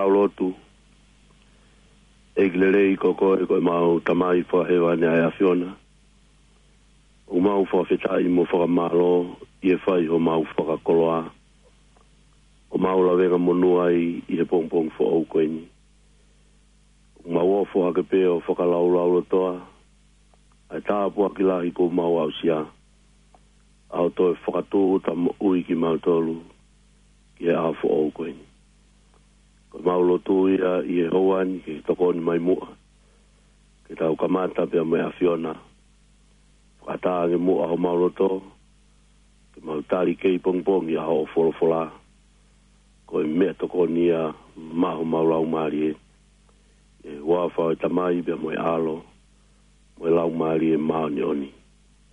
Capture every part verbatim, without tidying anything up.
Tau lotu. ʻEiki lelei, ko koe ko ʻemau Tamai fakahēvani ʻa e ʻAfiona. ʻOku mau fakafetaʻi mo fakamālō ʻi he fai homau fakakoloa ʻoku mau lavengamonū ai ʻi he pongipongi foʻou ko eni. ʻOku mau ofo hake pē ʻo fakalaulaulotoa ʻa e tāpuaki lahi kuo mau aʻusia, ʻa hoʻo toe fakatūʻuta moʻui kimautolu ki he ʻaho foʻou ko eni. Ko ʻemau lotu ia ʻi he houa ni ke tokoni mai muʻa, ke tau kamata pea mo e ʻAfiona. Fakatānge muʻa homau loto, ke mau tali kei pongipongi ʻa hoʻo folofola. Ko e meʻatokoni ia maʻa homau laumālie. ʻI he huafa ʻo e Tamai pea mo e ʻAlo, mo e Laumālie Māʻoniʻoni.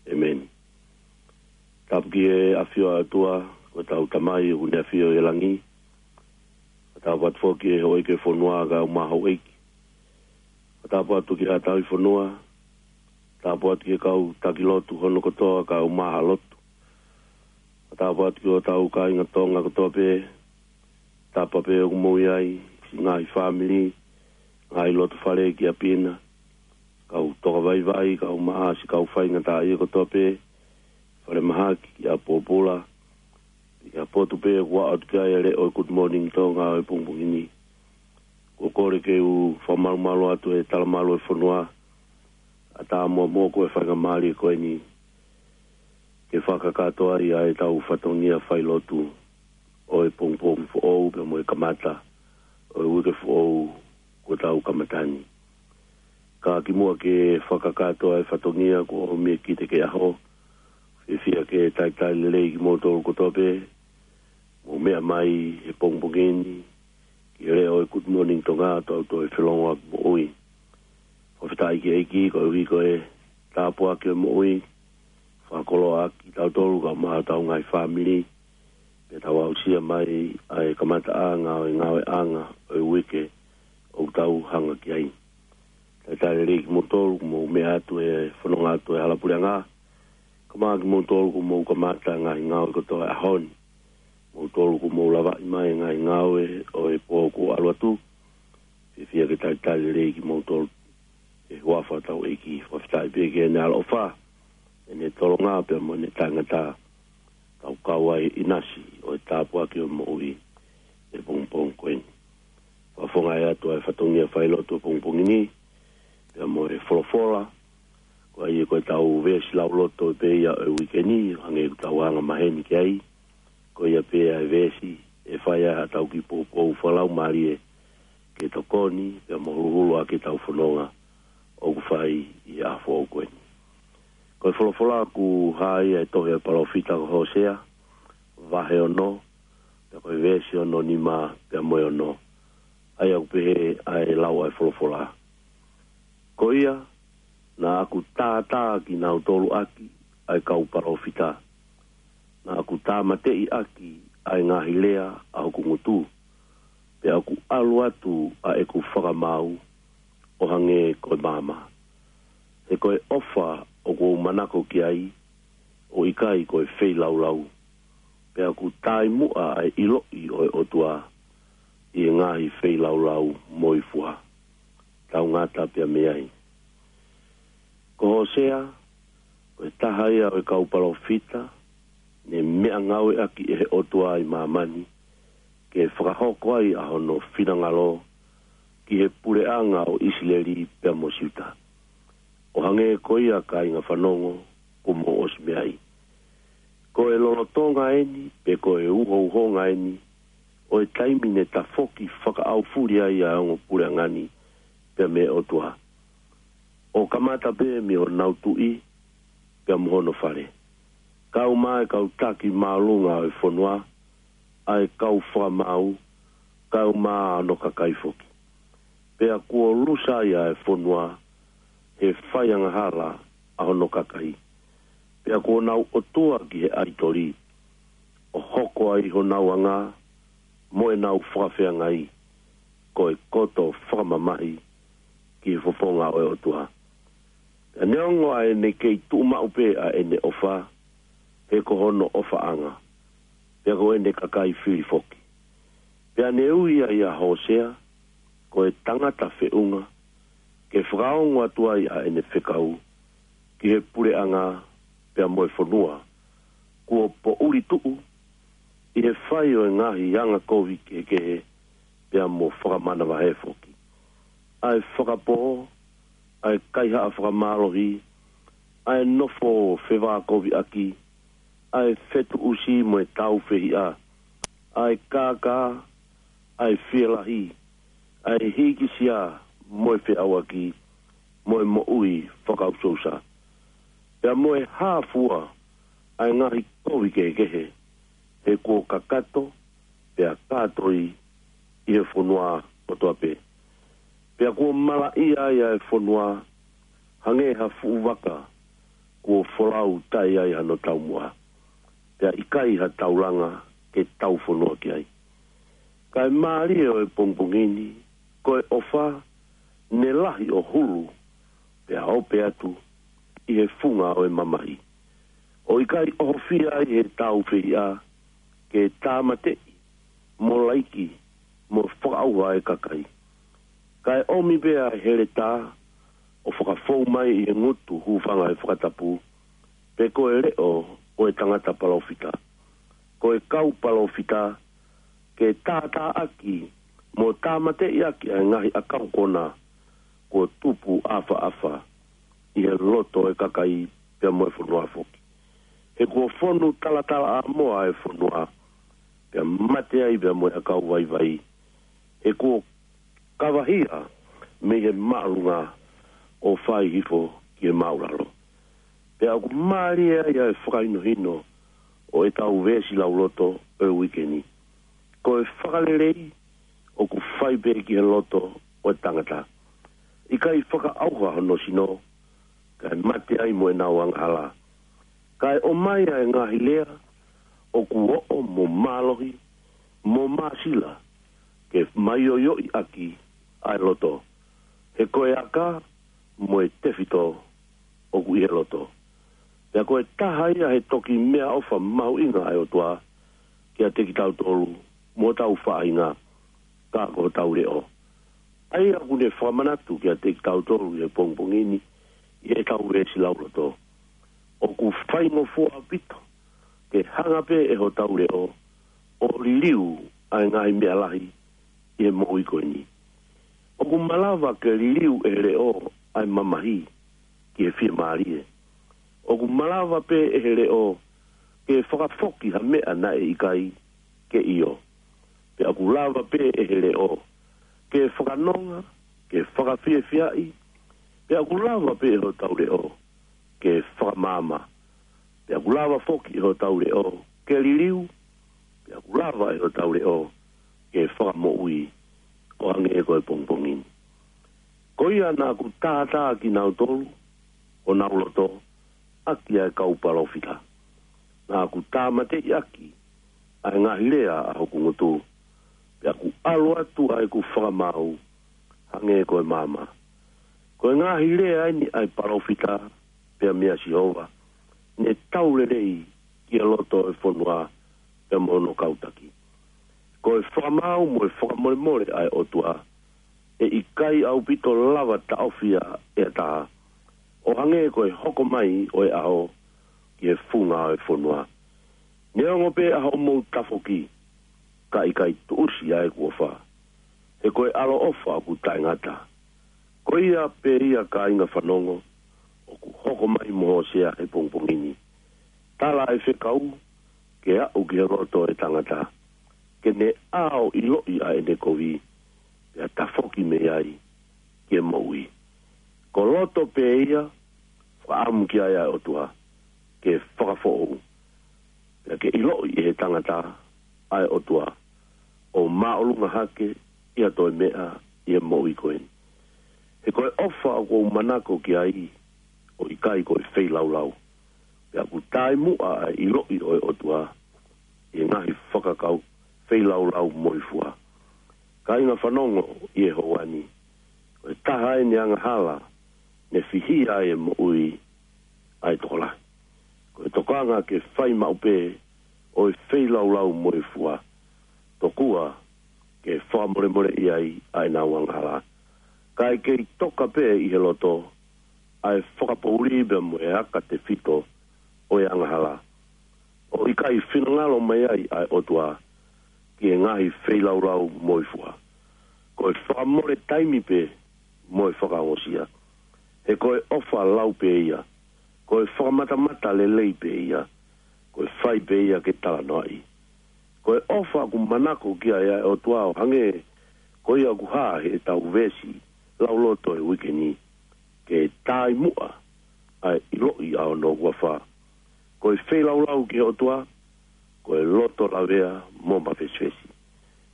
ʻEmeni. Tapu ki he ʻafio ʻa e ʻOtua, ko ʻetau Tamai ʻoku ne ʻafio ʻi he langi. Ko e tāpuaki foki ki he houʻeiki ʻo e fonua kae ʻumaʻā houʻeiki. Ko e tāpuaki ki haʻa tauhi fonua. Tāpuaki ki he kau taki lotu hono kotoa kae ʻumaʻā haʻa lotu. Ko e tāpuaki ki hotau kāinga Tonga kotoa pē, tapa pē ʻoku mou ʻi ai, siʻi ngaahi fāmili, ngaahi loto fale ki ʻapi na, kau toka vaivai, kae ʻumaʻā siʻi kau faingataʻaʻia kotoa pē, falemahaki, ki ʻapi pōpula, ki ha potu pē ʻoku aʻu ki ai e leʻo ʻo e Good Morning Tonga ʻo e pongipongi ni. Ko e kole ke u fakamalumalu atu e talamalu ʻo e fonua, ʻatā muʻa mo e faingamālie ko eni, ke fakakakato ai ʻa ʻetau fatongia failotu ʻo e pongipongi foʻou pea mo e kamata ʻo e uike foʻou kuo tau kamata ni. Ka kimuʻa ke fakakakato ʻa e fatongia kuo ʻomi ʻe kita ki he ʻaho, fiefia ke talitali lelei kimoutolu kotoa pē, mou meʻa mai he pongipongi ni, ki he leʻo ʻo e Good Morning Tonga, tau toe felongoaki moʻui. Fakafetaʻi ki he ʻEiki, koeʻuhi ko e tāpuaki ʻo e moʻui, fakakoloa ʻaki kitautolu kae ʻumaʻā hotau ngaahi fāmili, pea tau aʻusia mai ʻa e kamataʻanga ʻo e ngāueʻanga ʻo e uike ʻoku tau hanga ki ai. Talitali lelei kimoutolu kuo mou meʻa atu he fononga atu ʻa e hala puleʻanga, kae ʻumaʻā kimoutolu kuo mou kamata ngaahi ngāue kotoa he ʻaho ni. Moutolu kuo mou lavaʻi mai ngaahi ngāue ʻo e pō kuo ʻalu atu. Fiefia ke talitali lelei kimoutolu he huafa ʻo hotau ʻEiki. Fakafetaʻi pē ki heʻene ʻaloʻofa, ʻene tolonga pea mo ʻene taʻengata, tau kau ai he ʻinasi ʻo e tāpuaki ʻo e moʻui he pongipongi ko eni. Fakafofongaʻi atu ʻa e fatongia failotu ʻo e pongipongi ni, pea mo e folofola, ko ia ko ʻetau veesi lauloto pē ia ʻo e uike ni, hangē ko ʻetau anga maheni ki ai, ko ia pē ʻa e veesi ʻe fai ai haʻatau kiʻi poupou fakalaumālie, ke tokoni, pea mo huluhulu ʻaki ʻetau fononga ʻoku fai ʻi he ʻaho foʻou ko eni. Ko e folofola ʻoku hā ia he tohi ʻa e palōfita ko Hōsea, vahe ono, pea ko e veesi ono nima pea mo e ono. ʻA ia ʻoku pehē ʻa e lau ʻa e folofola. Ko ia, naʻa ku tātā kinautolu ʻaki ʻa e kau palōfita. Naʻa ku tāmateʻi ʻaki ʻa e ngaahi lea ʻa hoku ngutu. Pea ʻoku ʻalu atu ʻa ʻeku fakamaau ʻo hangē ko e maama. He ko e ʻofa ʻoku ou manako ki ai, ʻo ʻikai ko e feilaulau. Pea ʻoku tāimuʻa ʻa e ʻiloʻi ʻo e ʻOtua ʻi he ngaahi feilaulau moifua. Tau ngata pea mei ai. Ko Hōsea, ko e taha ia ʻo e kau palōfita, ne meʻangāueʻaki ʻe he ʻOtua ʻi māmani, ke fakahoko ai ʻa hono finangalo ki he puleʻanga ʻo ʻIsileli pea mo Siuta. ʻO hangē ko ia kāinga fanongo kuo mou ʻosi meʻa ai. Ko e lolotonga eni, pe ko e uhouhonga eni, ʻo e taimi ne tafoki fakaʻaufuli ai ʻa e ongo puleʻanga ni, pea mei he ʻOtua. ʻO kamata pē mei honau tuʻi, pea mo hono fale. Kae ʻumaʻā e kau taki māʻolunga ʻo e fonua, ʻa e kau fakamaau, kae ʻumaʻā hono kakai foki. Pea kuo lusa ai ʻa e fonua, he fai angahala ʻa hono kakai. Pea kuo nau ʻotua ki he ʻaitoli, ʻo hoko ai honau anga, mo ʻenau fakafeangai, ko e koto fakamamahi ki he fofonga ʻo e ʻOtua. Pea neongo ʻa ʻene kei tuʻu maʻu pē ʻa ʻene ʻofa, he ko hono ʻofaʻanga, pea ko ʻene kakai fili foki. Pea ne ui ai ʻa Hōsea, ko e tangata feʻunga ke fakaongo atu ai ʻa ʻene fekau ki he puleʻanga pea mo e fonua kuo poʻuli tuʻu ʻi he fai ʻo e ngaahi anga kovi kehekehe pea mo fakamanavahē foki. ʻA e fakapō, ʻa e kaihaʻa fakamālohi, ʻa e nofo fevākoviʻaki, ʻa e fetuʻusi mo e tāufehiʻa, ʻa e kākā, ʻa e fielahi, ʻa e hīkisia mo e feʻauaki, mo e moʻui fakausousa. Pea mo e hā fua ʻa e ngaahi kovi kehekehe, he kuo kakato, pea kātoi ʻi he fonua kotoa pē. Pea kuo malaʻia ai ʻa e fonua, hangē ha fuʻu vaka kuo folau taʻe ai hano taumuʻa, pea ʻikai ha taulanga ke taufonua ki ai. Kae mālie ʻo e pongipongi ni, ko e ʻofa ne lahi ʻo hulu, pea ope atu ʻi he funga ʻo e mamahi, ʻo ʻikai ʻohofia ai he tāufehiʻa ke tāmateʻi mo laiki mo fakaʻauha e kakai. Kae ʻomi pē ʻa e heletā ʻo fakafou mai ʻi he ngutu hūfanga he fakatapu, pe ko e leʻo ʻo e tangata palōfita, ko e kau palōfita, ke tātāʻaki mo tāmateʻiʻaki ʻa e ngaahi ʻakau kona kuo tupu ʻafaʻafa ʻi he loto ʻo e kakai pea mo e fonua foki. He kuo fonu talatalaʻāmoa e fonua, pea mate ai pea mo e ʻakau vaivai. He kuo kavahia mei he māʻolunga ʻo fai hifo ki he māʻulalo. Pea ʻoku mālie ai ʻa e fakahinohino ʻo ʻetau veesi lauloto ʻo e uike ni. Ko e fakalelei ʻoku fai pē ki he loto ʻo e tangata. ʻIkai fakaʻauha hono sino, kae mate ai mo ʻenau angahala. Kae ʻomai ʻa e ngaahi lea ʻoku oʻo mo mālohi mo māsila, ke maioioʻi ʻaki ʻa e loto. He ko e aka mo e tefito ʻoku ʻi he loto. Pea ko e taha ia he toki meʻaʻofa mahuʻinga ʻa e ʻOtua kiate kitautolu mo hotau faʻahinga, ka ko hotau leʻo. ʻA ia ʻoku ne fakamanatu kiate kitautolu ʻi he pongipongi ni ʻi heʻetau veesi lauloto, ʻoku faingofua ʻaupito ke hanga pē ʻe hotau leʻo ʻo liliu ʻa e ngaahi meʻa lahi ʻi he moʻui ko eni. ʻOku malava ke liliu ʻe he leʻo ʻa e mamahi ki he fiemālie. ʻOku malava pē ʻe he leʻo ke fakafoki ha meʻa naʻe ʻikai ke ʻio. Pea ʻoku lava pē ʻe he leʻo ke fakanonga, ke fakafiefiaʻi. Pea ʻoku lava pē ʻe hotau leʻo ke fakamaama. Pea ʻoku lava foki ʻe hotau leʻo ke liliu. Pea ʻoku lava ʻe hotau leʻo ke fakamoʻui, ʻo hangē ko e pongipongi ni. Ko ia naʻa ku tātā kinautolu, honau loto, ʻaki ʻa e kau palōfita. Naʻa ku tāmateʻi ʻaki ʻa e ngaahi lea ʻa hoku ngutu. Pea ʻoku ʻalu atu ʻa ʻeku fakamaau hangē ko e maama. Ko e ngaahi lea eni ʻa e palōfita, pea meia Sihova, ne tau lelei ki he loto ʻo e fonua pea mo hono kau taki. Ko e fakamaau mo e fakamolemole ʻa e ʻOtua, ʻe ʻikai ʻaupito lava taʻofi ia ʻe ha taha, ʻo hangē ko e hoko mai ʻo e ʻaho ki he funga ʻo e fonua. Neongo pē ʻa hoʻomou tafoki, ka ʻikai tuʻusi ʻa ʻeku ʻofa. He ko e ʻaloʻofa ʻoku taʻengata. Ko ia pē ia, kāinga fanongo, ʻoku hoko mai mo Hōsea he pongipongi ni. Tala ʻa e fekau ke aʻu ki he loto ʻo e tangata, ke ne ʻā ʻo ʻiloʻi ʻa ʻene kovi, pea tafoki mei ai ki he moʻui. Ko loto pē ia, fakaʻamu ki ai ʻa e ʻOtua, ke fakafoʻou. Pea ke ʻiloʻi ʻe he tangata ʻa e ʻOtua, ʻo māʻolunga hake ʻi ha toe meʻa ʻi he moʻui ko eni. He ko e ʻofa ʻoku ou manako ki ai, ʻo ʻikai ko e feilaulau. Pea ʻoku taʻemuʻa ʻa e ʻiloʻi ʻo e ʻOtua ʻi he ngaahi fakakaukau feilaulau moifua. Kāinga fanongo ʻi he houa ni, ko e taha eni e angahala ne fihia ai e moʻui ʻa e tokolahi. Ko e tokanga ke fai maʻu pē ʻo e feilaulau moifua. Tokua ke fakamolemoleʻi ai ʻa ʻenau angahala. Kae kei toka pē ʻi he loto ʻa e fakapoʻuli pea mo e aka tefito ʻo e angahala, ʻo ʻikai finangalo mai ai ʻa e ʻOtua ki he ngaahi feilaulau moifua. Ko e fakamole taimi pē mo e fakaongosia. He ko e ʻofa lau pē ia, ko e fakamatamata lelei pē ia, ko e fai pē ia ke talanoaʻi. Ko e ʻofa ʻoku manako ki ai ʻa e ʻOtua ʻo hangē ko ia ʻoku hā heʻetau veesi lauloto e uike ni, ke tāimuʻa ʻa e ʻiloʻi ʻa hono huafa. Ko e feilaulau ki he ʻOtua, ko e loto lavea mo mafesifesi.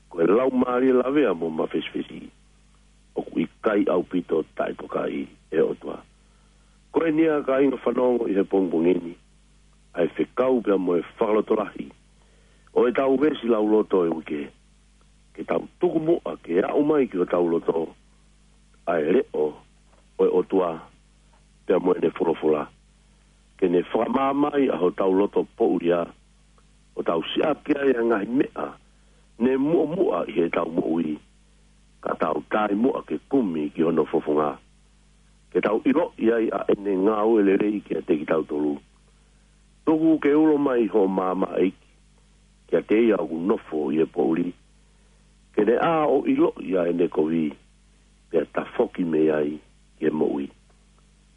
Ko e laumālie lavea mo mafesifesi, ʻoku ʻikai ʻaupito taʻetokaʻi ʻe he ʻOtua. Ko eni ia, kāinga fanongo ʻi he pongipongi ni, ʻa e fekau pea mo e fakalotolahi ʻo ʻetau veesi lauloto e uike, ke tau tuku muʻa ke aʻu mai ki hotau loto ʻa e leʻo ʻo e ʻOtua pea mo ʻene folofola, ke ne fakamaama ai ʻa hotau loto poʻulia, ʻo tau siʻaki ai ʻa e ngaahi meʻa ne muʻomuʻa ʻi heʻetau moʻui, ka tau tāimuʻa ke kumi ki hono fofonga, ke tau ʻiloʻi ai ʻa ʻene ngāue lelei kiate kitautolu. Tuku ke ulo mai hoʻo maama, ʻEiki, kiate ia ʻoku nofo ʻi he poʻuli, ke ne ʻā ʻo ʻiloʻi ʻa ʻene kovi, pea tafoki mei ai ki he moʻui.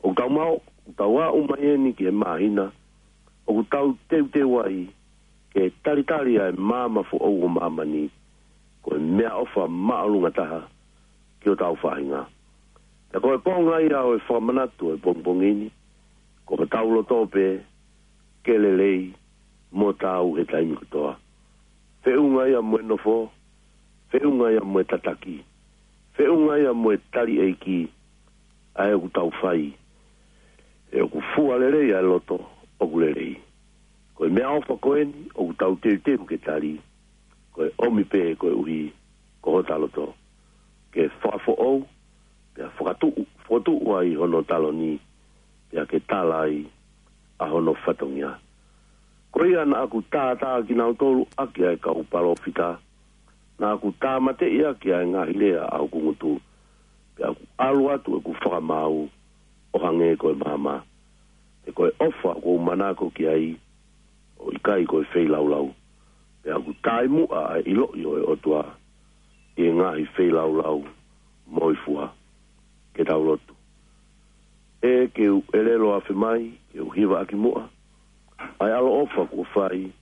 ʻOku tau maʻu, ʻoku tau aʻu mai eni ki he māhina ʻoku tau teuteu ai ke talitali ʻa e maama foʻou ʻo māmani, ko e meʻaʻofa māʻolunga taha ki hotau faʻahinga. Pea ko e konga ia ʻo e fakamanatu ʻo e pongipongi ni, ko hotau loto pē ke lelei mo taau he taimi kotoa. Feʻunga ia mo e nofo, feʻunga ia mo e tataki, feʻunga ia mo e tali ʻEiki, ʻa ē ʻoku tau fai, he ʻoku fua lelei ʻa e loto ʻoku lelei. Ko e meʻaʻofa ko eni ʻoku tau teuteu ke tali, ko e ʻomi pē koeʻuhi ko hota loto, ke fakafoʻou, pea fakatuʻu, fokotuʻu ai hono taloni, pea ke tala ai ʻa hono fatongia. Ko ia naʻa ku tātā kinautolu ʻaki ʻa e kau palōfita, naʻa ku tāmateʻi ʻaki ʻa e ngaahi lea ʻa hoku ngutu, pea ʻoku ʻalu atu ʻeku fakamaau ʻo hangē ko e maama. He ko e ʻofa ʻoku ou manako ki ai, ʻo ʻikai ko e feilaulau. Pea ʻoku tāimuʻa ʻa e ʻiloʻi ʻo e ʻOtua ʻi he ngaahi feilaulau moifua. Ke tau lotu. ʻE ke u ʻelelo afe mai, ke u hivaʻaki muʻa ʻa e ʻaloʻofa kuo fai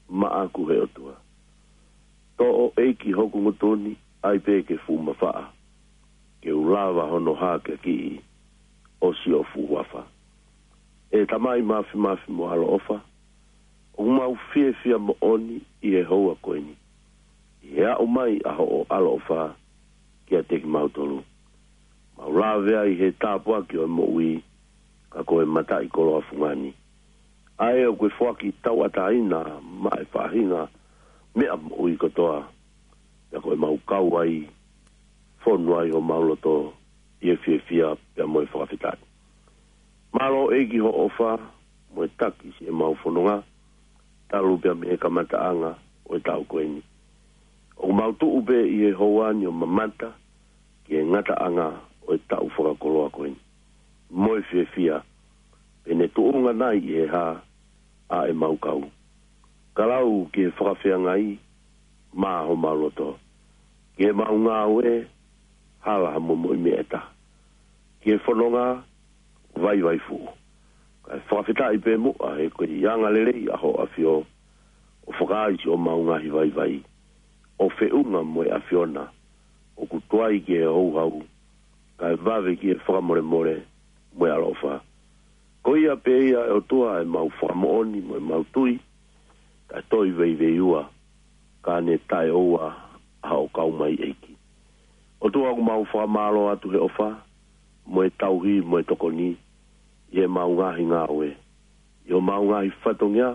maʻaku, ʻe ʻOtua. Toʻo, ʻEiki, hoku ngutu ni, ʻai pē ke fuʻu mafaʻa, ke u lava hono hakeakiʻi ʻo siʻo fuʻu huafa. ʻE Tamai mafimafi mo ʻaloʻofa, ʻoku mau fiefia moʻoni ʻi he houa ko eni, ʻi he aʻu mai ʻa hoʻo ʻaloʻofa kiate kimautolu. Mau lave ai he tāpuaki ʻo e moʻui, ka ko e mataʻikoloa fungani, ʻa ē ʻoku ke foaki tauʻatāina maʻa e faʻahinga meʻa moʻui kotoa, pea ko e mau kau ai, fonu ai homau loto ʻi he fiefia pea mo e fakafetaʻi. Mālō, ʻEiki, hoʻo ʻofa mo e taki siʻemau fononga, talu pea mei he kamataʻanga ʻo e taʻu ko eni. ʻOku mau tuʻu pē ʻi he houa ni ʻo mamata ki he ngataʻanga ʻo e taʻu fakakoloa ko eni, mo e fiefia pe ne tuʻunga nai ʻi he hā ʻa ʻemau kau. Ka lau ki he fakafeangai maʻa homau loto, ki heʻemau ngāue, hala ha momoʻi meʻa ʻe taha, ki he fononga, vaivai fuʻu. Kae fakafetaʻi pē muʻa he ko e anga lelei ʻa hoʻo ʻAfio ʻo fakaai siʻomau ngaahi vaivai, ʻo feʻunga mo e ʻAfiona ʻoku tuai ki he houhau, kae vave ki he fakamolemole mo e ʻaloʻofa. Ko ia pē ia, ʻe ʻOtua, ʻemau fakamoʻoni mo ʻemau tui, kae toe veiveiua, ka ne taʻeʻoua ʻa hoʻo kau mai, ʻEiki. ʻOtua, ʻoku mau fakamālō atu he ʻofa mo e tauhi mo e tokoni ʻi heʻemau ngaahi ngāue, ʻi homau ngaahi fatongia,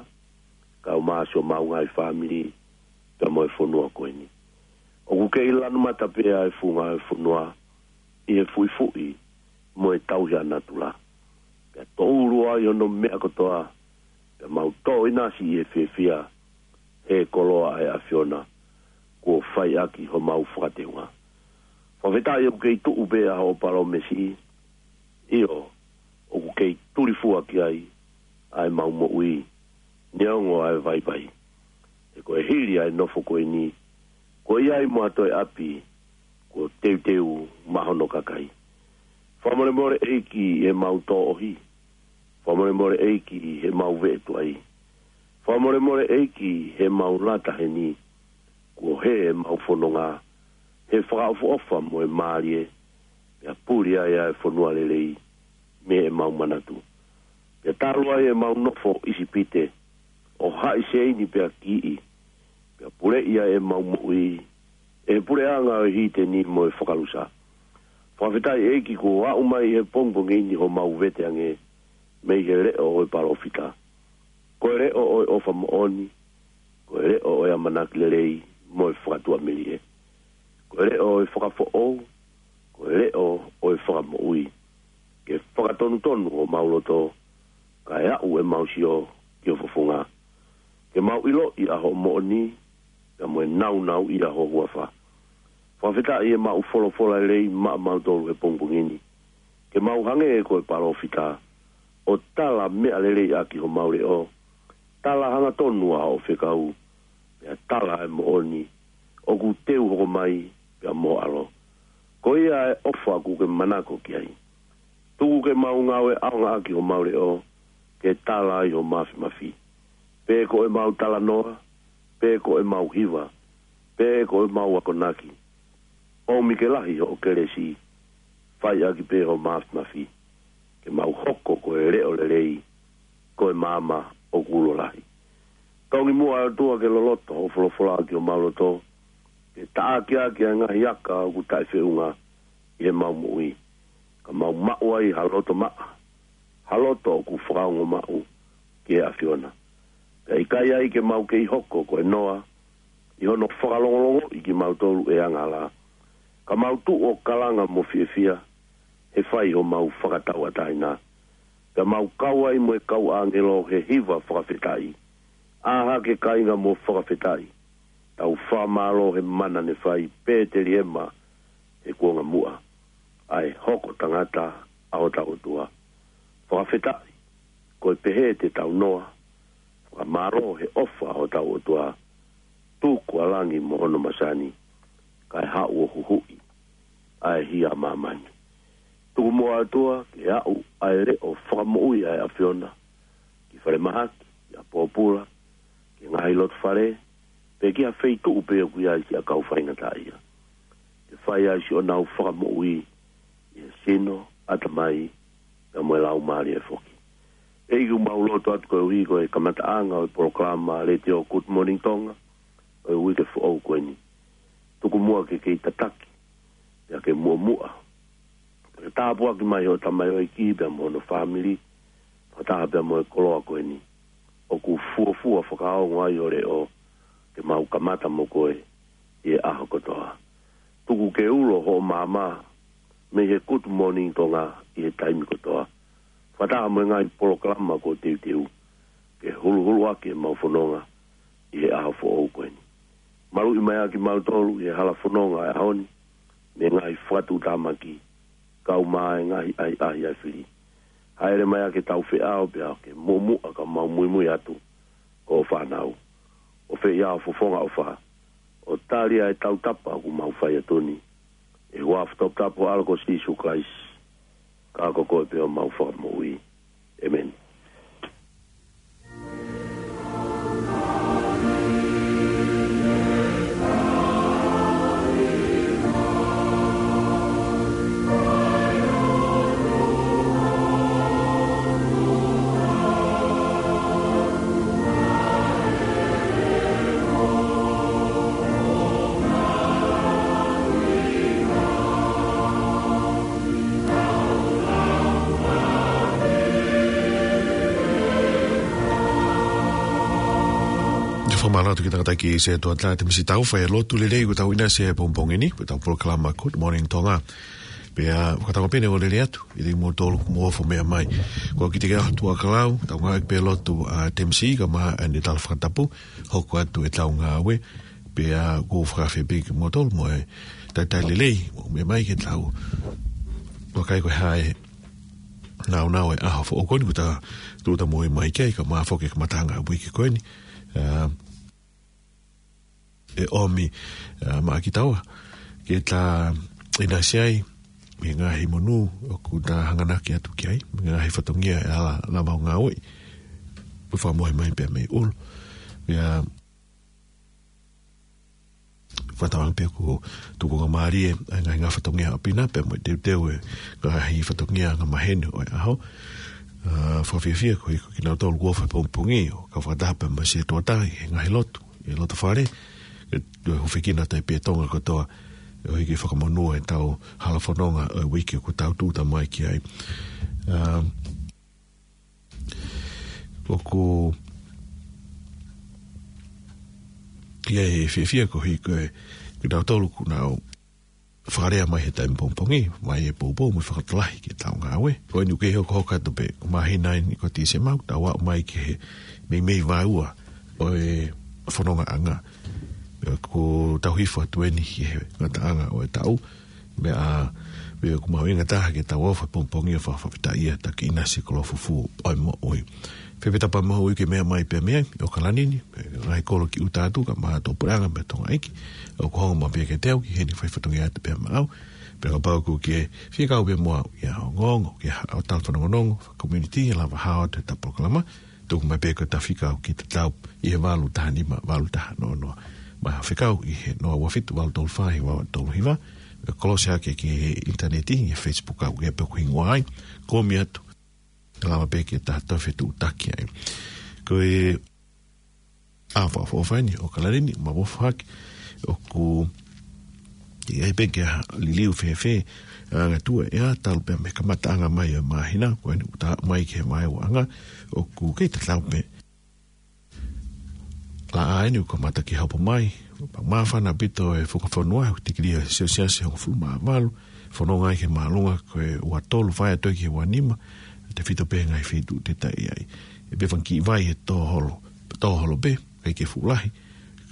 kae ʻumaʻā siʻomau ngaahi fāmili, pea mo e fonua ko eni. ʻOku kei lanu mata pē ʻa e funga ʻo e fonua ʻi he fuʻifuʻi mo e tauhi ʻa natula. Pea toʻulu ai hono meʻa kotoa, pea mau toʻo ʻinasi ʻi he fiefia he koloa ʻa e ʻAfiona. kuo fai ʻaki homau fakateunga. Fakafetaʻi ʻoku kei tuʻu pē ʻa hoʻo palōmesi, ʻio, ʻoku kei tulifua ki ai ʻa ʻemau moʻui, neongo ʻa e vaivai. He ko e hili ʻa e nofo ko eni, ko ia ai mo ha toe ʻapi, kuo teuteu maʻa hono kakai. Fakamolemole ʻEiki ʻi heʻemau tōʻohi. Fakamolemole ʻEiki ʻi heʻemau veʻe tuai. Fakamolemole ʻEiki ʻi heʻemau lata heni. Kuo hē ʻemau fononga he fakaʻofoʻofa mo e mālie, pea puli ai ʻa e fonua lelei mei heʻemau manatu. Pea talu ai ʻemau nofo ʻIsipite, ʻo haʻi Seini pea kiʻi, pea puleʻi ai ʻemau moʻui ʻe he puleʻanga ʻo e hiteni mo e fakalusa. Fakafetaʻi ʻEiki kuo aʻu mai he pongipongi ni homau veteange mei he leʻo ʻo e palōfita. Ko e leʻo ʻo e ʻofa moʻoni, ko e leʻo ʻo e ʻamanaki lelei mo e fakatuʻamelie. Ko e leʻo ʻo e fakafoʻou, ko e leʻo ʻo e fakamoʻui. Ke fakatonutonu homau loto, kae aʻu ʻemau sio ki ho fofonga. Ke mau ʻiloʻi ʻa hoʻo moʻoni, pea mo e nāunauʻia ho huafa. Fakafetaʻi ʻemau folofola lelei maʻamautolu he pongipongi ni. Ke mau hangē ko e palōfita, ʻo tala meʻa lelei ʻaki homau leʻo, tala hangatonu ʻa hoʻo fekau, pea tala e moʻoni, ʻoku teu hoko mai, pea mo ho ʻAlo. Ko ia e ʻofa ʻoku ke manako ki ai. Tuku ke mau ngāue ʻaonga ʻaki homau leʻo, ke tala ai ho mafimafi. Pe ko ʻemau talanoa, pe ko ʻemau hiva, pe ko ʻemau akonaki. ʻOmi ke lahi hoʻo kelesi, fai ʻaki pē ho mafimafi. Ke mau hoko ko e leʻo lelei, ko e maama ʻoku ulo lahi. Tongi muʻa ʻOtua ke loloto hoʻo folofola ki homau loto, ke taʻaki ʻaki ʻa e ngaahi aka ʻoku taʻefeʻunga ʻi heʻemau moʻui. Ka mau maʻu ai ha loto maʻa, ha loto ʻoku fakaongo maʻu ki he ʻAfiona. Pea ʻikai ai ke mau kei hoko ko e noa, ʻi hono fakalongolongoʻi kimautolu ʻe he angahala. Ka mau tuʻu ʻo kalanga mo fiefia, he fai homau fakatauʻatāina. Pea mau kau ai mo e kau ʻāngelo he hiva fakafetaʻi. ʻĀ hake kāinga mo fakafetaʻi. Tau fakamālō he mana ne fai Pēteliema he kuonga muʻa. ʻA e hoko tangata ʻa hotau ʻOtua. Fakafetaʻi, ko e pehē te tau noa. Fakamālō he ʻofa ʻa hotau ʻOtua. Tuku ʻa langi mo hono masani. Kae haʻu ʻo huhuʻi ʻa e hia ʻa māmani. Tuku muʻa ʻOtua ke aʻu ʻa e leʻo fakamoʻui ʻa e ʻAfiona ki falemahaki, ki ʻapōpula, ki he ngaahi loto fale, pe ki ha feituʻu pē ʻoku ʻi ai siʻa kau faingataʻaʻia. Ke fai ai siʻonau fakamoʻui ʻi he sino, ʻatamai, pea mo e laumālie foki. ʻEiki, ʻoku mau lotu atu koeʻuhi ko e kamataʻanga ʻo e polokalama Letiō Good Morning Tonga ʻo e uike foʻou ko eni. Tuku muʻa ke kei tataki, pea ke muʻomuʻa. Pea ke tāpuaki mai hoʻo tamaioʻeiki pea mo hono fāmili, fakataha pea mo e koloa ko eni. ʻOku fuofua fakaongo ai ho leʻo, ke mau kamata mo koe ʻi he ʻaho kotoa. Tuku ke ulo hoʻo maama mei he Good Morning Tonga ʻi he taimi kotoa. Fakataha mo e ngaahi polokalama kuo teuteu, ke huluhulu ʻaki ʻemau fononga ʻi he ʻaho foʻou ko eni. Maluʻi mai ʻa kimautolu ʻi he hala fononga ʻo e ʻaho ni, mei he ngaahi fakatuʻutāmaki, kau mai e ngaahi ʻahiʻahi ʻa e fili. Hāʻele mai ʻa ke tau feʻao pea ke muʻomuʻa ka mau muimui atu ko hoʻo fānau. ʻO fai ʻa e fofonga ʻofa, ʻo tali ʻa e tautapa ʻoku mau fai atu ni. ʻI he huafa toputapu ʻo ho ʻAlo ko Sīsū Kalaisi, ka ko koe pē homau Fakamoʻui. ʻĒmeni. Te fakamālō atu ki he tangataʻeiki Setuata Temisi Taufa he lotu lelei kuo tau ʻinasi he pongipongi ni, ko ʻetau polokalama Good Morning Tonga. Pea fakatauange pē ʻe ʻoua lelei atu, ʻi he moutolu mo fo meʻa mai. Ko kite ke atu ʻa kalau, tau ngāueʻaki pē lotu ʻa Temisi, kae ʻumaʻā ʻene tala fakatapu, hoko atu ʻetau ngāue. Pea ʻoku ou fakafeʻao pē kimoutolu mo e talitali lelei, mou meʻa mai ke tau vakai ko e hā e nāunau e ʻaho foʻou ko eni kuo ta tuʻuta moʻui mai ki ai, kae ʻumaʻā foki e kamataʻanga ʻo e uike ko eni. ʻA, ʻe ʻomi, ʻa, maʻa kitaua ke ta ʻinasi ai mei he ngaahi monū ʻoku ta hanganaki atu ki ai, mei he ngaahi fatongia ʻe ala lava ʻo ngāueʻi. Pea fakamohe mai pea mei ʻulu. Pea fakatauange pē ʻoku tukunga mālie ʻa e ngaahi, ngaahi fatongia ʻapi na, pea mo e teuteu e ngaahi fatongia angamaheni ʻo e ʻaho. ʻA, fakafiefia koeʻuhi ko kinautolu kuo ʻofa he pongipongi ʻo kau fakataha pea mo e sētuata ʻi he ngaahi lotu, ʻi he loto fale, ke toe hūfekina atu ai pē Tonga kotoa, ʻo hiki fakamonū ʻetau hala fononga ʻo e uike kuo tau tuʻuta mai ki ai. ʻA, ʻoku ʻi ai e fiefia koeʻuhi ko e, kinautolu kuo nau fakalea mai he taimi pongipongi, mai he poupou mo e fakatalahi ki heʻetau ngāue. Ko eni ʻoku kei hokohoko atu pē, ko e māhina eni ko Tīsema, tau aʻu mai ki he meimei vāua ʻo e fonongaʻanga. Pea ʻoku tau hifo atu eni ki he ngataʻanga ʻo e taʻu. Meʻa, meʻa ʻoku mahuʻinga taha ke tau ʻofa he pongipongi ʻo fakafetaʻia, taki ʻinasi koloa fufū ʻo e moʻui. Fēfē Tapamahuʻi ke meʻa mai pea mei ai, ʻo ka lani ni, ʻe ngaahi kolo ki ʻuta atu, kae ʻumaʻā Tuʻapulelulu mo e Tonga ʻEiki, ʻoku hanga mai pē ke teu ki heni fai fatongia atu pea maʻau, pea kapau ʻoku ke fie kau pē mo au ʻi ha ongoongo, ki ha ʻo tau fanongonongo, faka-community, ʻe lava hao atu ʻetau polokalama, tuku mai pē ko e tafi kau ki he tatau ʻi he valu taha nima, valu taha noa noa. Mo e fekau ʻi he noa ua fitu, valu tolu fā, hiva ua tolu hiva, ʻe kolosi hake ki he ʻinitaneti, ʻi he Facebook ʻoku ʻi ai pē hoku hingoa ai, kumi atu, ʻe lava pē ke ta toe fetuʻutaki ai. Ko e ʻaho fakaʻofoʻofa eni ʻo ka lani ni, ma vofa hake, ʻoku ʻi ai pē ke ha liliu fēfē, ʻa e ngaahi tuʻu ʻe ʻa talu pē mei he kamataʻanga mai ʻo e māhina, ko eni ʻoku ta aʻu mai ki he vaeuaʻanga, ʻoku kei tatau pē. Laʻā eni ʻoku kamata ke hopo mai, pea māfana ʻaupito e funga fonua, ʻoku tikilī ʻa e Selsiasi hongofulu mā valu, fononga ai ki he māʻolunga ko e ua tolu fai atu ki he ua nima, tefito pē ngaahi feituʻu te ta ʻi ai. ʻE pē fanga kiʻi vai he tō holo, tō holo pē, ʻikai ke fuʻu lahi,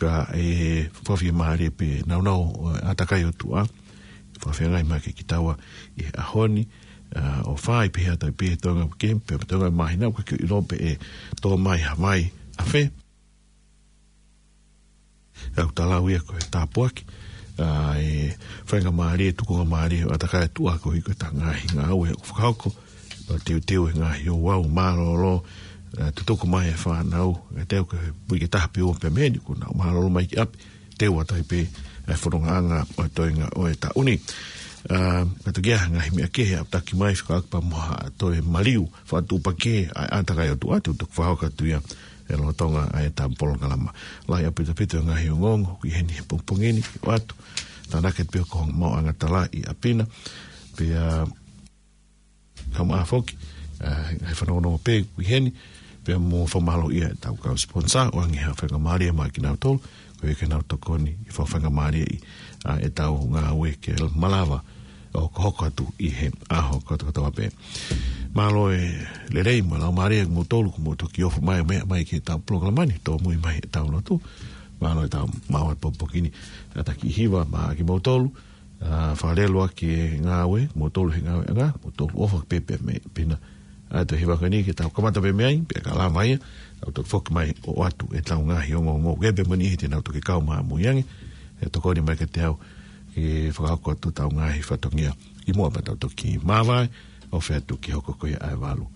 ka ʻe fakafiemālie pē nāunau ʻo e ʻātakai ʻo e ʻOtua, fakafeangai mai kiate kitaua ʻi he ʻaho ni, ʻa, ʻo fai pē ha tai pē Tonga ke, pē Tonga māhina, ʻoku ke ʻilo pē ʻe tō mai ha vai ʻa fē. ʻOku ta lau ia ko e tāpuaki, ʻa, ʻe faingamālie, tukungamālie ʻo e ʻātakai ʻo e ʻOtua koeʻuhi ko ʻeta ngaahi ngāue ʻoku fakahoko, ʻo teuteu e ngaahi ouau mālōlō, ʻa, tutuku mai e fānau, ʻe teu ke pui ke taha pe ua pē mei heni kuo nau mālōlō mai ki ʻapi, teu atu ai pē ʻa e fonongaʻanga ʻo e toenga ʻo e taʻu ni. ʻA, ka toki ʻi ai ha ngaahi meʻa kehe ʻoku taki mai fekauʻaki pea mo ha toe maliu, fakatuʻupakē ʻa e ʻātakai ʻo e ʻOtua, te u toki fakahoko atu ia he lolotonga ʻa ʻetau polokalama. Lahi ʻaupito ʻaupito e ngaahi ongoongo ʻoku ʻi heni he pongipongi ni, ʻoatu, tānaki atu pē ʻoku hoko ha maʻuʻanga tala ʻi ʻapi na, pea, ʻa, kae ʻumaʻā foki, ʻa, ngaahi fanongonongo pē ʻoku ʻi heni, pea mo fakamālōʻia ʻetau kau sponsor, ʻoange ha faingamālie maʻa kinautolu, koeʻuhi ke nau tokoni ke fakafaingamālieʻi ʻa ʻetau ngāue ke malava ʻo hokohoko atu ʻi he ʻaho kotokotoa pē. Mālō e lelei mo e laumālie kimoutolu kuo mou toki ʻofa mai ʻo meʻa mai ki heʻetau polokalama ni, tōmui mai ʻetau lotu. Mālō ʻetau maʻu e pongipongi ni, kātaki hiva maʻa kimoutolu, ʻa, fakalelu ʻa e ngāue, moutolu he ngāueʻanga, moutolu ʻofa pē pea mei ʻapi na. ʻA, toe hiva ko eni ke tau kamata pē mei ai, pea ka lava ia, tau toki foki mai ʻo ʻoatu ʻetau ngaahi ongoongo. Ke pē mani he te nau toki kau mai ʻamui ange, ʻe tokoni mai kiate au, ke fakahoko atu ʻetau ngaahi fatongia. ʻI muʻa pea tau toki māvae, ʻo fai atu ki he hoko ko ia ʻa e valu.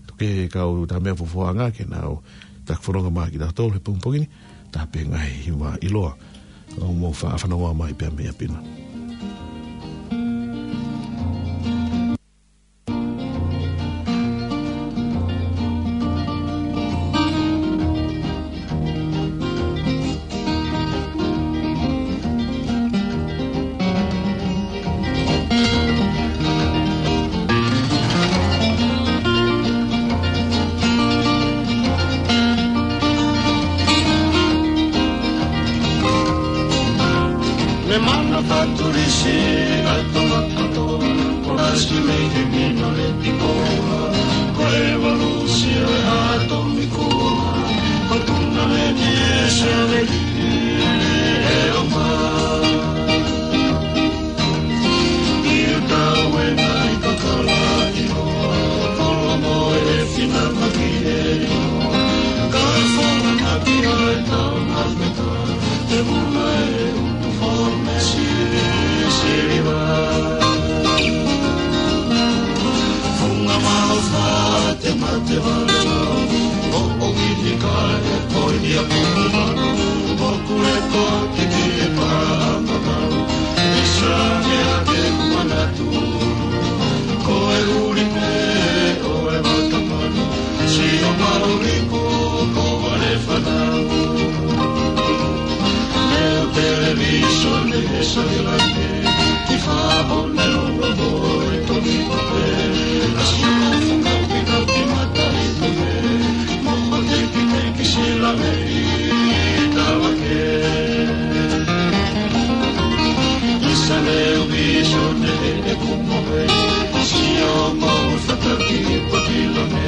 Toki kau tā meʻa fuafuaʻanga ke nau taki fononga maʻa kitautolu he pongipongi ni, tā pē ngaahi hiva ʻiloa. ʻOku mou faʻa fanongoa mai pea mei ʻapi na. Me mana faturisi ʻa e tangata, ʻo ʻasi mei he mino le piko, ko e valu sio e ʻatomiko, ko tuna le ni e sio le Ko e ʻuli pē ʻo e vaka manu, sio maʻuli kuo ko vale fanau. Leo televīsone he satelite, ki faʻo ne longo mo e toki kupe. Asi o funga pina ki mata i kupe, mo ko teki teki sila me i tala ke. Isa leo vīsone he kupe, sio mo fataki i poti lame,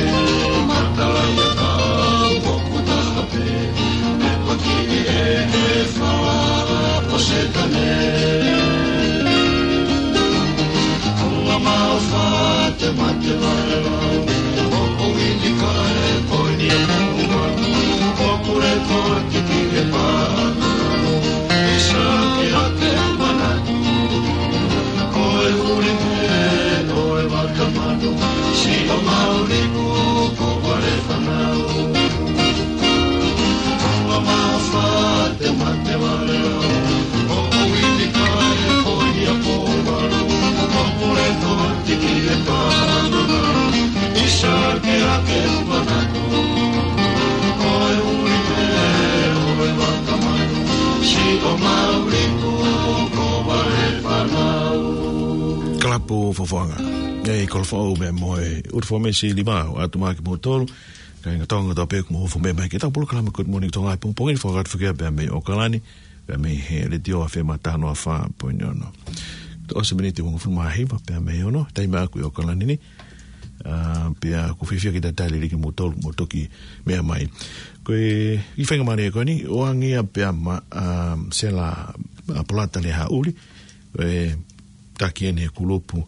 matala i a kau o kutaha pē, me poti i e he fala o Setane. Ua mau fate mate vale lau, o ko wini kae ko ni a puma, o kure ko tiki e pa. Isa ke ake manatu, ko e uri me o e vaka manu, si o mauri ku ko vale fanau. Ua mau fate mate vale lau, o ko wini kae ko ni a puma, o kure ko tiki e pa. Isa ke ake manatu, ko e uri me o e vaka manu, si o mauri ku ko vale fanau. Kalapu fofoʻanga. ʻE kolofoʻou me mo e ʻUluaki Fōmesi Lima ʻo ʻatu mai kimoutolu. Kāinga Tonga kotoa pē kuo mou ofi mai ki heʻetau polokalama Good Morning Tonga he pongipongi ni, fakatapu ki ai pea mei ʻOkalani, pea mei he Letiō F M taha noa fā poini ono. Toʻo se miniti ʻe hongofulu mā hiva pea mei he ono, taimi ʻaʻaku ʻi ʻOkalani ni. ʻA, pea ʻoku fiefia ke talitali lelei kimoutolu mo toki meʻa mai. Ko e kiʻi faingamālie ko eni, ʻoange ia pea maʻa, ʻa, Sela, ʻa, Polata Lehaʻuli, ʻe taki eni he kulupu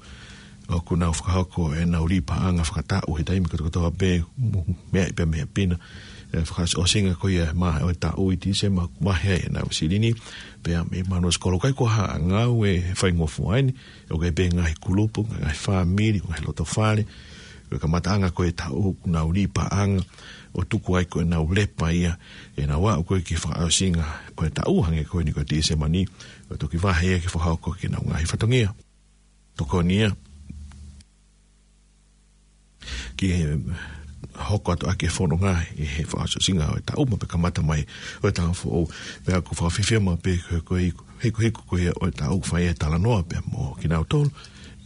ʻoku nau fakahoko ʻenau lī paʻanga fakataʻu he taimi kotokotoa pē, mo e meʻa pē mei he pina. ʻE fakaʻosinga ko ia mā ʻo e taʻu ʻi Tīsema, mahe ai ʻenau silini, pea mei Manuasikolo. ʻIkai ko ha ngāue faingofua eni, ʻoku ʻi ai pē ngaahi kulupu, ngaahi fāmili, ngaahi loto fale, ʻo e kamataʻanga ko e taʻu ʻoku nau lī paʻanga, ʻo tuku ai ko ʻenau lepa ia, ʻenau aʻu ko ē ki he fakaʻosinga ʻo e taʻu hangē ko eni ko Tīsema ni, ʻo toki vahe ia ke fakahoko ki heʻenau ngaahi fatongia. Tokoni ia ki he hoko atu ʻaki e fononga ʻi he fakaʻosinga ʻo e taʻu mo e kamata mai ʻo e taʻu foʻou. Pea ʻoku fakafiefia maʻu pē ko e, ko e hikuhiku ko ia ʻo e taʻu fai e talanoa pea mo kinautolu,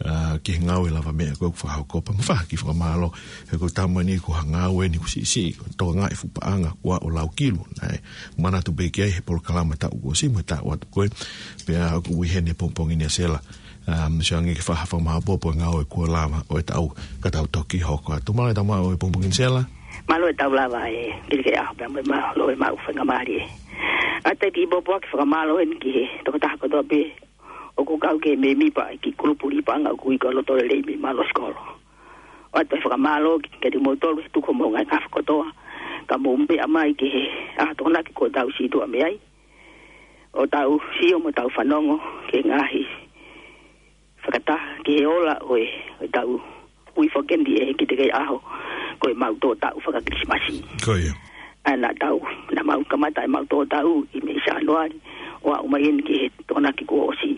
ʻa, ki he ngāue lavameʻa ko ē ʻoku fakahoko pea mo e fai ha kiʻi fakamālō. He ko e taimi ni ko ha ngāue ni kuo siʻisiʻi, ko e tokangaʻi fuʻu paʻanga kuo aʻu ʻo laukilu. Naʻe manatu pē ki ai he polokalama taʻu kuo ʻosi mo e taʻu atu ko ē. Pea ʻoku ui heni he pongipongi ni ʻa Sela, ʻa, mo siʻi ange ke fai ha fakamāʻopoʻopo e ngāue kuo lava ʻo e taʻu ka tau toki hoko atu. Mālō e tau maʻu e pongipongi ni Sela. Mālō e tau lava e Kilikeʻaho pea mo e mālō e maʻu faingamālie. ʻA, te u kiʻi pōpoaki fakamālō eni ki he tokotaha kotoa pē ʻoku kau ki he mēmipa ʻi he kiʻi kulupu lī paʻanga ʻoku ui ko e Loto Lelei mei Manuasikolo. ʻOatu e fakamālō kiate kimoutolu he tuku homou ngaahi ngafa kotoa, ka mou meʻa mai ki he ʻaho Tokonaki kuo tau sītuʻa mei ai, ʻo tau sio mo tau fanongo ki he ngaahi fakataha ki he ola ʻo e, ʻo e taʻu. Ui foki eni ʻe he Kilikeʻaho ko e maʻu tō taʻu faka-Kilisimasi. Ko ia. ʻA, naʻa tau, naʻa mau kamata ʻemau tō taʻu ʻi mei Sānuali, ʻo aʻu mai eni ki he Tokonaki kuo ʻosi.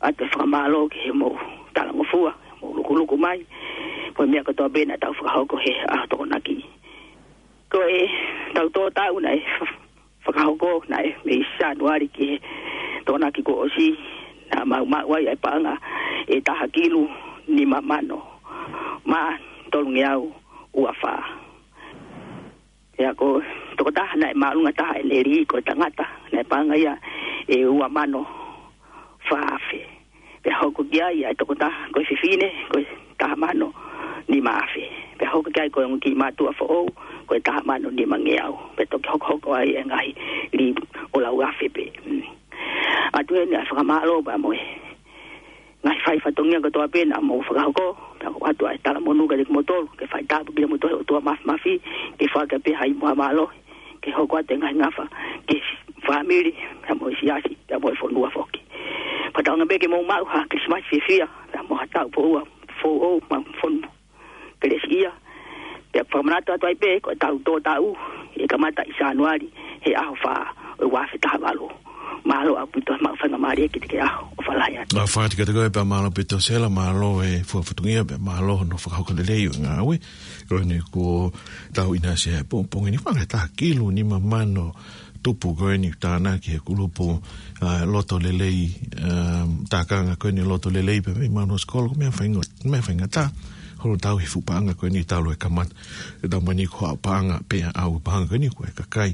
ʻOatu e fakamālō ki he mou talangofua, mou lukuluku mai, mo e meʻa kotoa pē naʻa tau fakahoko he ʻaho Tokonaki. Ko e tau tō taʻu naʻe fakahoko naʻe mei Sānuali ki he Tokonaki kuo ʻosi, naʻa mau maʻu ai ʻa e paʻanga ʻe taha kilu nima mano mā tolungeau ua fā. Pea ko e tokotaha naʻe māʻolunga taha ʻene lī ko e tangata, naʻe paʻanga ia ʻe ua mano fā afe. Pea hoko ki ai ʻa e tokotaha ko e fefine, ko e taha mano nima afe. Pea hoko ki ai ko e ongo kiʻi mātuʻa foʻou, ko e taha mano nimangeau. Pea toki hokohoko ai e ngaahi lī ʻo lau afe pē. Mm. ʻOatu heni ʻa e fakamālō pea mo e ngaahi fai fatongia kotoa pē naʻa mou fakahoko. Pea ʻoatu ʻa e talamonū kiate kimoutolu, ke fai tāpuekina kimoutolu ʻe he ʻOtua Māfimafi, ke fakapē hai mo ha mālō, ke hoko atu e ngaahi ngafa, ke fāmili, pea mo e siasi, pea mo e fonua foki. Fakatauange pē ke mou maʻu ha Kilisimasi fiefia, pea mo ha taʻu foʻou, foʻou, mo e fonu kelesiʻia. Pea fakamanatu atu ai pē, ko e taʻu tō taʻu, ʻe kamata ʻi Sānuali, he ʻaho fā ʻo e ua afe taha valu. Mālō ʻaupito, maʻu faingamālie ke te ke ʻaho, ʻofa lahi atu. ʻOfa atu kiate koe pea mālō ʻaupito Sela, mālō e fua fatongia pea mālō hono fakahoko lelei ʻo e ngāue. Ko eni kuo tau ʻinasi he pongipongi ni, fanga taha kilu nima mano tupu ko eni tānaki he kulupu, ā, loto lelei, ā, tākanga ko eni loto lelei pea mei Manuasikolo, ko e meʻa faingo-, meʻa faingataʻa. Holo tau he fuʻu paʻanga ko eni talu e kamata. E tau mani ko ha paʻanga pea ʻau paʻanga ko eni ko e kakai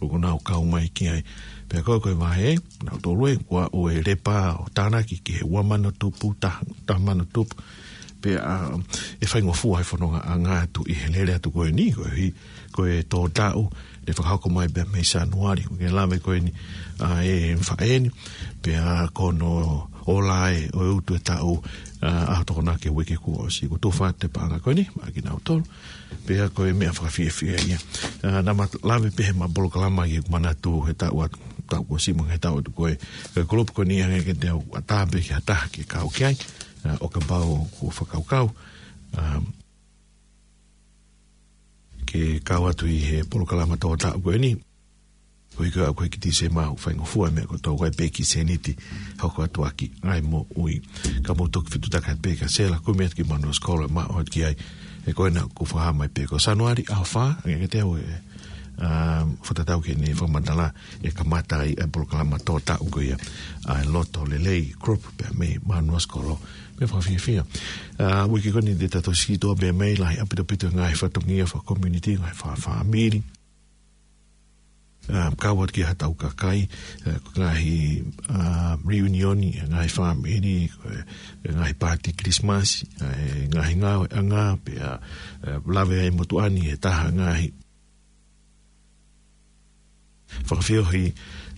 ʻoku nau kau mai ki ai. Pea ko e, ko e vahe, nau tolu e, kuo ʻosi lepa ʻo tānaki ki he ua mano tupu, taha, taha mano tupu. Pea, ā, ʻe faingofua e fononga ʻanga atu ʻi he lele atu ko eni, ko e hi-, ko e tō taʻu, ʻe fakahoko mai pea mei Sānuali, ko e lave ko eni, ā, e faʻē ni, pea ko hono ola ē ʻo e utu e taʻu, ā, ʻaho Tokonaki e uike kuo ʻosi, kuo tufa atu e paʻanga ko eni, maʻa kinautolu. Pea ko e meʻa fakafiefia ia. Ā, naʻa ma lave pē he ma polokalama ki he manatu he taʻu atu, taʻu kuo ʻosi mo e taʻu atu ko ē. Ko e kulupu ko eni hangē ke te u ʻatā pē ki ha taha ke kau ki ai. Ā, ʻo kapau kuo fakakaukau, ā, ke kau atu ʻi he polokalama tō taʻu ko eni. Ko e hiko ʻa ko e ki Tīsema ʻoku faingofua e meʻa kotoa, ʻoku ʻi ai pē kiʻi sēniti hoko atu ʻaki ʻa e moʻui. Ka mou toki fetuʻutaki pē kia Sela, kumi atu ki Manuasikolo, maʻu atu ki ai. He ko ena kuo fakahā mai pē ko Sānuali ʻaho fā, hangē kiate au ē, ā, fakatatau ki heʻene fakamatala, ʻe kamata ai e polokalama tō taʻu ko ia ʻa e Loto Lelei Group pea mei Manuasikolo. Meʻa fakafiefia. Ā, uike ko eni te tau siʻi toʻa pē mei ai, lahi ʻaupito ʻaupito e ngaahi fatongia fakakomiunitī, ngaahi fakafāmili. Ā, kau atu ki ha tau kakai, ā, ko e ngaahi, ā, reunion ʻa e ngaahi fāmili, ko e, e ngaahi pāti Kilisimasi, ā, e ngaahi ngāueʻanga, pea, ā, lave ai motuʻa ni he taha ngaahi fakafeohi,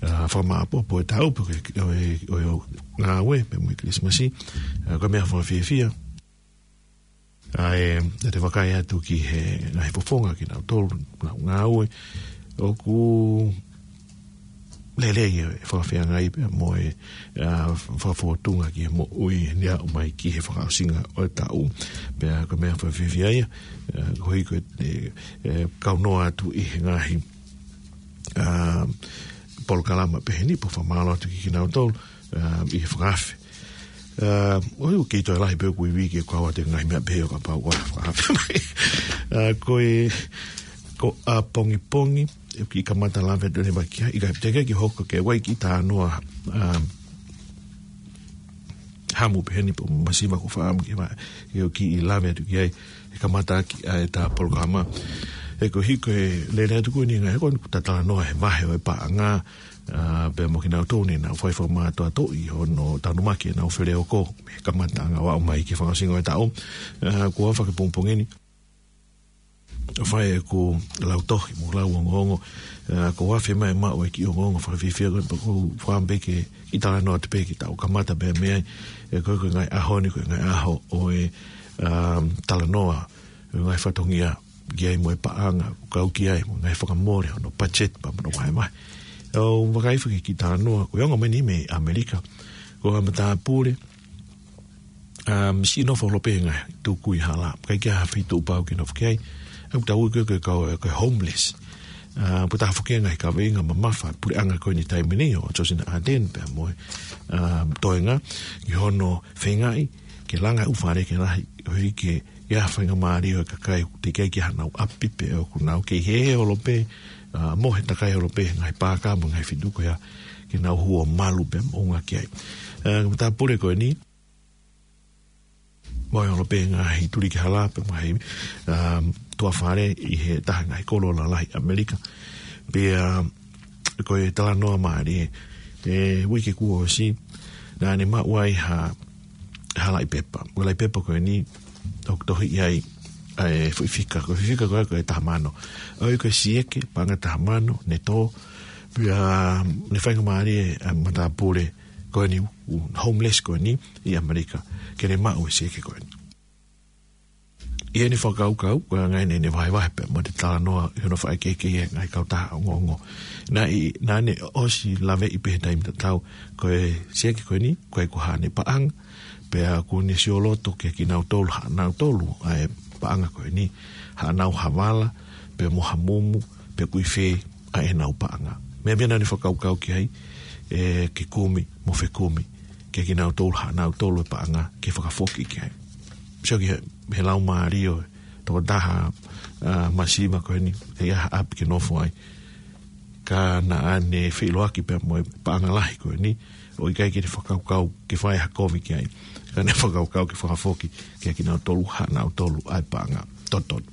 ā, fakamāʻopoʻopo e taʻu, pe ko e, ʻo e, ʻo e ngāue, pea mo e Kilisimasi, ā, ko e meʻa fakafiefia. ʻA e, te te vakai atu ki he ngaahi fofonga kinautolu, nau ngāue, ʻoku lelei e fakafeangai pea mo e, ā, fakafōtunga ki he moʻui ʻi he aʻu mai ki he fakaʻosinga ʻo e taʻu. Pea ko e meʻa fakafiefia ia, ā, ko e hiko e, e, e, kau noa atu ʻi he ngaahi, ā, polokalama pehē ni, pea fakamālō atu ki kinautolu, ā, ʻi he fakaafe. Ā, ʻoku ou kei toe lahi pē ʻoku ivi ke kau atu e ngaahi meʻa pehē ʻo kapau ʻoku fakaafe mai. Ā, ko e, ko ʻapongipongi, ʻoku kiʻi kamata lave atu leva ki ai, ʻikai pē te ke hoko ke ʻai kiʻi talanoa, ā, hamu pehē ni pe masiva ko e fakaʻamu ke ma, ke ʻoku kiʻi lave atu ki ai, ʻe kamata ʻaki ʻa e ta polokalama. He ko e hiko e lele atu ko eni ngaahi, ko eni kuo ta talanoa he vahe ʻo e paʻanga, ā, pea mo kinautolu ne nau fai fakamātoatoʻi hono tanumaki ʻenau feleoko, he kamataʻanga ʻo aʻu mai ki he fakaʻosinga ʻo e taʻu, ā, kuo afe ki he pongipongi ni. ʻOku fai ʻeku lau tohi mo lau ongoongo, ā, kuo afe mai maʻu e kiʻi ongoongo fakafiefia ko ē pea ʻoku ou fakaʻamu pē ke kiʻi talanoa atu pē ki he taʻu kamata pē mei ai, ē ko e, ko e ngaahi ʻaho ni, ko e ngaahi ʻaho ʻo e, ā, talanoa, ʻo e ngaahi fatongia, ki ai mo e paʻanga, kau ki ai mo e ngaahi fakamole hono budget pea mo hono vahevahe. ʻOku ou vakai hifo ki he kiʻi talanoa, ko e ongo mai ni mei ʻAmelika, ko ha matāpule, ā, siʻi nofo holo pē he ngaahi tukui hala, ʻikai ke ʻi ai ha feituʻu pau ke nofo ki ai, ʻoku tau ui ko e, ko e kau, ko e homeless. Ā, pea ʻoku taha foki e ngaahi kaveinga mamafa e puleʻanga ko eni he taimi ni ʻo Josina Ardern pea mo e, ā, toenga, ki hono feingaʻi ke langa e ʻū fale ke lahi, ʻo hiki ke ʻi ai ha faingamālie ʻo e kakai ʻoku teʻeki ai ke ʻi ai haʻanau ʻapi pe ʻoku nau kei hēhē holo pē, ā, mohe takai holo pē he ngaahi paaka mo e ngaahi feituʻu ko ia ke nau hū ʻo malu pea moʻunga ki ai. Ā, ko e matāpule ko eni, mohe holo pē he ngaahi tuliki hala pea mo e ngaahi, ā, tuʻa fale ʻi he taha e ngaahi kolo lalahi ʻAmelika. Pea, ā, ko e talanoa mālie, ē, uike kuo ʻosi, naʻa ne maʻu ai ha, ha laʻi pepa. Ko e laʻi pepa ko eni, ʻoku tohi ai ʻa e foʻi fika. Ko e fika ko ē ko e taha mano. ʻOi ko e sieke, paʻanga taha mano, ne tō. Pea, ne faingamālie ʻa e matāpule ko eni, homeless ko eni ʻi ʻAmelika, ke ne maʻu e sieke ko eni. ʻI heʻene fakakaukau, ko e anga eni ʻene vahevahe pea mo e talanoa ʻi hono fakaʻekeʻeke ʻi he ngaahi kautaha ongoongo. Naʻe, naʻa ne ʻosi laveʻi pē he taimi tatau, ko e sieke ko eni, ko e ko haʻane paʻanga, pea kuo ne sioloto kia kinautolu, haʻanautolu, ʻa e paʻanga ko eni, haʻanau havala, pea mo ha mumu, pea ʻoku ʻi fē ʻa ʻenau paʻanga. Meʻa pē naʻa ne fakakaukau ki ai, ʻe ke kumi, mo fekumi, kia kinautolu, haʻanautolu e paʻanga, ke fakafoki ki ai. Sio ki he, he laumālie ʻo e tokotaha, ʻa, masiva ko eni, ʻe ʻi ai ha ʻapi ke nofo ai. Ka naʻa ne feʻiloaki pea mo e paʻanga lahi ko eni, ʻo ʻikai ke ne fakakaukau ke fai ha kovi ki ai. Ka ne fakakaukau ke fakafoki kia kinautolu, haʻanautolu ʻa e paʻanga totonu.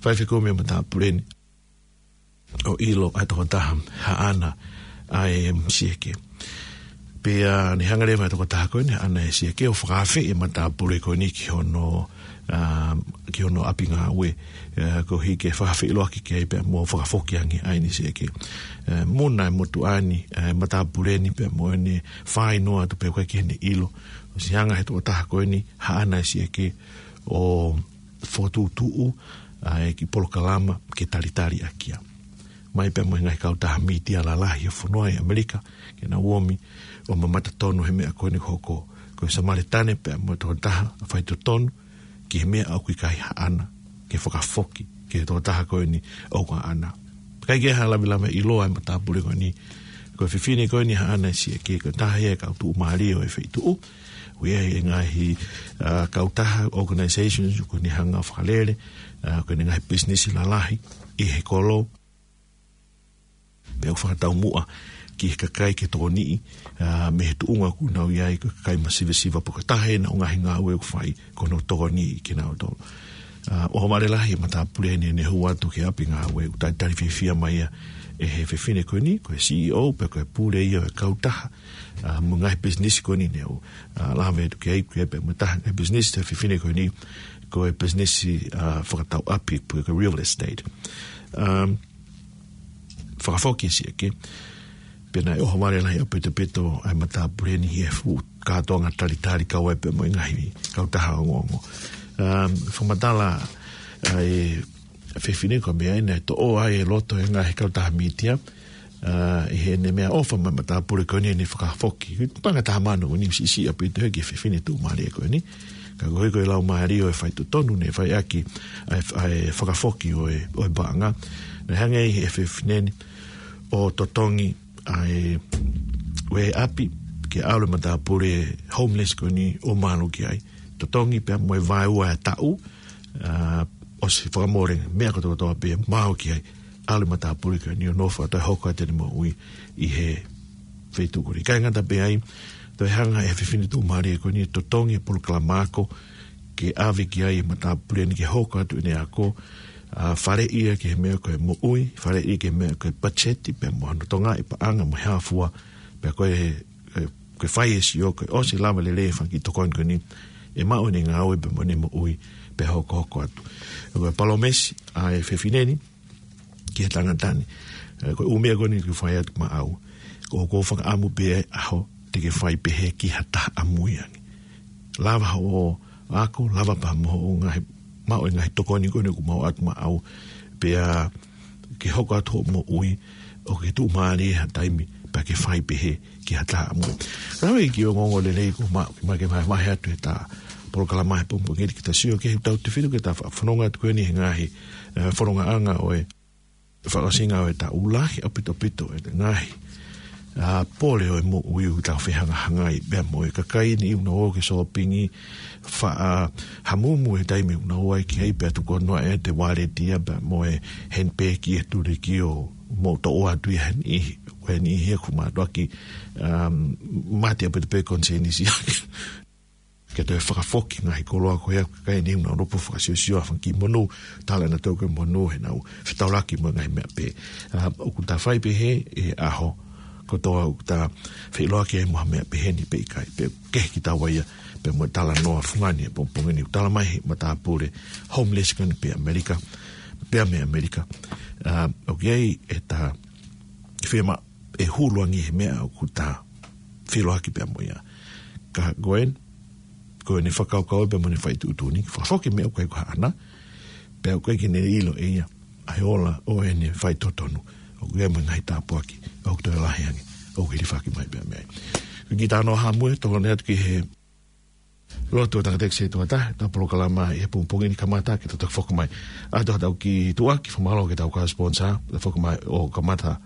Fai fekumi e matāpule ni, ʻo ʻilo ʻa e tokotaha haʻana ʻa e sieke. Pea ne hanga leva e tokotaha ko eni haʻana e sieke ʻo fakaafeʻi e matāpule ko eni ki hono, ʻa, ki hono ʻapi ngāue, ʻa, koeʻuhi ke fakafeʻiloaki ki ai pea mo fakafoki ange ʻa ʻene sieke. ʻA, muna e motuʻa ni, ʻa e matāpule ni pea mo ʻene fāinoa atu pea ʻoku ʻikai ke ne ʻilo. ʻOsi hanga he tokotaha ko eni haʻana e sieke ʻo fokotuʻutuʻu ʻa e kiʻi polokalama ke talitali ʻaki ia. Mai pea mo e ngaahi kautaha mītia lalahi ʻo e fonua ʻi ʻAmelika, ke nau omi ʻo mamata tonu he meʻa ko eni hoko. Ko e Samaletane pea mo e tokotaha faitotonu ki he meʻa ʻoku ʻikai haʻana, ke fakafoki ki he tokotaha ko eni ʻoku haʻana. ʻIkai ke ha lavelave ʻiloa e matāpule ko eni. Ko e fefine ko eni haʻana e sieke, ko e taha ia e kau tuʻumālie ʻo e feituʻu. ʻOku ʻi ai e ngaahi, ʻa, kautaha, organizations, ʻoku ne hanga ʻo fakalele, ʻa, ko ʻene ngaahi business lalahi ʻi he kolo. Pea ʻoku fakataumuʻa ki he kakai ke tokoniʻi, ʻa, mei he tuʻunga ʻoku nau ʻi ai, ko e kakai masivesiva pe ko e taha ʻenau ngaahi ngāue ʻoku fai, ko hono tokoniʻi kinautolu. ʻA, ʻohovale lahi e matāpule ni ʻene hū atu ki he ʻapi ngāue, ʻoku talitali fiefia mai ia ʻe he fefine ko eni, ko e C E O, pea ko e pule ia ʻo e kautaha, ʻa, mo e ngaahi business ko eni ne u, ʻa, lave atu ki ai, ki ai pea mo e taha e business ʻa e fefine ko eni, ko e business, ʻa, fakatau ʻapi, pe ko e real estate. Um, fakafoki e sieke, pea naʻe ʻohovale lahi ʻaupito ʻa e matāpule ni he fuʻu kātoanga talitali kau ai pea mo e ngaahi kautaha ongoongo. Um, fakamatala ʻa e fefine ko e meʻa ʻeni naʻe toʻo ai e loto e ngaahi kautaha mītia, ʻa, ʻi heʻene meʻaʻofa mo e matāpule ko eni ʻene fakafoki. Paʻanga taha mano ʻeni, siʻisiʻi ʻaupito ia ki he fefine tuʻumālie ko eni. Ka koeʻuhi ko e laumālie ʻo e faitotonu ne fai ʻaki ʻa e, ʻa e fakafoki ʻo e, ʻo e paʻanga. Naʻe hanga ʻe he fefine ni ʻo totongi ʻa e, ʻo e ʻapi, ke ʻalu e matāpule homeless ko eni ʻo malu ki ai. Totongi pea mo e vaeua e taʻu, ʻa, ʻosi fakamole meʻa kotoa kotoa pea maʻu ki ai, ʻalu e matāpule ko eni ʻo nofo atu ʻo hoko atu ʻene moʻui ʻi he feituʻu ko eni. ʻIkai ngata pē ai, toe hanga ʻe he fefine tuʻumālie ko eni ʻo totongi e polokalama ako, ke ʻave ki ai e matāpule ni ke hoko atu ʻene ako, ʻa, faleʻi ia ki he meʻa ko e moʻui, faleʻi ia ki he meʻa ko e pacheti, pea mo hono tokangaʻi e paʻanga mo e hā fua, pea ko e, e, ko e fai e sio, ko e ʻosi lava lelei e fanga kiʻi tokoni ko eni, ʻe maʻu ʻene ngāue pea mo ʻene moʻui, pea hokohoko atu. Ko e palōmesi ʻa e fefine ni ki he tangata ni. ʻE, ko e ʻū meʻa ko eni ʻoku fai atu maʻau. Ko, ʻoku ou fakaʻamu pē ʻe au te ke fai pehē ki ha taha ʻamui ange. Lava hoʻo ako, lava pea mo hoʻo ngaahi, maʻu e ngaahi tokoni ko eni ʻoku maʻu atu maʻau. Pea ke hoko atu hoʻo moʻui, ʻoku ke tuʻumālie ha taimi, pea ke fai pehē ki ha taha ʻamui. Lave ki he ongoongo lelei ko ma, ma ke vahevahe atu he ta polokalama he pongipongi ni ke ta sio ki he tautefito ke ta fa-, fononga atu ko eni he ngaahi, ʻe, fonongaʻanga ʻo e fakaʻosinga ʻo e taʻu, lahi ʻaupito ʻaupito e ngaahi, ʻa, pole ʻo e moʻui ʻoku tau fehangahangai pea mo e kakai ni ʻoku nau ō ke sōpingi, faʻa hamumu he taimi ʻoku nau ō ai ki ai pea tuku noa e te waleti ia pea mo e handbag ʻi he tuliki ʻo mo toʻo atu ia he niʻihi, he niʻihi ʻoku mātuʻaki, um, mate ʻaupito pē konisēnisi ake. Ke toe fakafoki ngaahi koloa ko ia, kakai ni ʻoku nau lopo fakasiosio ʻa e fanga kiʻi monū, tala ʻenautolu ko e monū he nau fetaulaki mo e ngaahi meʻa pehē. ʻA, ʻoku ta fai pehē he ʻaho kotoa ʻoku ta feʻiloaki ai mo ha meʻa pehē ni pe ʻikai, pe kehe kitaua ia, pea mo e talanoa fungani he pongipongi ni ʻoku tala mai he matāpule homeless ko eni pē ʻAmelika, pē mei ʻAmelika. ʻA, ʻoku ʻi ai e ta fiemaʻu ʻe hulu ange he meʻa ʻoku ta feʻiloaki pea mo ia. Ka ko eni, ko ʻene fakakaukau pea mo ʻene fai tuʻutuʻuni, fakafoki e meʻa ʻoku ʻikai ko haʻana, pea ʻoku ʻikai ke ne ʻilo ʻe ia ʻa e ola ʻo ʻene fai totonu, ʻoku ʻi ai mo e ngaahi tāpuaki ʻoku toe lahi ange ʻoku hilifaki mai pea mei ai. Ko e kiʻi talanoa haʻamou ē, tokoni atu ki he lotu ʻa e tangataʻeiki setuata, ʻetau polokalama ʻi he pongipongi ni, kamata ke tau toki foki mai. ʻA ia tau kiʻi tuʻuaki, fakamālō ki heʻetau kau sponsor, ʻetau foki mai ʻo kamata,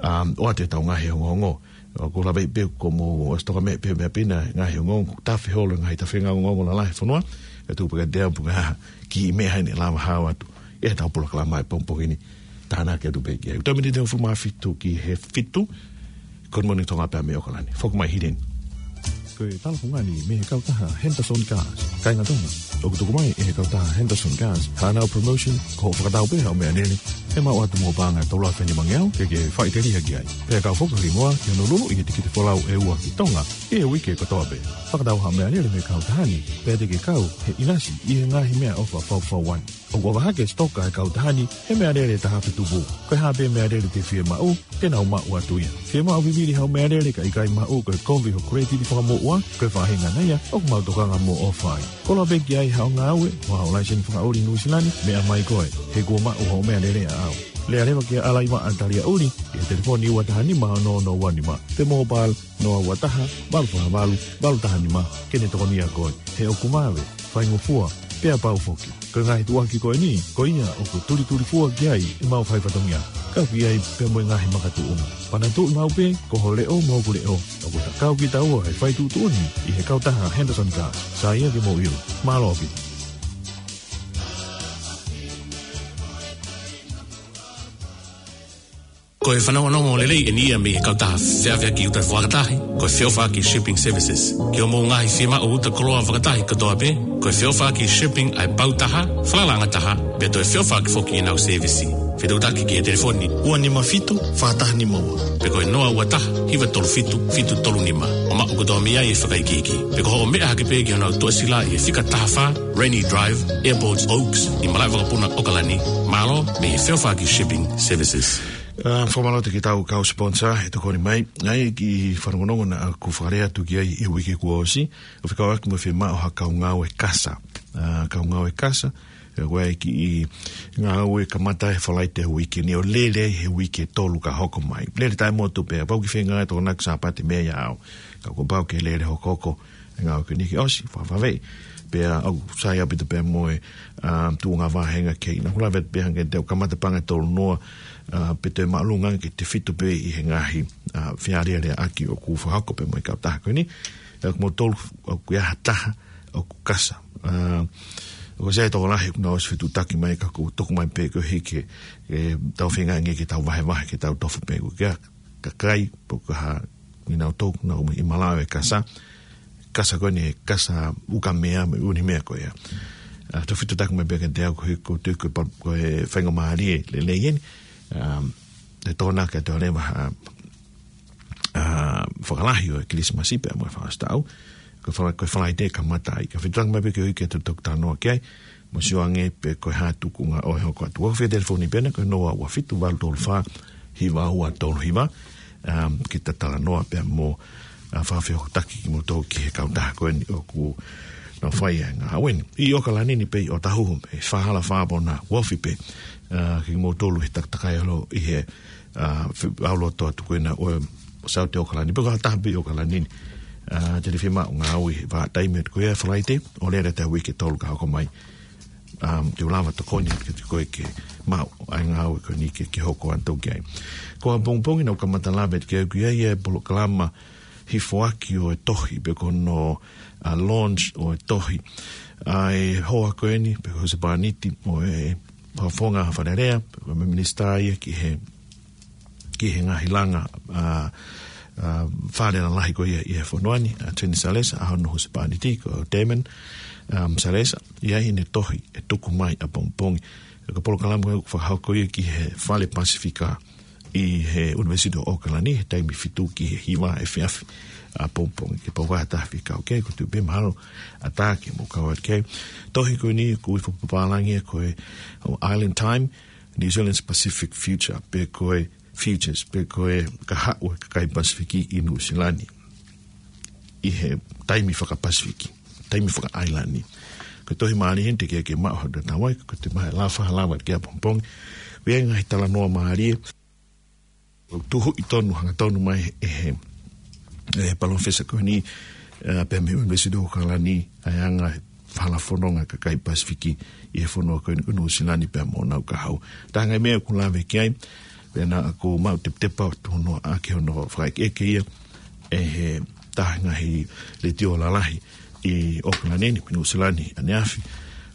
um, ʻoatu ʻetau ngaahi ongoongo. ʻOku ou lave pē ko e mou ʻosi toka mai pē meʻa pē ʻena ngaahi ongoongo, tafe holo e ngaahi tafe ngaahi ongoongo lalahi ʻo e fonua, ʻe tuʻu pē kiate au pe ko e hā e kiʻi meʻa ʻe lava ʻo haʻu atu ʻi heʻetau polokalama ʻi he pongipongi ni. Tānaki atu pē ki ai. Uta miniti ʻe hongofulu mā fitu ki he fitu, Good Morning Tonga pea mei ʻAokalani. Foki mai Hideni. Ko e talafungani mei he kautaha Henderson Cars. Kāinga Tonga, ʻoku tuku mai ʻe he kautaha Henderson Cars haʻanau promotion, ko hoʻo fakatau pē haʻo meʻalele, ʻe maʻu atu mo e paʻanga ʻe tolu afe nimangeau ke ke faʻiteliha ki ai. Pea kau foki ki muʻa ki hono luluʻi e tikite folau ʻe ua ki Tonga ʻi he uike kotoa pē. Fakatau haʻo meʻalele mei he kautaha ni, pea te ke kau he ʻinasi ʻi he ngaahi meʻaʻofa faufaua ni. ʻOku ʻofa hake e sitoka ʻa e kautaha ni he meʻalele ʻe taha afe tupu. Ko e hā pē meʻalele te ke fiemaʻu, te nau maʻu atu ia. Fiemaʻu vivili haʻo meʻalele ka ʻikai maʻu, ko e kovi hoʻo credit fakamoʻua, ko e faʻahinga ia ʻoku mau tokanga mo ʻofa ai. Koloa pē ki ai haʻo ngāue, mo haʻo laiseni fakaʻuli Nuʻusila ni, meʻa mai koe. He kuo maʻu hoʻo meʻalele ʻaʻau. Lea leva kia Alaiva ʻAtalia ʻUli, ʻi he telefoni ua taha nima ono ono ua nima. Pe mobile, noa ua taha, valu fā valu, valu taha nima, ke ne tokonia koe. He ʻoku vave, faingofua, pea pau foki. Ko e ngaahi tuʻuaki ko eni, ko ia ʻoku tulitulifua ki ai ʻemau faifatongia. Kau ki ai pea mo e ngaahi makatuʻunga. Panatuʻi maʻu pē, ko ho leʻo mo hoku leʻo. ʻOku ta kau kitaua he fai tuʻutuʻuni ʻi he kautaha Henderson Cars. Sai ia ke mou ʻilo. Mālō ʻaupito. Ko e fanongonongo lelei eni ia mei he kautaha feʻaveʻaki uta fakatahi, ko e Feʻofaʻaki Shipping Services. Ki hoʻomou ngaahi fiemaʻu uta koloa fakatahi kotoa pē, ko e Feʻofaʻaki Shipping ʻa e pau taha, falalaʻanga taha, pea toe feʻofaʻaki foki ʻenau sēvisi. Fetuʻutaki ki he telefoni ua nima fitu, fā taha nima ua. Pe ko e noa ua taha, hiva tolu fitu, fitu tolu nima. ʻO maʻu kotoa mei ai e fakaikiiki. Pe ko hoʻo meʻa hake pē ki honau tuʻasila ʻi he fika taha fā, Rainy Drive, Airport Oaks, ʻi Malaʻevakapuna, ʻAokalani. Mālō mei he Feʻofaʻaki Shipping Services. ʻA, fakamālō atu ki heʻetau kau sponsor ʻe tokoni mai. ʻA ia ko e kiʻi fanongonongo naʻa ku fakalea atu ki ai ʻi he uike kuo ʻosi, ʻo fekauʻaki mo e fiemaʻu ha kau ngāue kasa. ʻA, kau ngāue kasa, ʻa ia ko e kiʻi ngāue kamata he Falaite uike ni ʻo lele ai he uike ʻe tolu ka hoko mai. Lele taʻemotu pē, pau ke feinga ʻo tokonaki Sāpate mei ai ʻaʻau. Ka kuo pau ke lele hokohoko e ngāue ko eni ke ʻosi, fafave. Pea ʻoku sai ʻaupito pē mo e, ʻa, tuʻunga vāhenga kei na hula vet pē hangē te u kamata paʻanga ʻe tolu noa, ʻa, pe toe māʻolunga ange ke tefito pē ʻi he ngaahi, ʻa, fealēleaʻaki ʻoku fakahoko pē mo e kautaha ko eni. ʻA, ko moutolu ʻoku ʻi ai ha taha ʻoku kasa. ʻA, ʻoku sai e tokolahi ʻoku nau ʻosi fetuʻutaki mai ka ʻoku tuku mai pē koeʻuhi ke, ke tau feinga ange ke tau vahevahe, ke tau tofu pē ʻoku ʻi ai e kakai, pe ko e hā, ʻi nau tau, nau ʻi Malaʻe ʻe kasa, kasa ko eni, kasa ukamea, mo e ʻū meʻa ko ia. ʻA, tau fetuʻutaki mai pē kiate au koeʻuhi ko e, ko e pa-, ko e faingamālie lelei eni. ʻA, ʻe tokona ke toe leva ha, ʻa, fakalahi ʻo e Kilisimasi pea mo e fakaʻosi taʻu. Ko e fala-, ko e Falaite kamata ai. Ka fetuʻutaki mai pē koeʻuhi ke tau toki talanoa ki ai. Mo sio ange pe ko e hā e tuʻunga ʻo e hoko atu. ʻOku ou fie telefoni pē ena ko e noa ua fitu valu tolu fā hiva ua tolu hiva. Um, ke ta talanoa pea mo, ʻa, fakafehokotaki kimoutolu ki he kautaha ko eni ʻoku nau fai ai e ngāue ni. ʻI ʻAokalani ni pē ʻi ʻOtahuhu, ʻi Fāhala Fāpō na, ʻoku ofi pē. ʻA, kimoutolu he takatakai ʻalu ʻi he, ʻa, fe-, ʻalu atu atu ko ena ʻo e South ʻAokalani. Pe ko ha taha pē ʻi ʻAokalani ni. ʻA, te ne fiemaʻu ngāue he vahaʻa taimi atu ko ia Falaite, ʻo lele atu he uike ʻe tolu ka hoko mai. Um, te u lava tokoni atu kiate koe ke maʻu ʻa e ngāue ko eni ke, ke hoko atu ki ai. Ko ʻapongipongi naʻa ku kamata lave atu ki ai, ʻoku ʻi ai e polokalama hifoaki ʻo e tohi, pe ko hono, ʻa, launch ʻo e tohi ʻa e hoa ko eni, pe ko e husepāniti ʻo e fakafofonga Fale Alea, pe ko e minisitā ia ki he ki he ngaahi langa, ʻa, ʻa, fale lalahi ko ia ʻi he fonua ni, ʻa Tony Salesa, ʻa hono husepāniti ko Damon, um, Salesa, ʻi ai ʻene tohi ʻe tuku mai ʻapongipongi. Ko e polokalama ko ia ʻoku fakahoko ia ki he Fale Pasifika ʻi he ʻUnivēsiti ʻo ʻAokalani, he taimi fitu ki he hiva efiafi ʻapongipongi. Kapau ʻoku ʻi ai ha taha fie kau ki ai, ʻoku ou tui pē mahalo ʻatā ke mou kau atu ki ai. Tohi ko eni ʻoku ui fakapapālangi ia ko e, ʻo Island Time, New Zealand's Pacific Future, pe ko e Futures, pe ko e kahaʻu ʻo e kakai Pasifiki ʻi Nuʻusila ni ʻi he taimi faka-Pasifiki. taimi faka-ʻAilani. Ko e tohi mālie eni te ke ke maʻu ha tatau ai, ko e te mahe lafa, lava ki ʻapongipongi. Ko e ngaahi talanoa mālie, ʻoku tuhuʻi tonu, hangatonu mai ʻe he, ʻe he palōfesa ko eni, ʻa, pea mei he ʻUnivēsiti ʻAokalani, ʻa e anga e falafononga kakai Pasifiki ʻi he fonua ko eni ko Nuʻusila ni pea mo honau kahaʻu. Taha e ngaahi meʻa ʻoku lave ki ai, pea naʻa ku maʻu tepitepa atu hono ʻa ke hono fakaʻekeʻeke ia ʻe he taha e ngaahi letiō lalahi ʻi ʻAokalani ni, Nuʻusila ni, ʻaneafi,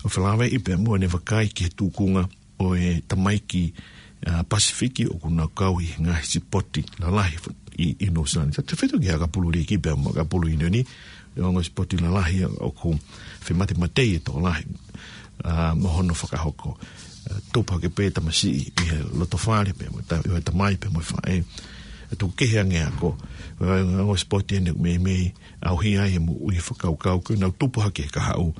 ʻo felāveʻi pea mo ʻene vakai ki he tuʻunga ʻo e tamaiki, ʻa, Pasifiki ʻoku nau kau ʻi he ngaahi sipoti lalahi ʻi, ʻi Nuʻusila ni. Tautefito ki he ʻakapulu liiki pea mo e ʻakapulu ʻiunioni, ʻa e ongo sipoti lalahi ʻoku fematematei e tokolahi, ʻa, mo hono fakahoko. ʻA, tupu hake pē tamasiʻi ʻi he loto fale pea mo e ta-, ʻo e tamai pea mo e faʻē. ʻA, tuku kehe ange ako. ʻA, ongo sipoti eni meimei ʻauhia ai e moʻui fakakaukau ko ē nau tupu hake he kahaʻu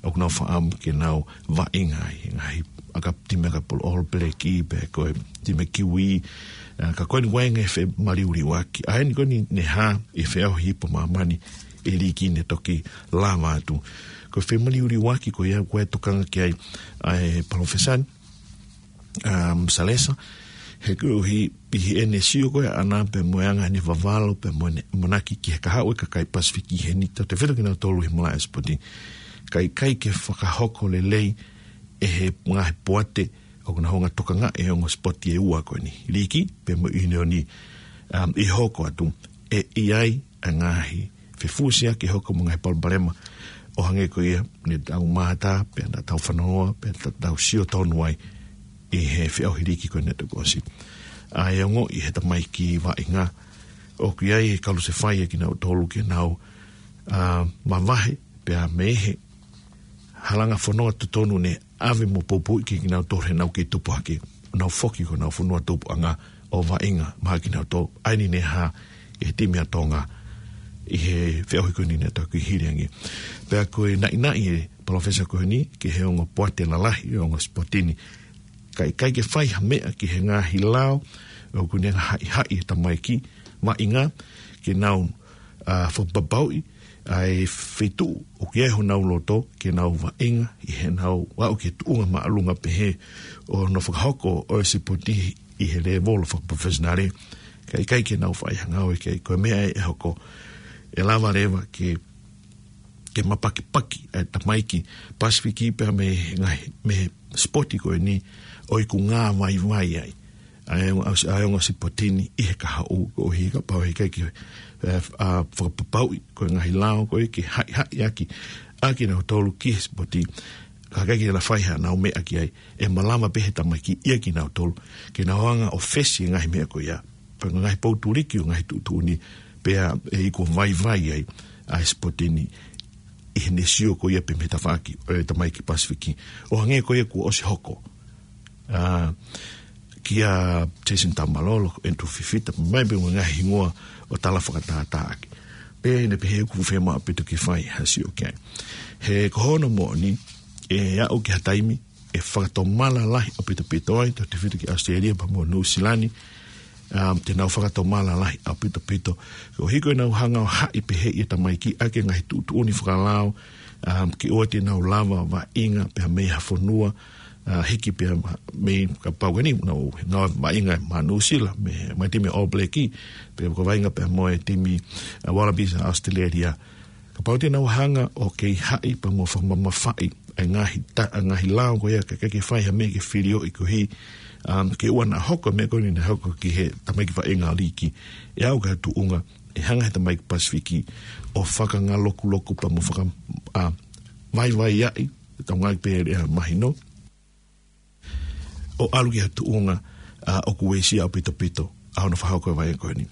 ʻoku nau faʻamu ke nau vaʻinga ai, ngaahi ʻaka-, timi ʻakapulu All Black pea ko e timi Kiwi, ʻa, ka ko eni ʻoku ʻi ai e femaliuliuaki. ʻA eni ko eni ne hā ʻi he feʻauhi ipu ʻa māmani ʻi he liiki ne toki lava atu. Ko e femaliuliuaki ko ia ʻoku ʻi ai e tokanga ki ai ʻa e palōfesa ni, um, Salesa, he koeʻuhi ʻi heʻene sio ko ē ʻaʻana pea mo e anga ʻene vavalo pea mo ʻene ʻamanaki ki he kahaʻu e kakai Pasifiki heni, tautefito kinautolu he malaʻe sipoti. Ka ʻikai ke fakahoko lelei ʻe he ngaahi poate ʻoku nau hanga ʻo tokangaʻi e ongo sipoti ʻe ua ko eni, liiki pea mo e ʻiunioni, um, ʻi he hoko atu, ʻe ʻi ai ʻa e ngaahi fefusiaki ʻe hoko mo e ngaahi palopalema ʻo hangē ko ia ne tau mātā, pea naʻa tau fanongoa, pea naʻa tau sio tonu ai ʻi he feʻauhi liiki ko eni naʻe toki ʻosi. ʻA e ongoʻi ʻe he tamaiki vaʻinga ʻoku ʻi ai e kalusefai ʻa kinautolu ke nau, ʻa, mavahe pea mei he halanga fononga totonu ne ʻave mo poupouʻi kinautolu heʻenau kei tupu hake, nau foki ki honau fonua tupuʻanga ʻo vaʻinga maʻa kinautolu. ʻA eni ne hā ʻi he timi ʻa Tonga ʻi he feʻauhi ko eni naʻe toki hili ange. Pea ko e naʻinaʻi ʻa e palōfesa ko eni ki he ongo poate lalahi ʻo e ongo sipoti ni, ka ʻikai ke fai ha meʻa ki he ngaahi lao ʻoku ne haʻihaʻi e tamaiki vaʻinga ke nau, ʻa, fakapapauʻi ʻa e feituʻu ʻoku ʻi ai honau loto ke nau vaʻinga ʻi heʻenau aʻu ki he tuʻunga māʻolunga pehē ʻo hono fakahoko ʻo e sipoti ʻi he lēvolo fakaprofesionale. Ka ʻikai ke nau fai ha ngāue ki ai, ko e meʻa ʻe hoko, ʻe lava leva ke, ke mapakipaki ʻa e tamaiki Pasifiki pea mei he ngaahi, mei he sipoti ko eni ʻoku ngāvaivai ai ʻa e ongo, ʻa e ongo sipoti ni ʻi he kahaʻu, koeʻuhi kapau he ʻikai ke, ʻe, ʻa, fakapapauʻi ko e ngaahi lao ko ē ke haʻihaʻi ʻaki ʻa kinautolu ki he sipoti, ka ʻikai ke na fai haʻanau meʻa ki ai, ʻe malava pē ʻe he tamaiki ia kinautolu ke nau hanga ʻo fesi e ngaahi meʻa ko ia. Pea ko e ngaahi poutuliki ʻo e ngaahi tuʻutuʻuni pea ʻe iku vaivai ai ʻa e sipoti ni ʻi heʻene sio ko ia pē mei he tafaʻaki ʻo e tamaiki Pasifiki. ʻO hangē ko ia kuo ʻosi hoko, ʻa, kia Jason Taumalolo, Andrew Fifita, mai pē mo e ngaahi hingoa ʻo tala fakatātāʻaki. Pea ʻi heʻene pehē ʻoku fiemaʻu ʻaupito ke fai ha sio ki ai. He ko hono moʻoni, ʻe aʻu ki ha taimi ʻe fakatomala lahi ʻaupito ai, tautefito ki ʻAositelēlia pea mo Nuʻusila ni, um, te nau fakatomala lahi ʻaupito. Koeʻuhi ko ʻenau hanga ʻo haʻi pehē ʻe he tamaiki ʻaki e ngaahi tuʻutuʻuni fakalao, um, ke ʻoua te nau lava vaʻinga pea mei ha fonua, ʻa, hiki pea ma-, mei kapau ko eni, nau, nau vaʻinga maʻa Nuʻusila, mei, mei he timi All Black, pea ko e vaʻinga pea mo e timi, ʻa, Wallabies ʻa ʻAositelēlia. Kapau te nau hanga ʻo kei haʻi pea mo fakamamafaʻi e ngaahi ta-, ngaahi lao ko ia ka ʻikai ke fai ha meʻa ke filioʻi koeʻuhi, um, ke ʻoua naʻa hoko e meʻa ko eni naʻe hoko ki he tamaiki vaʻinga liiki. ʻE aʻu ki ha tuʻunga ʻe hanga ʻe he tamaiki Pasifiki ʻo fakangalokuloku pea mo faka-, ʻa, vaivaiʻi, tau ngaahi pē lea mahino, ʻo ʻalu ki ha tuʻunga, ʻa, ʻoku uesia ʻaupito ʻa hono fakahoko e vaʻinga ko eni.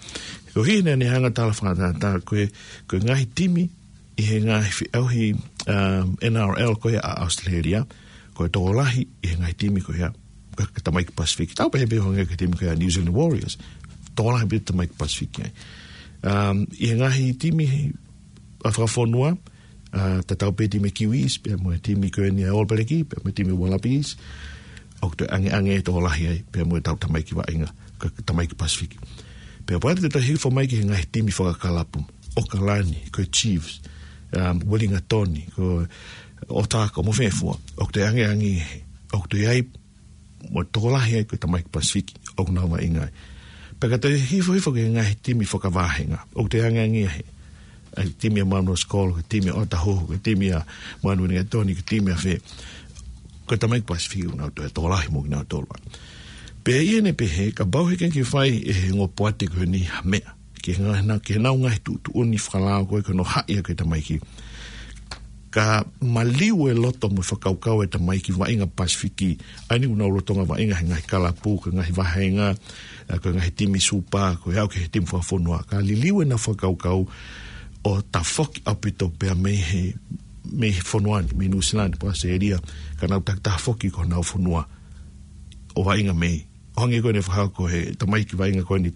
Koeʻuhi naʻa ne hanga ʻo tala fakatātā ko e, ko e ngaahi timi ʻi he ngaahi feʻauhi, um, N R L ko ia ʻa ʻAositelēlia, ko e tokolahi ʻi he ngaahi timi ko ia, ka, ka tamaiki Pasifiki. Tau pehē pē ʻo hangē ko e timi ko ia New Zealand Warriors, tokolahi pē tamaiki Pasifiki ai. Um, ʻi he ngaahi timi ʻa fakafonua, ʻa, tatau pē timi Kiwis, pea mo e timi ko eni ʻa All Black, pea mo e timi Wallabies, ʻoku toe ʻangeʻange e tokolahi ai, pea mo e tau tamaiki vaʻinga, ka, ka tamaiki Pasifiki. Pea ʻoku ʻi ai e toe hifo mai ki he ngaahi timi fakakalapu, ʻAokalani, ko e Chiefs, um, Uelingatoni, ko Otago mo fē fua. ʻOku toe angeange, ʻoku toe ʻi ai mo e tokolahi ai ko e tamaiki Pasifiki ʻoku nau vaʻinga ai. Pea ka toe hifo hifo ki he ngaahi timi fakavāhenga, ʻoku toe angeange ai, ʻa e timi ʻa Manuʻa Sikolo, ko e timi ʻa Otahuhu, ko e timi ʻa Manuʻa Uelingatoni, ko e timi ʻa fē, ko e tamaiki Pasifiki ʻoku nau toe tokolahi mo kinautolu ai. Pea ʻi heʻene pehē, kapau he ʻikai ke fai ʻe he ongo poate ko eni ha meʻa ki he ngaahi, ki heʻenau ngaahi tuʻutuʻuni fakalao ko ē ko hono haʻi ʻa e tamaiki, ka maliu e loto mo e fakakaukau e tamaiki vaʻinga Pasifiki, ʻa eni ʻoku nau lolotonga vaʻinga he ngaahi kalapu, ko e ngaahi vāhenga, ʻa, ko e ngaahi timi supa, ko e aʻu ki he timi fakafonua. Ka liliu ʻenau fakakaukau ʻo tafoki ʻaupito pea mei he, mei he fonua ni, mei Nuʻusila ni, pea ʻAositelēlia, ka nau takitaha foki ki honau fonua ʻo vaʻinga mei. ʻO hangē ko eni ʻoku fakahoko ʻe he tamaiki vaʻinga ko eni,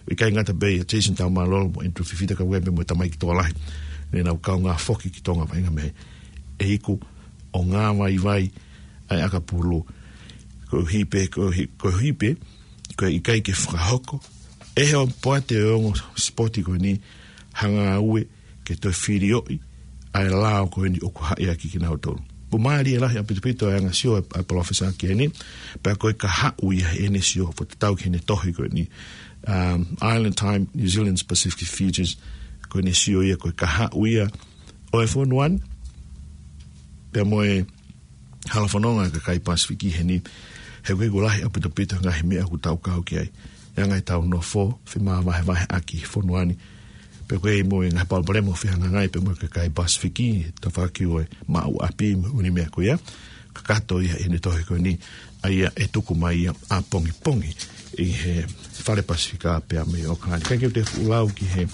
ʻikai ngata pē ʻia Jason Taumalolo mo Andrew Fifita, ka ʻoku ʻi ai pē mo e tamaiki tokolahi ne nau kaungā foki ki Tonga vaʻinga mei he iku ʻo ngāvaivai ʻa e ʻakapulu. Koeʻuhi pē, koeʻuhi, koeʻuhi pē ko e ʻikai ke fakahoko ʻe he ongo poate ʻo e ongo sipoti ko eni ha ngāue ke toe filioʻi ʻa e lao ko eni ʻoku haʻi ʻaki kinautolu. Pea mālie lahi ʻaupito ʻa e anga sio ʻa e, ʻa e palōfesa ki heni, pea ko e kahaʻu ia ʻene sio, fakatatau ki heʻene tohi ko eni, um, Island Time, New Zealand's Pacific Futures, ko ʻene sio ia ko e kahaʻu ia ʻo e fonua ni, pea mo e halafononga ʻa e kakai Pasifiki heni, he ʻoku ʻikai ke lahi ʻaupito ʻa e ngaahi meʻa ʻoku tau kau ki ai. ʻA e ngaahi tau nofo femavahevahe ʻaki fonua ni. Pea ʻoku ʻi ai mo e ngaahi palopalema ʻoku fehangahangai pea mo e kakai Pasifiki, tafaʻaki ʻo e maʻu ʻapi mo e ʻū meʻa ko ia. Kakato ia ʻene tohi ko eni, ʻa ia ʻe tuku mai ia ʻapongipongi ʻi he Fale Pasifika pea mei ʻAokalani. ʻIkai ke u toe fuʻu lau ki he,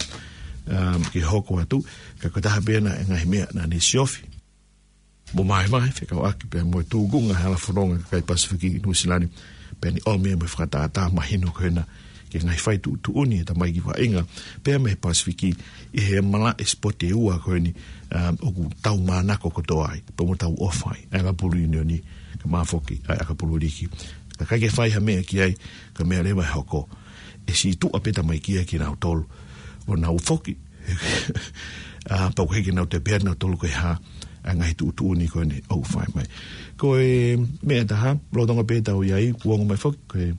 um, ki he hoko atu, ka ko e taha pē ena e ngaahi meʻa naʻa ne siofi mo vahevahe fekauʻaki pea mo e tūkunga halafononga kakai Pasifiki ʻi Nuʻusila ni, pea ne ʻomi mo e fakatātā mahino ko ena ki he ngaahi fai tuʻutuʻuni ʻa e tamaiki vaʻinga pea mei he Pasifiki ʻi he malaʻe sipoti ʻe ua ko eni, um, ʻoku tau manako kotoa ai, pea mo tau ʻofa ai, ʻa e ʻakapulu ʻiunioni, kae ʻumaʻā foki ʻa e ʻakapulu liki. Ka ʻikai ke fai ha meʻa ki ai, ko e meʻa leva ʻe hoko, ʻe sītuʻa pē tamaiki ia kinautolu ʻo nau foki. ʻA, pau ke ke nau te pea nau tolu ko e hā ʻa e ngaahi tuʻutuʻuni ko eni ʻoku fai mai. Ko e meʻa ʻe taha, lolotonga pē ʻetau ʻi ai, kuo ongo mai foki, ko e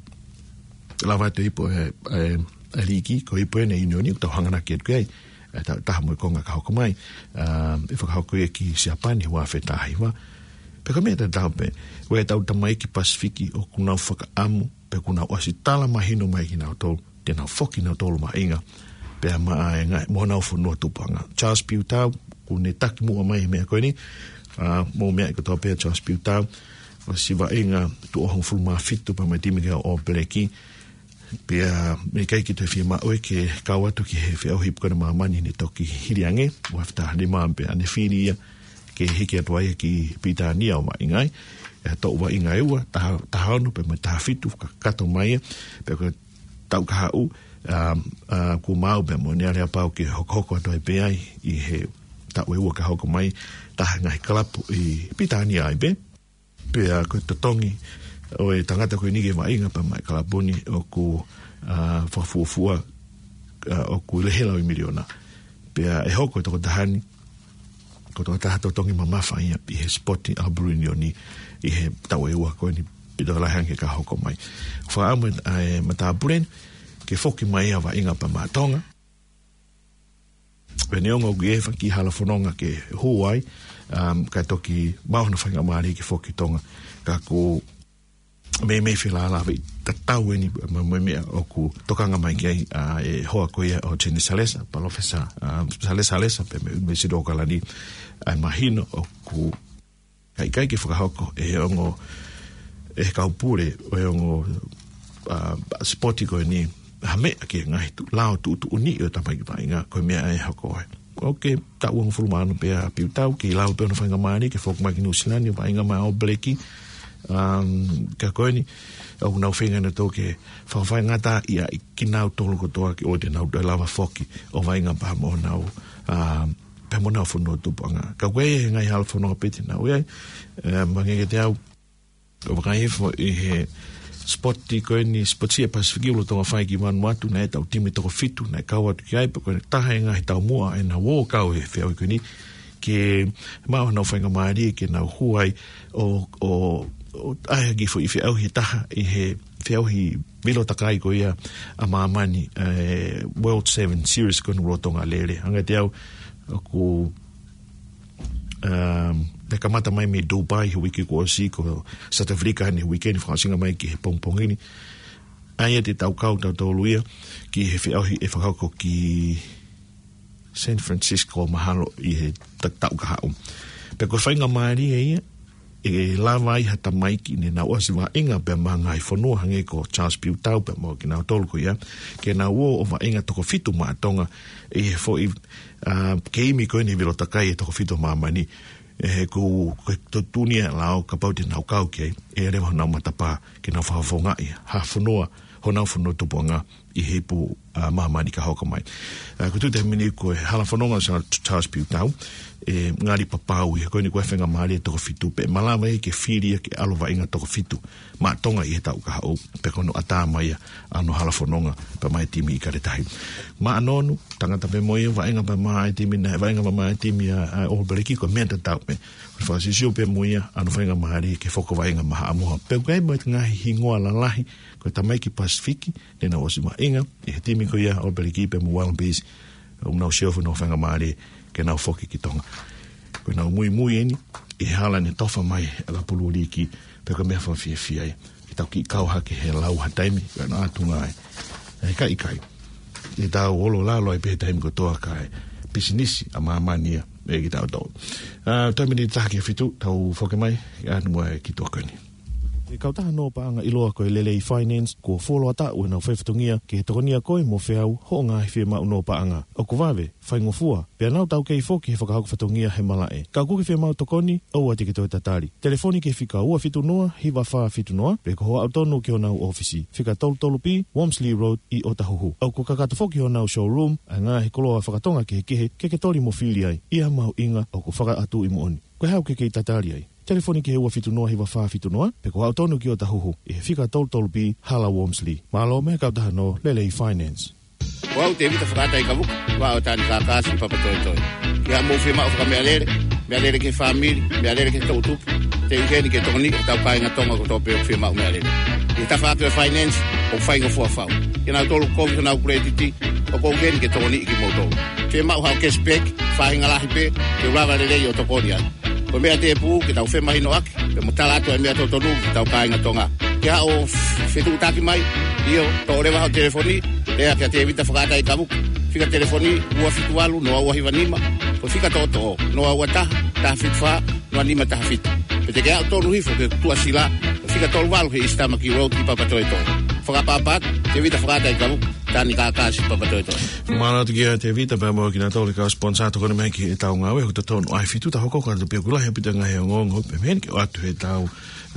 lava atu e ipu ʻa e, ʻa e, ʻa e liki, ko e ipu ʻeni ʻa e ʻiunioni, ʻoku tau hanganaki atu ki ai, ʻa e ta-, taha mo e konga ka hoko mai, ʻa, ʻe fakahoko ia ki Siapani, ua afe taha hiva. Pea ko e meʻa tatau pē, ko ʻetau tamaiki Pasifiki ʻoku nau fakaʻamu, pea ʻoku nau ʻosi tala mahino mai kinautolu te nau foki kinautolu vaʻinga pea maʻa e ngaahi, mo honau fonua tupuʻanga. Charles Piutau, ʻoku ne taki muʻa mai he meʻa ko eni, ʻa, mou meaʻi kotoa pē ʻa Charles Piutau, ʻosi vaʻinga tuʻo hongofulu mā fitu pea mo e timi ko ia ʻo All Black, pea mei kai ki toe fiemaʻu ke kau atu ki he feʻauhi ipu ko ena ʻa māmani ne toki hili ange, ua afe taha nima pea ne fili ia ke hiki atu ai ki Pilitānia ʻo vaʻinga ai, ʻa e toʻu vaʻinga ʻe ua, taha, taha ono pea mo e taha fitu, kakato mai ia, pea ko e taʻu kahaʻu, ʻa, ʻa, kuo maau pea mo ʻene aleapau ke hokohoko atu ai pē ai ʻi he taʻu ʻe ua ka hoko mai, taha e ngaahi kalapu ʻi Pilitānia ai pē. Pea ko e totongi ʻo e tangata ko eni ke vaʻinga pea maʻa e kalapu ni ʻoku, ʻa, fakafuofua, ʻa, ʻoku lehe lau ʻi miliona. Pea ʻe hoko e tokotaha ni ko e tokotaha totongi mamafa ia ʻi he sipoti ʻakapulu ʻiunioni ʻi he taʻu ʻe ua ko eni pito lahi ange ka hoko mai. Fakaʻamu ʻa e matāpule ni ke foki mai ia ʻo vaʻinga pea maʻa Tonga. Pea neongo ʻoku ʻi ai e fanga kiʻi halafononga ke hū ai, um, kae toki maʻu hano faingamālie ke foki ki Tonga. Ka ko e meimei felālāveʻi tatau ʻeni mo, mo e meʻa ʻoku tokanga mai ki ai ʻa e hoa ko ia ʻo Jenny Salesa, Palōfesa, um, Salesa, Salesa pea mei he ʻUnivēsiti ʻAokalani, ʻa e mahino ʻoku ʻikai ke fakahoko ʻe he ongo, ʻe he kau pule ʻo e ongo, ʻa, sipoti ko eni ha meʻa ki he ngaahi tuʻu, lao tuʻutuʻuni ʻo e tamaiki vaʻinga, ko e meʻa ʻe hoko ai. ʻOku taʻu hongofulu mā ono pē ʻa Piutau, kei lava pē hono faingamālie ke foki mai ki Nuʻusila ni ʻo vaʻinga maʻa All Black, um, ka ko eni, ʻoku nau feinga nautolu ke fakafaingataʻaʻiaʻi kinautolu kotoa ke ʻoua te nau toe lava foki ʻo vaʻinga pea mo honau, um, pea mo honau fonua tupuʻanga. Ka ko e ngaahi halafononga pē te nau ʻi ai, ʻe, mahino kiate au, ʻo vakai hifo ʻi he sipoti ko eni, sipoti ʻa e Pasifiki ʻoku lolotonga fai ki Vanuatu, naʻe ʻi ai ʻetau timi toko fitu naʻe kau atu ki ai, pea ko e taha e ngaahi taumuʻa ʻena ʻo kau he feʻauhi ko eni, ke maʻu honau faingamālie ke nau hū ai ʻo, ʻo, ʻo ʻai ha kiʻi foʻi feʻauhi ʻe taha ʻi he feʻauhi vilo takai ko ia ʻa māmani, ʻa e World Seven Series ko eni ʻoku lolotonga lele. Hangē ʻe au ʻoku, um, ne kamata mai mei Dubai he uike kuo ʻosi, ko South Africa eni he uike ni, fakaʻosinga mai ki he pongipongi ni. ʻA ia te tau kau tautolu ia ki he feʻauhi ʻe fakahoko ki San Francisco mahalo ʻi he ta-, taʻu ka haʻu. Pea ko e faingamālie ia, ʻe lava ai ha tamaiki ne nau ʻosi vaʻinga pea mo e ngaahi fonua hangē ko Charles Piutau pea mo kinautolu ko ia, ke nau ō ʻo vaʻinga toko fitu maʻa Tonga ʻi he foʻi, ʻa, keimi ko eni vilo takai ʻe toko fitu ʻa māmani. ʻE, ko, ko e totonu ia ʻa e lao kapau te nau kau ki ai, ʻe lava honau matapā ke nau fakafofongaʻi ha fonua, honau fonua tupuʻanga ʻi he ipu, ʻa, māmani ka hoko mai. ʻA, ko e tuʻu taimi ni ko e hala fononga ʻo Charles Piutau, ʻe ngali papau ia ko eni ko e faingamālie toko fitu pē, malava ia ke fili ia ke ʻalu vaʻinga toko fitu maʻa Tonga ʻi he taʻu ka haʻu, pea ko hono ʻatā mai ia ʻa hono hala fononga pea mo e timi ʻIkale Tahi. Maʻa Nonu, tangata pē mo ia, vaʻinga pē mo e timi na, vaʻinga pē mo e timi ʻa, ʻa All Black, ko e meʻa tatau pē. Fakasisio pē mo ia, ʻa hono faingamālie ke foki ʻo vaʻinga maʻa Haʻamoa. Pea ʻoku ʻi ai mo e ngaahi hingoa lalahi, ko e tamaiki Pasifiki, ne nau ʻosi vaʻinga ʻi he timi ko ia ʻo All Black pea mo Wallabies, ʻoku nau sio hifo honau faingamālie ke nau foki ki Tonga. Ko ʻenau muimui eni ʻi he hala ne tofa mai ʻa e ʻakapulu liiki, pea ko e meʻa fakafiefia ia ke tau kiʻi kau hake he lau ha taimi, ko ʻenau ʻatunga ai. ʻE ʻikai, ʻikai. ʻE tau olo lalo ai pē he taimi kotoa kae pisinisi ʻa māmani ia ʻe kitautolu. ʻA, taimi ni taha ki he fitu, tau foki mai, ʻa, nua e ki tuʻa ko eni. ʻE kautaha nō paʻanga ʻiloa ko e Lelei Finance, kuo fuoloa taʻu ʻenau fai fatongia ke he tokonia koe mo feau hoʻo ngaahi fiemaʻu nō paʻanga. ʻOku vave, faingofua, pea nau taukei foki he fakahoko fatongia he malaʻe. Ka ʻoku ke fiemaʻu tokoni, ʻoua te ke toe tatali. Telefoni ki he fika ua fitu noa, hiva fā fitu noa, pe ko hoʻo aʻu tonu ki honau ʻōfisi, fika tolu tolu B, Wormsley Road, ʻi ʻŌtahuhu. ʻOku kakato foki honau showroom ʻa e ngaahi koloa fakatonga kehekehe ke ke toli mo fili ai, ʻi ha mahuʻinga ʻoku fakaʻatuʻi moʻoni. Ko e hā ʻoku ke kei tatali ai? Telefoni ki he ua fitu noa hiva fā fitu noa, pe ko hoʻo aʻu tonu ki ʻŌtahuhu, ʻi he fika tolu tolu B, Hala Wormsley. Mālō mo e kautaha nō Lelei Finance. Ko au Tevita Fakaʻataikavuka, ua ʻo Tani Kākā Siʻi Papatoetoe. Ki haʻamou fiemaʻu fakameʻalele, meʻalele ki he fāmili, meʻalele ki he toʻutupu, te u ʻi heni ke tokoniʻi hotau kāinga Tonga kotoa pē ʻoku fiemaʻu meʻalele. ʻI he tafaʻaki ʻo e finance, ʻoku faingofua fau. Kinautolu ʻoku kovi honau kuletiti, ʻoku ou ʻi heni ke tokoniʻi kimoutolu. Fiemaʻu haʻo cashback, faʻahinga lahi pē, te u lava lelei ʻo tokoni ai. Ko e meʻa tēpū ke tau femahinoʻaki, pea mo tala atu e meʻa totonu ki hotau kāinga Tonga. Ke haʻo f-, fetuʻutaki mai, ʻio, toʻo leva hoʻo telefoni, lea kia Tevita Fakaʻataikavuka. Fika telefoni ua fitu valu noa ua hiva nima, ko e fika toʻotoʻo, noa ua taha, taha fitu fā, noa nima taha fitu. Pe te ke aʻu tonu hifo ki he tuʻasila, ko e fika tolu valu he East Tamaki Road ʻi Papatoetoe. Fakaʻapaʻapa atu, Tevita Fakaʻataikavuka, Tani Kākā Siʻi Papatoetoe. Mālō atu kia Tevita pea mo kinautolu kau sponsor tokoni mai ki heʻetau ngāue, ʻoku totonu ʻa e fitu, tau hoko atu pē ʻoku lahi ʻaupito e ngaahi ongoongo, pea mei heni ke ʻoatu heʻetau,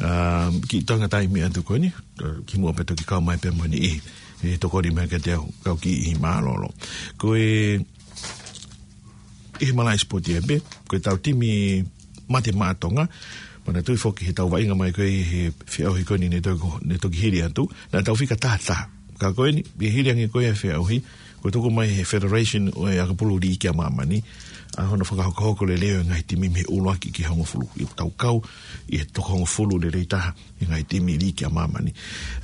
ā, kiʻi toenga taimi atu ko eni, ā, kimuʻa pea toki kau mai pē mo e niʻihi, ʻe tokoni mai kiate au, kau kiʻi mālōlō. Ko e, ʻi he malaʻe sipoti ē pē, ko ʻetau timi mate maʻa Tonga, manatuʻi foki heʻetau vaʻinga mai ko ē he feʻauhi ko eni ne toki, ne toki hili atu, naʻa tau fika taha taha. Ka ko eni, ʻi he hili ange ko ē e feʻauhi, kuo tuku mai he Federation ʻo e ʻakapulu liiki ʻa māmani, ʻa hono fakahokohoko lelei ʻo e ngaahi timi mei he ʻuluaki ki he hongofulu. ʻI heʻetau kau ʻi he toko hongofulu lelei taha ʻi he ngaahi timi liiki ʻa māmani.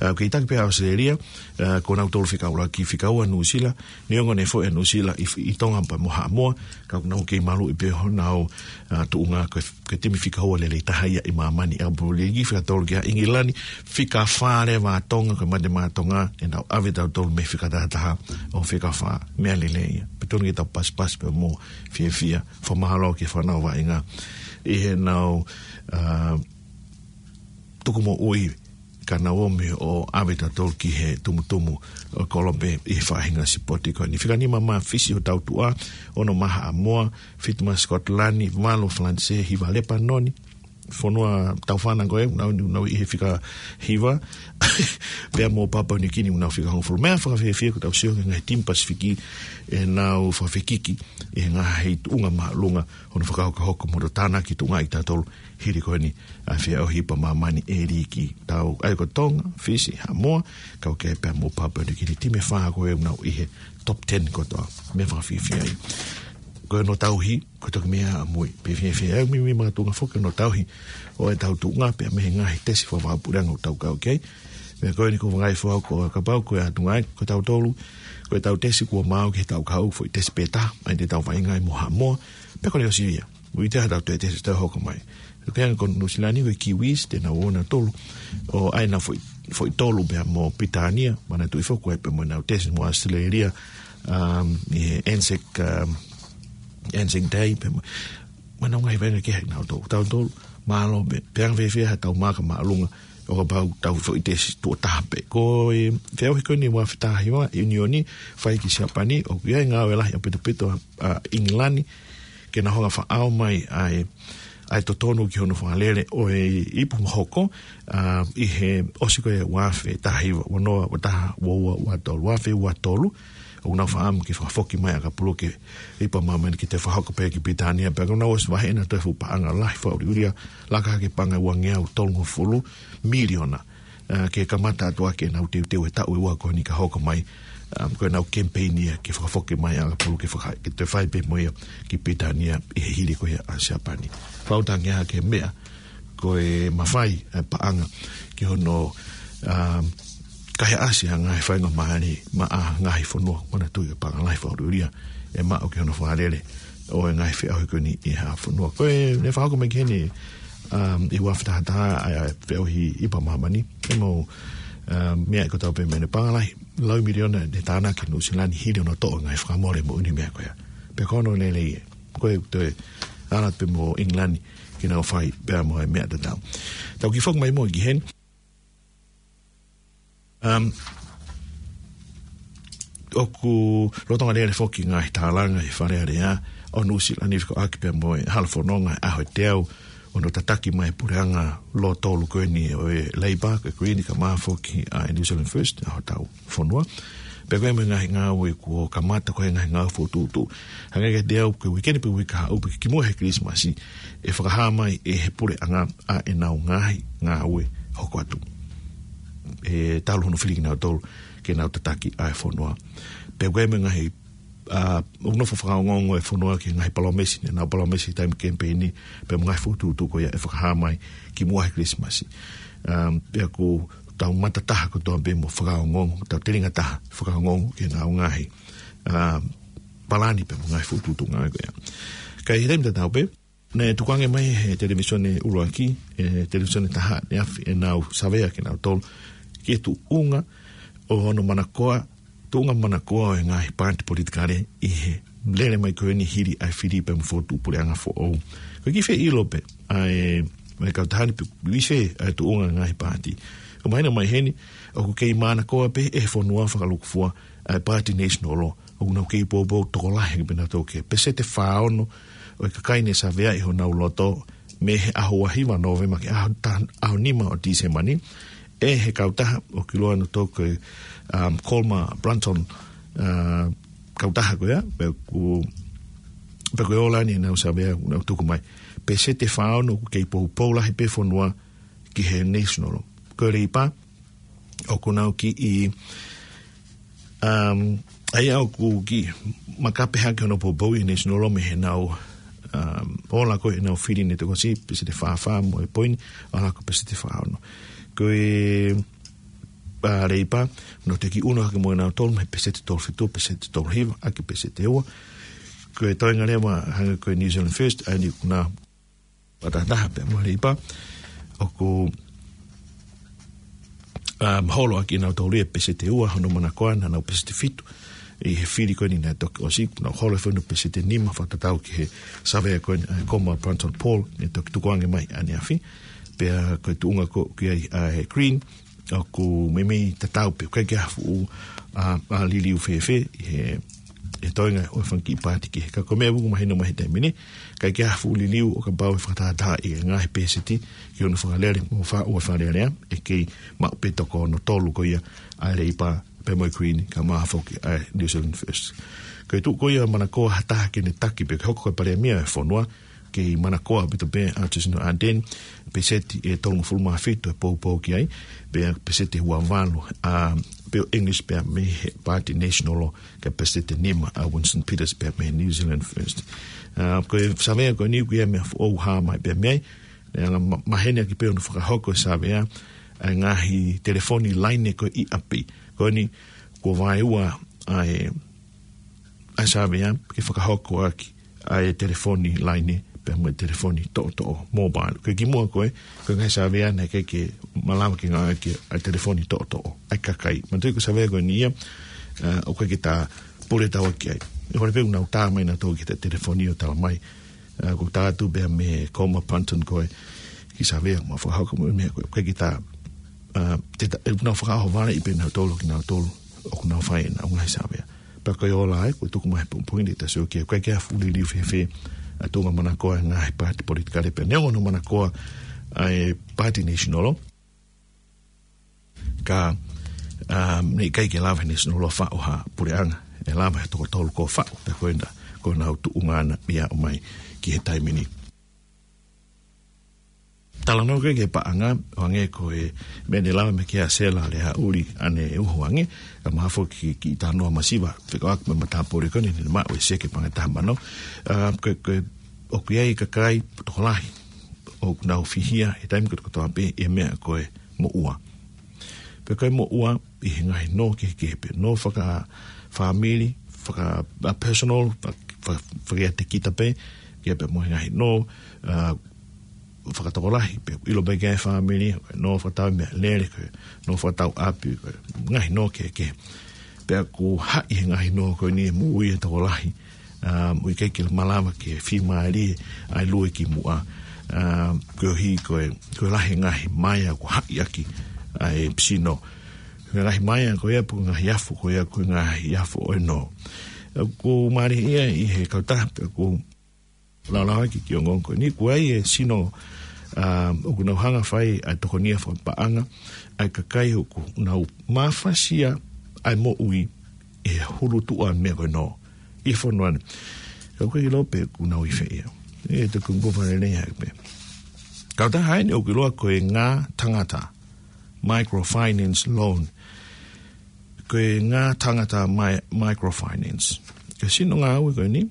Ā, ʻoku kei taki pē ʻa ʻAositelēlia, ā, ko nautolu fika ʻuluaki, fika ua Nuʻusila, neongo ne foʻi ʻa Nuʻusila ʻi, ʻi Tonga pea mo Haʻamoa, ka ʻoku nau kei maluʻi pē honau, ā, tuʻunga ko e, ko e timi fika ua lelei taha ia ʻi māmani ʻi he ʻakapulu liiki. Fika tolu kia ʻIngilani, fika fā leva ʻa Tonga, ko e mate maʻa Tonga, ʻenau ʻave tautolu mei he fika taha taha ʻo fika fā, meʻa lelei ia. Pea tonu ke tau pasipasi pea mo fiefia, fakamālō ki he fānau vaʻinga ʻi heʻenau, ā, tuku moʻui, ka nau ō mai ʻo ʻave tautolu ki he tumutumu ʻo e kolope ʻi he faʻahinga sipoti ko eni. Fika nima maʻa Fisi ʻo tau tuʻa, ono maʻa Haʻamoa, fitu maʻa Scotland, valu Falanisē, hiva Lepanoni, fonua tau fānau ko ē, nau, nau ʻi he fika hiva, pea mo Papua Niu Kini, nau fika hongofulu. Meʻa fakafiefia ko ʻetau sio ki he ngaahi timi Pasifiki, ʻenau fakafekiki ʻi he ngaahi tuʻunga māʻolunga, hono fakahokohoko mo hono tānaki tuʻungaʻi tautolu hili ko eni ʻa e feʻauhi pea māmani ʻe liiki. Tau ʻai ko Tonga, Fisi, Haʻamoa, kau ki ai pea mo Papua Niu Kini, timi ʻe fā ko ē ʻoku nau ʻi he top ten kotoa. Meʻa fakafiefia ia. ko hono tauhi, ko e toki meʻa ʻamui. Pea fēfē ʻa e meimei makatuʻunga foki hono tauhi ʻo e tau tuʻunga pea mei he ngaahi tesi fakavahaʻapuleʻanga ʻoku tau kau ki ai. Pea ko eni ko e ngaahi foha ko e kapau ko e ʻatunga ai, ko tautolu, ko e tau tesi kuo maau ki he tau kau foʻi tesi pē taha, ʻa ia te tau vaʻinga ai mo Haʻamoa, pea ko e leʻo sio ia. ʻOku ʻi ai ha tau toe tesi tau hoko mai. Ko e anga ko Nuʻu Sila ni ko e Kiwis, te nau ō nautolu ʻo ʻai ʻenau foʻi, foʻi tolu pea mo Pilitānia, manatuʻi foki ko e pea mo ʻenau tesi mo Australia, um, ʻi he ANZAC, um, ANZAC Day, pea mo, mo ʻenau ngaahi vaʻinga kehe nautolu. Tautolu, mālō pē, pea anga fēfē ha tau maaka māʻolunga, ʻo kapau tau foʻi tesi tuʻo taha pē. Ko e feʻauhi ko eni ua afe taha hiva, ʻiunioni, fai ki Siapani, ʻoku ʻi ai e ngāue lahi ʻaupito ʻa, ʻa ʻIngilani, ke na hanga ʻo fakaʻau mai ʻa e, ʻa e totonu ki hono fakalele ʻo e ipu mahoko, ʻa, ʻi he ʻosi ko ē ua afe taha hiva, ua noa, ua taha, ua ua, ua tolu, ua afe ua tolu, ʻoku nau fakaʻamu ke fakafoki mai ʻakapulu ki he ipu ʻa māmani ke toe fakahoko pē ki Pilitānia, pea ʻoku nau ʻosi vaheʻi ʻenau toe fuʻu paʻanga lahi fakaʻuliʻulia, laka hake paʻanga ua ngeau tolungofulu miliona, ʻa, ke kamata atu ʻaki ʻenau teuteu he taʻu ʻe ua ko eni ka hoko mai, ʻa, ko ʻenau kemipeini ia ke fakafoki mai ʻakapulu ke faka-, ke toe fai pē mo ia ki Pilitānia ʻi he hili ko ia ʻa Siapani. Fakaʻuta ange ʻa e meʻa, ko e mafai ʻa e paʻanga ki hono, ʻa, kaihaʻasi ʻa e ngaahi faingamālie maʻa e ngaahi fonua, manatuʻi ko e paʻanga lahi fakaʻuliʻulia ʻe maʻu ki hono fakalele ʻo e ngaahi feʻauhi ko eni ʻi ha fonua. Ko e, ne fakahoko mai ki heni, um, ʻi he ua afe taha taha ʻa e feʻauhi ipu ʻa māmani. ʻE mau, um, meʻa ko e tau pē meʻa ne paʻanga lahi, lau miliona ne tānaki Nuʻu Sila ni hili hono toʻo e ngaahi fakamole moʻoni meʻa ko ia. Pea ko hono lelei ē. Ko e toe ala pē mo ʻIngilani ke nau fai pea mo e meʻa tatau. Tau kiʻi foki mai mo ki heni. Um, ʻoku lolotonga lele foki ngaahi tālanga ʻi Fale Alea ʻo Nuʻu Sila ni fekauʻaki pea mo e hala fononga ʻi he ʻaho ʻe teau ʻo hono tataki mai e puleʻanga lōtolu ko eni ʻo e Labour, ko e Green, kae ʻumaʻā foki ʻa e New Zealand First, ʻa hotau fonua. Pea ko e meʻa ngaahi ngāue kuo kamata ko e ngaahi ngāue fokotuʻutuʻu. Hangē kiate au ko e uike ni pē uike kahaʻu pē kimuʻa he Kilisimasi ʻe fakahā mai ʻe he puleʻanga ʻa ʻenau ngaahi ngāue hoko atu. ʻE talu hono fili kinautolu ke nau tataki ʻa e fonua. Pea ko e meʻa ngaahi, ʻa, ʻoku nofo fakaongoongo e fonua ki he ngaahi palōmesi, ne nau palōmesi taimi kemipeini, pea mo e ngaahi fokotuʻutuʻu ko ia ʻe fakahā mai kimuʻa he Kilisimasi. Um, pea ʻoku tau matataha kotoa pē mo fakaongoongo, tau telinga taha fakaongoongo ki heʻenau ngaahi, um, palani pea mo e ngaahi fokotuʻutuʻu ngāue ko ia. Ka ʻi he taimi tatau pē, ne tukuange mai he televīsone ʻuluaki, e televīsone taha ʻaneafi ʻenau savea kinautolu ki he tuʻunga ʻo hono manakoa, tuʻunga manakoa ʻo e ngaahi paati politikale ʻi he lele mai ko eni hili ʻa e fili pea mo e fokotuʻu puleʻanga foʻou. Ko e kiʻi feʻiloaki pē ʻa e, ʻa e kautaha ni pe ʻoku ʻi fē ʻa e tuʻunga ngaahi paati. ʻOku mahino mai heni, ʻoku kei manakoa pē ʻe he fonua fakalūkufua ʻa e Paati National Law. ʻOku nau kei poupou tokolahi pē nautolu ki he peseti fā ono ʻo e kakai ne savea ʻi honau loto mei he ʻaho ua hiva Nōvema ki he ʻaho ta-, ʻaho nima ʻo Tīsema ni. ʻE he kautaha ʻoku ʻiloa nautolu ko e, um, Colmer Brunton, uh, kautaha ko ia, pea ʻoku, pea ko e ola ni ʻenau savea ʻoku nau tuku mai. Peseti fā ono ʻoku kei poupou lahi pē fonua ki he National. Ko e Leipa, ʻoku nau kiʻi, um, ʻa ia ʻoku kiʻi makape hake hono poupou ʻi he National mei heʻenau, um, ola ko ē ʻenau fili ne toki ʻosi, peseti fā fā mo e poini, ʻalu hake ko e peseti fā ono. Ko e, ʻa, Leipa, nau teʻeki ʻunu hake mo kinautolu mei he peseti tolu fitu, peseti tolu hiva, ʻaki peseti ua. Ko e toenga leva, hangē ko e New Zealand First, ʻa eni ʻoku na fakatahataha pea mo e Leipa, ʻoku, um, holo ʻaki ʻe nautolu ia e peseti ua hono manakoa, naʻa nau peseti fitu ʻi he fili ko eni naʻe toki ʻosi, nau holo foki hono peseti nima fakatatau ki he savea ko eni, ʻa e Colmer Brunton poll ne toki tukuange mai ʻaneafi. Pea ko e tuʻunga ko ē ʻoku ʻi ai ʻa e Green, ʻoku meimei tatau pē, ʻikai ke ʻi ai ha fuʻu, ʻa, ʻa liliu fēfē ʻi he, he toenga ʻo e fanga kiʻi paati kehe. Ka ko e meʻa ʻoku mahino mai he taimi ni, ʻikai ke ʻi ai ha fuʻu liliu ʻo kapau ʻe fakatahataha ʻi he ngaahi peseti ki hono fakalele mo fa-, ʻo e Fale Alea, ʻe kei maʻu pē toko hono tolu ko ia ʻa e Leipa pea mo e Green, kae ʻumaʻā foki ʻa e New Zealand First. Ko e tuʻu ko ia manakoa ha taha ke ne taki pe ke hoko ko e palēmia ʻo e fonua, kei manakoa ʻaupito pē ʻa Jacinda Ardern, peseti ʻe tolungofulu mā fitu ʻe poupou ki ai, pea peseti ʻe ua valu, ʻa, pea ʻo English pea mei he Party National, kae peseti ʻe nima ʻa Winston Peters pea mei New Zealand First. ʻA, ko e savea ko eni ʻoku ʻi ai e meʻa foʻou ʻoku hā mai pea mei ai, ʻe anga ma-, maheni ʻaki pē hono fakahoko e savea, ʻa e ngaahi telefoni laine ko ē ʻi ʻapi. Ko eni, kuo vaeua ʻa e ʻa e savea ke fakahoko ʻaki ʻa e telefoni laine, pea mo e telefoni toʻotoʻo, mobile. Ko e kimuʻa ko ē, ko e ngaahi savea naʻe ʻikai ke malava ke ngāueʻaki ʻa e telefoni toʻotoʻo ʻa e kakai. Manatuʻi ko e savea ko eni ia, ʻa, ʻoku ʻikai ke ta pule taua ki ai. ʻE hore pē ʻoku nau tā mai nautolu ki he telefoni ʻo tala mai. ʻA, ʻoku tā atu pea mei he Coma Punton ko ē kiʻi savea ʻoku mau fakahoko mo e meʻa ko ē. ʻOku ʻikai ke ta, ʻa, te ta, ʻoku nau fakaʻohovaleʻi pē nautolu kinautolu ʻoku nau fai ʻenau ngaahi savea. Pea ko e ola ai, ko e tuku mai he pongipongi ni ʻe taha ʻoku ʻikai ke ʻi ai ha fuʻu liliu fēfē ʻa e tuʻunga manakoa ʻa e ngaahi paati politikale pea neongo hono manakoa ʻa e Party National, ka, ʻa, naʻe ʻikai ke lava he National ʻo faʻo ha puleʻanga, ʻe lava he toko tolu kuo faʻo, pea ko ena, ko ʻenau tuʻunga ʻana ia ʻo aʻu mai ki he taimi ni. Talanoa ki he paʻanga, ʻo hangē ko e meʻa naʻe lave mai ki ai ʻa Sela Leauli ʻaneuhu ange, ka mahalo foki ki, ki he talanoa masiva, fekauʻaki mo e matāpule ko eni naʻe maʻu e seke paʻanga ʻe taha mano. ʻA, ko, ko, ʻoku ʻi ai e kakai tokolahi ʻoku nau fihia he taimi kotoa pē ʻi he meʻa ko e moʻua. Pea ko e moʻua ʻi he ngaahi nō kehekehe pē, nō fakafāmili, faka-, ʻa, personal, fa-, fa-, fakaʻiate kita pē, kehe pē mo e ngaahi nō, ʻa, fakatokolahi, pea ʻilo pē ki ai e fāmili, nō fakatau meʻalele, ko e nō fakatau ʻapi, ko e ngaahi nō kehekehe. Pea ʻoku haʻi he ngaahi nō ko eni e moʻui ʻa e tokolahi, ʻa, ʻoku ʻikai ke malava ke fiemālie ʻa e lue ki muʻa, ʻa, koeʻuhi ko e, ko e lahi e ngaahi maea ʻoku haʻi ʻaki ʻa e sino. Ko e ngaahi maea ko ia, pe ko e ngaahi afo ko ia, ko e ngaahi afo ʻo e nō. ʻOku mālie ia ʻi he kautaha, pea ʻoku laulauʻaki ki he ongoongo ko eni, ʻoku ʻi ai e sino, ʻa, ʻoku nau hanga ʻo fai ʻa e tokonia fakapaʻanga ʻa e kakai ʻoku nau mafasia ʻa e moʻui ʻi he hulutuʻa meʻa ko ē nō ʻi he fonua ni. Ka ʻoku ʻikai ke ʻilo pe ʻoku nau ʻi fē ia. ʻE te kumbu fale nei hai pē. Kautaha eni ʻoku ʻiloa ko e Ngā Tangata Microfinance Loan. Ko e Ngā Tangata Mi-, Microfinance. Ko e sino ngāue ko eni,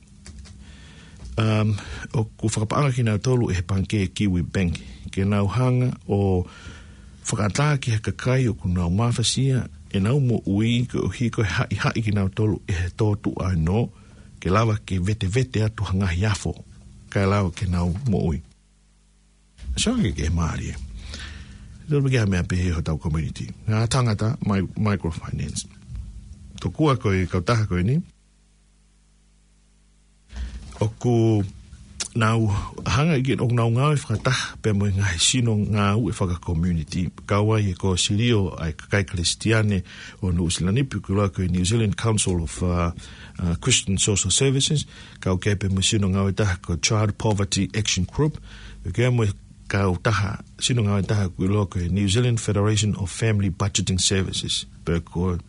um, ʻoku fakapaʻanga kinautolu ʻe he pangikē Kiwibank ke nau hanga ʻo fakaʻatā ki he kakai ʻoku nau mafasia ʻenau moʻui koeʻuhi ko e haʻihaʻi kinautolu ʻe he tōtuʻa ʻo e nō, ke lava ke vetevete atu ha ngaahi afo, kae lava ke nau moʻui. Sio ange ki he mālie. Tolu pē ki ha meʻa pehē hotau community. Ngā Tangata Mi-, Microfinance. Tokua ko e kautaha ko eni, ʻoku nau hanga ʻe ia, ʻoku nau ngāue fakataha pea mo e ngaahi sino ngāue faka-community. Kau ai e kōsilio ʻa e kakai Kalisitiane ʻo Nuʻusila ni, pe ʻoku ʻiloa ko e New Zealand Council of, uh, uh, Christian Social Services. Kau ki ai pea mo e sino ngāue ʻe taha ko e Child Poverty Action Group. Kau ki ai mo e kautaha, sino ngāue ʻe taha ʻoku ʻiloa ko e New Zealand Federation of Family Budgeting Services. Pea ko e,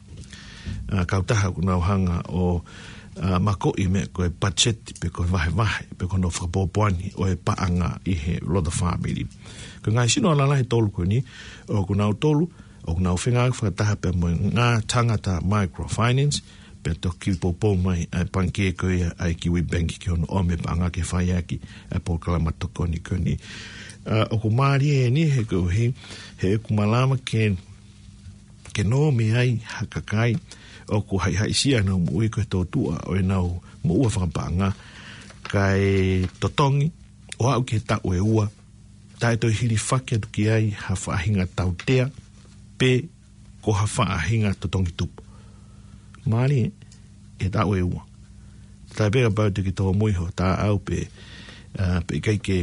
uh, kautaha ʻoku nau hanga ʻo, uh, makoʻi meʻa ko e budget, pe ko e vahevahe, pe ko hono fakapōpoaki ʻo e paʻanga ʻi he loto fāmili. Ko e ngaahi sino lalahi ʻe tolu ko eni, ʻoku nau tolu, ʻoku nau fengāueʻaki fakataha pea mo e Ngā Tangata Microfinance, pea toki poupou mai ʻa e pangikē ko ia ʻa e Kiwibank ki hono ʻomi e paʻanga ke fai ʻaki ʻa e polokalama tokoni ko eni. ʻA, ʻoku mālie eni he koeʻuhi, he ʻoku malava ke, ke nō mei ai ha kakai ʻoku haʻihaʻisia ʻenau moʻui ko e tōtuʻa ʻo ʻenau moʻua fakapaʻanga, kae totongi ʻo aʻu ki he taʻu ʻe ua, taʻe toe hilifaki atu ki ai ha faʻahinga tautea, pe ko ha faʻahinga totongi tupu. Mālie, ʻe taʻu ʻe ua. Taʻe pē kapau te ke tōmui hoʻo taʻau pe, ʻa, pe ʻikai ke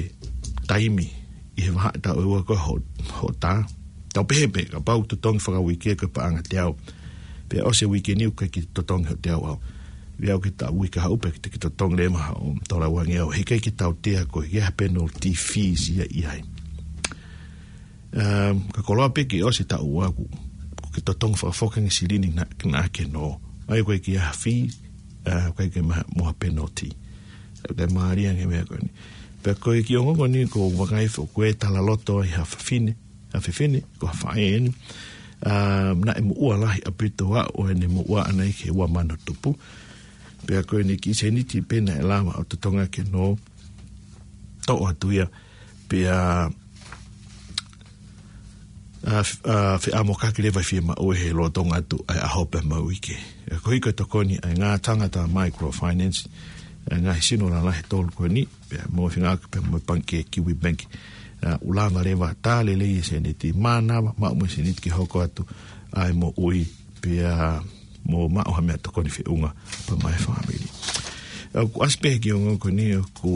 taimi ʻi he vahaʻa taʻu ʻe ua ko ē hoʻo, hoʻo tā. Tau pehē pē, kapau totongi fakauike ko e paʻanga teau. Pea ʻosi e uike ni ʻoku ʻikai ke totongi hoʻo teau ʻaʻau. Pea ʻoku ʻi ai e taʻu uike haʻu pē te ke totongi leva hoʻo tola uange au. He ʻikai ke tautea koe, ʻikai ha penalty fees ia ʻi ai. Um, ka koloa pē ke ʻosi e taʻu ʻe ua kuo ke totongi fakafoki ange e silini naʻa, naʻa ke nō. ʻAi ʻoku ʻikai ke ʻi ai ha fee, uh, ʻoku ʻikai ke maʻu ha penalty. Taʻe mālie ange e meʻa ko eni. Pea ko e kiʻi ongoongo ni ʻoku ou vakai foki ko e talaloto ai ha fefine, ha fefine, ko ha faʻē eni. ʻA, naʻe moʻua lahi ʻaupito ʻa ʻene moʻua ʻana ʻi he ua mano tupu. Pea ko ʻene kiʻi sēniti pē naʻe lava ʻo totongi ke nō toʻo atu ia. Pea ʻa, ʻa, feʻamokaki leva ʻi he fiemaʻu ʻi he lolotonga atu ʻa e ʻaho pea mo e uike. ʻA, ko e hoko e tokoni ʻa e ngaahi tangata microfinance, ʻa e ngaahi sino lalahi ʻe tolu ko eni, pea mo e fengāueʻaki pea mo e pangikē Kiwibank. ʻA, ʻoku lava leva tā lelei e sēniti, mānava, maʻu mo e sēniti ke hoko atu ʻa e moʻui, pea mo maʻu ha meʻa tokoni feʻunga pea mo e fāmili. ʻA, ʻoku ʻasi pē ki he ongoongo ko eni ʻoku,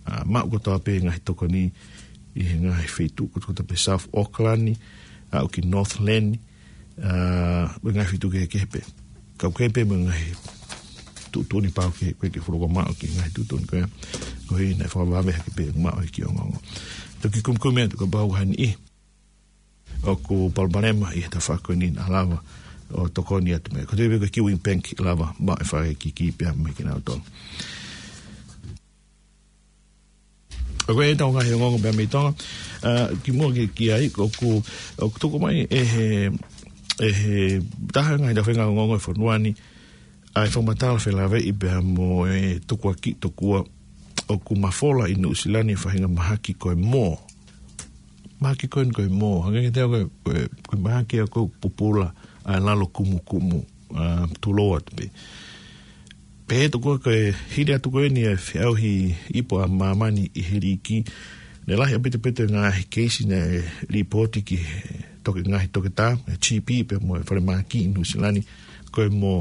ʻa, maʻu kotoa pē ngaahi tokoni ʻi he ngaahi feituʻu kotoa pē South Auckland, ʻa, ʻo ki Northland, ʻa, mo e ngaahi feituʻu kehekehe pē. Kau kehe pē mo e ngaahi tuʻutuʻuni pau ke, ke, ke fuoloa maʻu ki he ngaahi tuʻutuʻuni ko ia. Ko ia naʻe fakavave hake pē maʻu e kiʻi ongoongo. Toki kumikumi atu kapau ʻoku ʻi ai ha niʻihi ʻoku palopalema ʻi he tafaʻaki ko eni naʻa lava ʻo tokoni atu mei ai. Ko e tui pē ko e Kiwibank lava maʻu e fakakikihi pea mei kinautolu. ʻA, ko e ʻetau ngaahi ongoongo pea mei Tonga. ʻA, kimuʻa ke, ki ai, ʻoku, ʻoku tuku mai ʻe he, ʻe he taha ngaahi taufaʻahinga ongoongo ʻo e fonua ni, ʻa e fakamatala felāveʻi pea mo e tukuakiʻi tokua ʻoku mafola ʻi Nuʻusila ni e faʻahinga mahaki ko e mō. Mahaki ko eni ko e mō. Hangē kiate au ko e, ko e, ko e mahaki ia ko e pupula ʻa e lalo kumukumu, ʻa, tulou atu pē. Pehē tokua ko e hili atu ko eni e feʻauhi ipu ʻa māmani ʻi he liʻiki, naʻe lahi ʻaupito pē e ngaahi keisi naʻe lipooti ki he toke, ngaahi toketā, e G P pea mo e falemahaki ʻi Nuʻusila ni, ko e mō.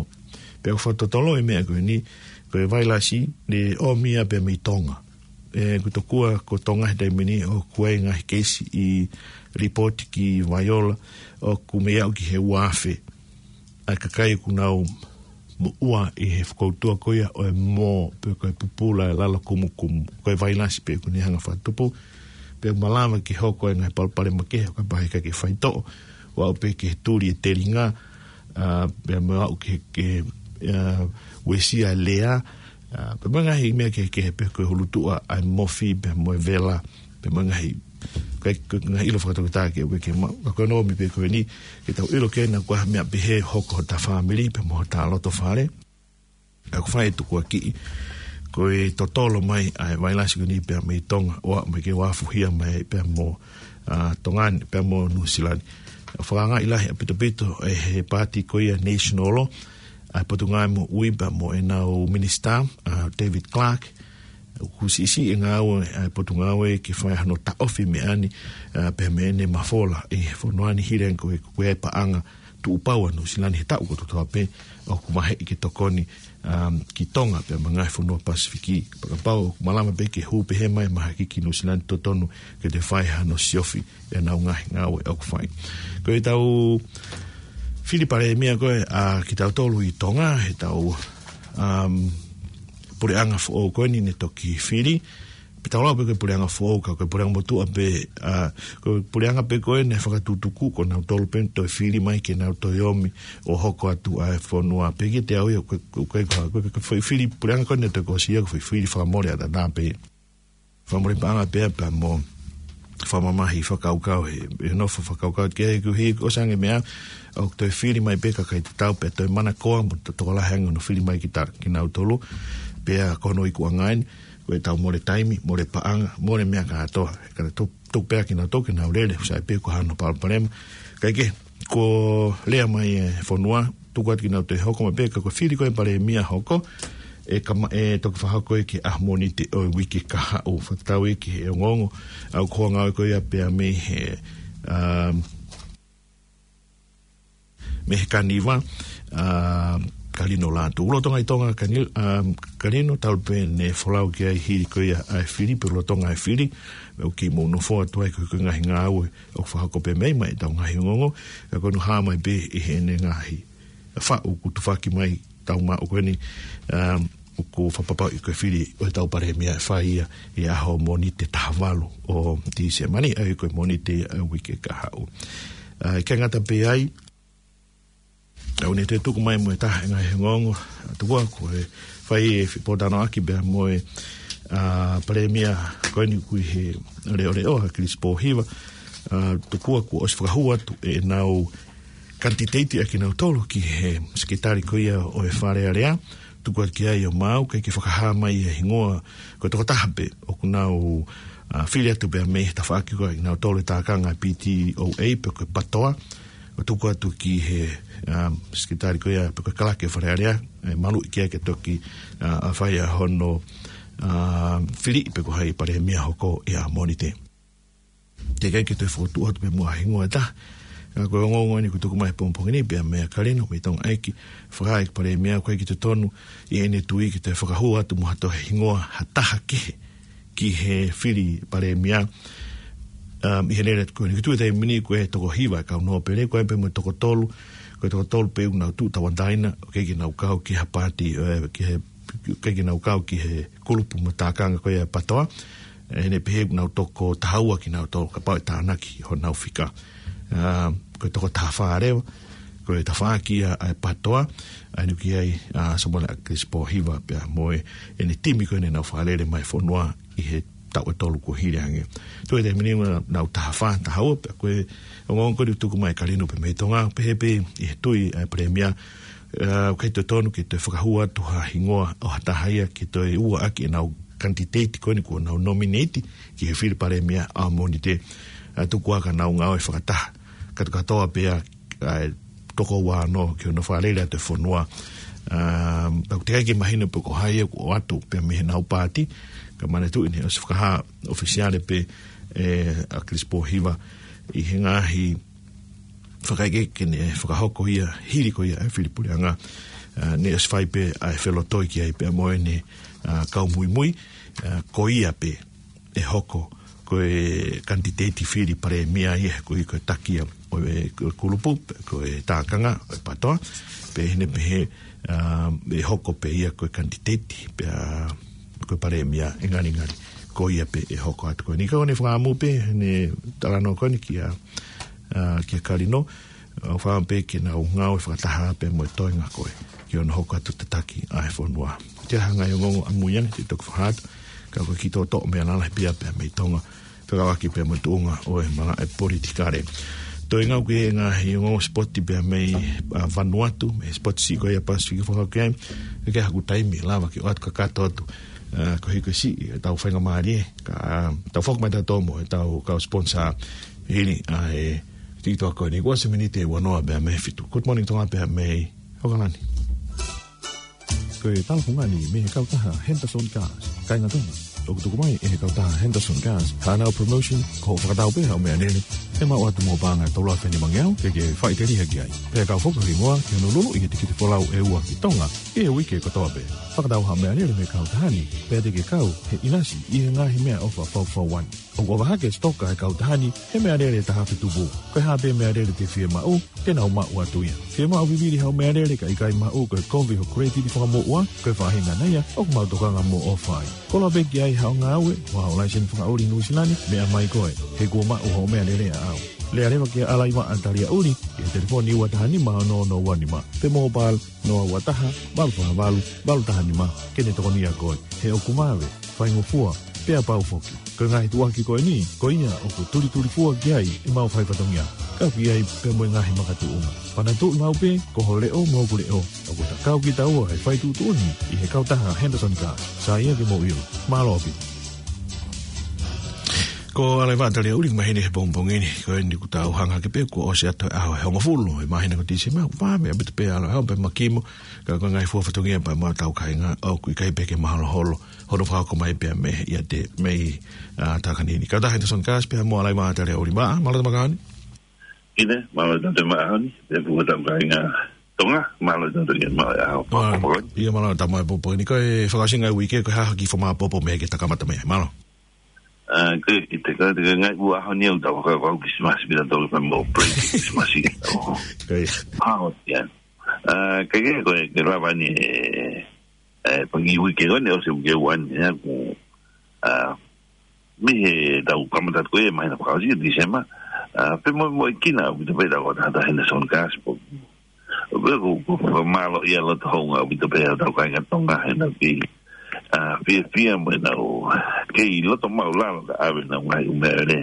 Pea ʻoku fakatotolo e meʻa ko eni, ko e vailasi, naʻe ʻomi ia pē mei Tonga. ʻE, ko e tokua ko Tonga he taimi ni ʻoku ʻi ai e ngaahi keisi ʻi lipooti ki Vaiola, ʻoku mei aʻu ki he ua afe ʻa e kakai ʻoku nau moʻua ʻi he fokoutua ko ia ʻo e mō, pe ko e pupula ʻa e lalo kumukumu, ko e vailasi pē ʻoku ne hanga ʻo fakatupu, pea malava ke hoko e ngaahi palopalema kehe ʻo kapau ʻe ʻikai ke faitoʻo, ʻo aʻu pē ki he tuli e telinga, ʻa, pea mo aʻu ki he, ki he, ʻa, uesia e lea, ʻa, pea mo e ngaahi meʻa kehekehe pē ko e hulutuʻa ʻa e mofi, pea mo e vela, pea mo e ngaahi, ko e, ko e ngaahi ʻilo fakatoketā ke ʻoua ke maʻu. Ka ko e ʻomi pē ko eni, ke tau ʻilo ke na ko ha meʻa pehē hoko hota fāmili, pea mo hota loto fale. ʻA, ʻoku fai e tukuakiʻi, ko e totolo mai ʻa e vailasi ko eni pea mei Tonga, ʻo aʻu mai ke uafuhia mai pea mo, ʻa, Tonga ni, pea mo Nuʻusila ni. ʻOku fakaangaʻi lahi ʻaupito ʻaupito ʻe he paati ko ia National Law, ʻa e Potungāue Moʻui pea mo ʻenau minisitā, ʻa, David Clark, ʻoku siʻisiʻi e ngāue ʻa e Potungāue ke fai hano taʻofi meʻa ni, ʻa, pea mo ʻene mafola ʻi he fonua ni hili ange ko e, ko e paʻanga tuʻupau ʻa Nuʻusila ni he taʻu kotoa pē ʻoku maheʻi ke tokoni, um, ki Tonga pea mo e ngaahi fonua Pasifiki. Pea kapau ʻoku malava pē ke hū pehē mai e mahaki ki Nuʻusila ni, totonu ke toe fai hano siofi ʻenau ngaahi ngāue ʻoku fai. Ko ʻetau fili palēmia ko ē ʻa kitautolu ʻi Tonga, heʻetau, um, puleʻanga foʻou ko eni ne toki fili, pe tau lau pē ko e puleʻanga foʻou, ka ko e puleʻanga motuʻa pē, ʻa, ko e puleʻanga pē ko ē naʻe fakatutuku, ko nautolu pē toe fili mai ke nau toe ʻomi ʻo hoko atu ʻa e fonua. Pea kiate au ia, ko e, ko e, ko e, ko e, ko e foʻi fili puleʻanga ko ē naʻe toe kōsia, ko e foʻi fili fakamole ʻataʻatā pē. Fakamole paʻanga pē pea mo fakamamahi fakakaukau he, he nofo fakakaukau ke he kuhi ʻosi ange meʻa, ʻoku toe fili mai pē kakai tatau pea toe manakoa mo to-, tokolahi ange hono fili mai kita, kinautolu, pea ko hono ikuʻanga eni, ko ʻetau mole taimi, mole paʻanga, mole meʻa kātoa. Ka to-, tuku pē kinautolu ke nau lele, ʻoku sai pē ko hano palopalema. Kae kehe, ko e lea mai e fonua, tuku atu ke nau toe hoko mai pē, ka ko e fili ko ē palēmia hoko, ʻe kama-, ʻe toki fakahoko ia ki he ʻaho Mōnite ʻo e uike kahaʻu, fakatatau ia ki he ongoongo ʻa e kau ngāue ko ia pea mei he, um, mei he Kaniva, ʻa, Kalino Lātū. Lolotonga ʻi Tonga Kani-, ʻa, Kalino, talu pē ʻene folau ki ai hili ko ia ʻa e fili, pe lolotonga e fili, ʻoku kei mou nofo atu ai ko e, ko e ngaahi ngāue ʻoku fakahoko pē mei ai ʻetau ngaahi ongoongo, ka ko hono hā mai pē ʻi heʻene ngaahi faʻu kuo tufaki mai tau maʻu ko eni, um, ʻoku fakapapauʻi ko e fili ʻo ʻetau palēmia ʻe fai ia ʻi he ʻaho Mōnite taha valu ʻo Tīsema ni, ʻa ia ko e Mōnite ʻa e uike kahaʻu. ʻA, ʻikai ngata pē ai, ʻoku ne toe tuku mai mo e taha e ngaahi ongoongo, ʻa, tuku ā ko e fai e fepōtalanoaʻaki pea mo e, ʻa Palēmia ko eni ʻoku ʻi he leʻoleʻo, ʻa Kilisi Pōhiva, ʻa, tokua kuo ʻosi fakahū atu ʻenau kanititeiti ʻa kinautolu ki he Sekelitali ko ia ʻo e Fale Alea, tuku atu ki ai ʻo maau, ʻikai ke fakahā mai e hingoa, ko e tokotaha pē ʻoku nau, ʻa, fili atu pea mei he tafaʻaki ko ia ʻa kinautolu e tākanga P T O A pe ko e PATOA, ʻo tuku atu ki he, ʻa, Sekelitali ko ia pe ko e kalake Fale Alea, ʻe maluʻi ki ai ke toki, ʻa, ʻa fai ʻa hono, ʻa, fili pe ko hai Palēmia hoko ʻi ʻAmonite. Teʻeki ai ke toe fokotuʻu atu pē muʻa ha hingoa ʻe taha. ʻA, ko e ongoongo eni kuo tuku mai he pongipongi ni pea meia Kalino mei Tonga ʻEiki, fakahā ʻe he Palēmia ʻoku ʻikai ke totonu ʻi heʻene tui ke toe fakahū atu muʻa ha toe hingoa ha taha kehe ki he fili Palēmia, um, ʻi he lele atu ko eni. Ko e tuʻu he taimi ni ko e toko hiva e kau nōpele, ko e pē mo e toko tolu, ko e toko tolu pē ʻoku nau tuʻu tauʻatāina, ʻoku ʻikai ke nau kau ki ha paati, ʻe, ki he, ʻikai ke nau kau ki he kulupu mo e tākanga ko ia e PATOA, ʻe, ʻi heʻene pehē ʻoku nau toko taha ua kinautolu kapau ʻe tānaki honau fika. Um, ko e toko taha fā leva, ko e tafaʻaki ia ʻa e PATOA, ʻa eni ʻoku ʻi ai ʻa Samuela ʻAkilisi Pōhiva pea mo ʻene timi ko eni ʻenau fakalele mai e fonua ʻi he taʻu ʻe tolu kuo hili ange. Tuʻu he taimi ni ʻoku nau taha fā, taha ua, pea ko e ongoongo ko eni kuo tuku mai ʻe Kalino pē mei Tonga, pehē pē ʻi he tui ʻa e Palēmia, ʻa, ʻoku ʻikai totonu ke toe fakahū atu ha hingoa ʻo ha taha ia ke toe ua ʻaki ʻenau kanititeiti ko eni kuo nau nominate ki he fili Palēmia ʻAmonite, ʻa, tuku ā ka nau ngāue fakataha kātoa pē ʻa, ʻa e toko ua ono ki hono fakalele atu e fonua. Um, pea ʻoku teʻeki ai ke mahino pe ko hai ia kuo ʻoatu pea mei heʻenau paati, ka manatuʻi naʻe ʻosi fakahā ʻofisiale pē ʻe ʻAkilisi Pōhiva ʻi he ngaahi fakaʻekeʻeke naʻe fakahoko ia hili ko ia e fili puleʻanga, ʻa, naʻe ʻosi fai pē ʻa e felotoi ki ai pea mo ʻene, ʻa, kau muimui, ʻa, ko ia pē ʻe hoko ko e kanititeiti fili Palēmia ia, ko ia ko e taki ia ʻo e, ko e kulupu, ko e tākanga ʻo e PATOA, pea ʻi heʻene pehē, ʻa, ʻe hoko pē ia ko e kanititeiti, pea ko e Palēmia ʻe ngalingali ko ia pē ʻe hoko atu ko eni. Ka ʻoku ne fakaʻamu pē ʻene talanoa ko eni kia, ʻa, kia Kalino, ʻo fakaʻamu pē ke nau ngāue fakataha pea mo e toenga ko ē ki hono hoko atu tataki ʻa e fonua. Ko e taha e ngaahi ongoongo ʻamui ange te u toki fakahā atu, ka ko e kiʻi toʻotoʻo meʻa lalahi pē ia pea mei Tonga, fekauʻaki pea mo e tuʻunga ʻo e malaʻe politikale. Toe ngāue ki he ngaahi ongoongo sipoti pea mei, ʻa, Vanuatu, mei he sipoti siʻi ko ia Pasifiki, fakakaukau ki ai, ʻikai ke ʻi ai haku taimi lava ke ʻoatu kakato atu, ʻa, koeʻuhi ko e siʻi ʻetau faingamālie, ka, ʻa, tau foki mai tautolu mo ʻetau kau sponsor hili ʻa e tiki toa ko eni. Kuo ʻosi e miniti ʻe uanoa pea mei he fitu. Good morning Tonga pea mei ʻAokalani. Ko e talafungani mei he kautaha Henderson Cars. Kāinga Tonga, ʻoku tuku mai ʻe he kautaha Henderson Cars haʻanau promotion, ko hoʻo fakatau pē haʻo meʻalele, ʻe maʻu atu mo e paʻanga ʻe tolu afe nimangeau ke ke faʻiteliha ki ai. Pea kau foki ho hingoa ki hono luluʻi he tikite folau ʻe ua ki Tonga ʻi he uike kotoa pē. Fakatau haʻo meʻalele mei he kautaha ni, pea te ke kau he ʻinasi ʻi he ngaahi meʻaʻofa faufaua ni. ʻOku ʻofa hake e sitoka ʻa e kautaha ni he meʻalele ʻe taha afe tupu. Ko e hā pē meʻalele te ke fiemaʻu, te nau maʻu atu ia. Fiemaʻu vivili haʻo meʻalele kae ʻikai maʻu, ko e kovi ho credit fakamuʻa, ko e faʻahinga ia ʻoku mau tokanga mo ʻofa ai. Koloa pē ki ai haʻo ngāue, mo haʻo laiseni fakaʻuli Nuʻusila ni, meʻa mai koe, he kuo maʻu hoʻo meʻalele ʻaʻau. Lea leva kia Alaivaʻa Taliaʻuli ʻi he telefoni ua taha nima ono ono ua nima, pe mobile noa ua taha, valu fā valu, valu taha nima, ke ne tokonia koe. He ʻoku mave, faingofua, pea pau foki. Ko e ngaahi tuʻuaki ko eni, ko ia ʻoku tulitulifua ki ai ʻemau fai fatongia, kau ki ai pea mo e ngaahi makatuʻunga. Manatuʻi maʻu pē, ko ho leʻo mo hoku leʻo, ʻoku ta kau kitaua he fai tuʻutuʻuni ʻi he kautaha Henderson Cars. Sai ia ke mou ʻilo. Mālō ʻaupito. Ko Alaivaʻa Taliaʻuli, mahino he pongipongi ni, ko eni kuo tau hanga hake pē kuo ʻosi atu e ʻaho ʻe hongofulu ʻo e māhina ko Tīsema, ʻoku vave ʻaupito pē ʻalu ʻo aʻu pē makimo, ka ko e ngaahi fua fatongia pea mo ʻetau kāinga, ʻoku ʻikai pē ke maholoholo hono fakahoko mai pea mei he ʻiate mei, ʻa, Takanini. Kautaha Henderson Cars pea mo Alaivaʻa Taliaʻuli. Mālō e tau maʻu ʻaho ni. ʻIo, mālō e tau maʻu ʻaho ni. Pea mo ʻetau kāinga Tonga, mālō e tau maʻu ʻaho ni. Mālō. ʻIo, mālō e tau maʻu ʻaho ni. Ko e fakaʻosinga e uike, ko e hā ha kiʻi fakamaopoopo meʻa ke ta kamata mei ai? Mālō. ʻA, ko e kiʻi teka, teka ngaahi ua ʻaho ni ʻoku tau fakakaukau Kilisimasi pea tau fai mo break Kilisimasi. ʻIo. Hao, ia. ʻA, ke ke ko e, ke lava ni e, e, pangi uike ko eni, ʻosi e uike ua ni, ia ku, ʻa, mei he tau kamata ko e māhina fakaʻosi ʻo Tīsema, ʻa, pea mo, mo e kina, ʻoku te pehē ʻe he kautaha Henderson Cars pē. ʻOku, ʻoku, ʻoku fakamālō ia loto hounga, ʻoku te pehē ʻe he tau kāinga Tonga, he nau kei, ʻa, fiefia mo ʻenau kei loto maʻulalo ka ʻave ʻenau ngaahi ʻū meʻalele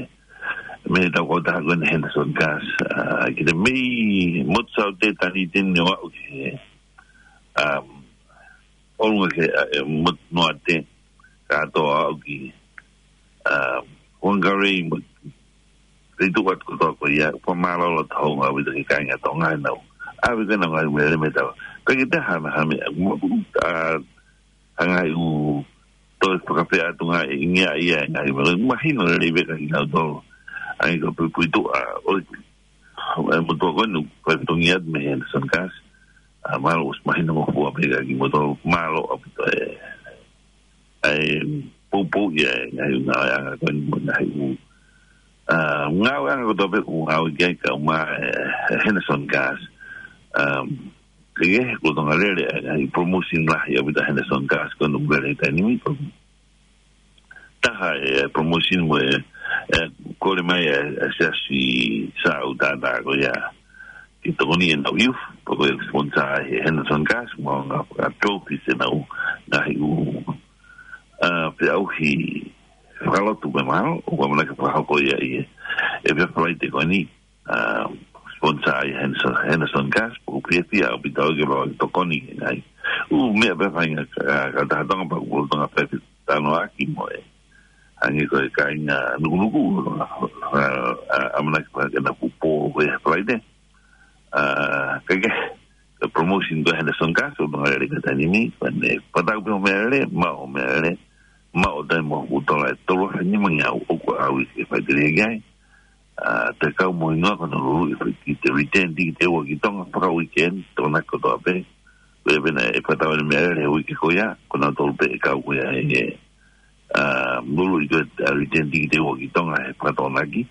mei heʻetau kautaha ko eni Henderson Gas, ʻa, ki he mei motu Saute, Dunedin ʻo aʻu ki he, um, ʻolunga ki he, ʻa, e, motu Noate, kātoa ʻo aʻu ki, um, Whangarei mo e feituʻu atu kotoa ko ia, ʻoku fakamālō loto houngaʻia ʻaupito ki he kāinga Tonga ʻenau ʻave ko ē ʻenau ngaahi meʻalele mei heʻetau. Ka ʻikai ke te hana ha meʻa, ʻa, ha ngaahi ʻū toe fakapea atu ngaahi ʻingia ia e ngaahi meʻa. Mahino lelei pē kiate kinautolu. ʻA ia ko e puipuituʻa ʻo e, e motuʻa ko eni ʻoku fai fatongia atu mei he Henderson Gas. ʻA, mālō ʻosi mahinongofua pē kiate kimoutolu. Mālō ʻaupito e, e poupou ia e ngaahi ʻū ngāueʻanga ko eni mo e ngaahi ʻū, ʻa, ngāueʻanga kotoa pē ʻoku ngāue ki ai kau mai e, e Henderson Gas. Um, ke ke he ko Tonga lele, e, e promotion lahi ʻaupito ʻa Henderson Gas ko eni ʻoku lele he taimi ni. Taha e promotion mo e, e kole mai e, e siasi Saute ko ia ke tokoni ʻenau youth, pea ko e sponsor ʻe he Henderson Gas, mo e ngaahi trophies ʻenau ngaahi ʻū, ʻa, feʻauhi fakalotu pē mahalo, ʻoku ʻamanaki ke fakahoko ia ʻi he, e pea Falaite ko eni, ʻa, sponsor ʻe he Henderson, Henderson Gas, ʻoku fiefia ʻaupito au ke lava ke tokoni ki he ngaahi ʻū meʻa pē fainga ka, ka taha Tonga pea ko Tonga pē ke talanoa ʻaki mo e. Hangē ko e kāinga Nukunuku, ʻa, ʻa, ʻamanaki pē ke na pupō ko e Falaite. ʻA, ka ke, ka promotion ko e Henderson Gas, ʻoku ngali lele ki he taimi ni, ko eni, pea tau pē hoʻo meʻalele, maʻu hoʻo meʻalele, maʻu ʻo taimi mo hoku tola e tolu afe nima ngeau ʻoku ʻaui ke fai tele ki ai. ʻA, te kau mo hingoa ko ʻenau luluʻi e fai ki he return ticket ʻe ua ki Tonga, faka-weekend, Tokonaki kotoa pē. Ko ia pē naʻe fakatau ʻene meʻalele he uike ko ia, ko kinautolu pē e kau ko ia he, ʻa, luluʻi ko e, ʻa, return ticket ʻe ua ki Tonga he faka-Tokonaki.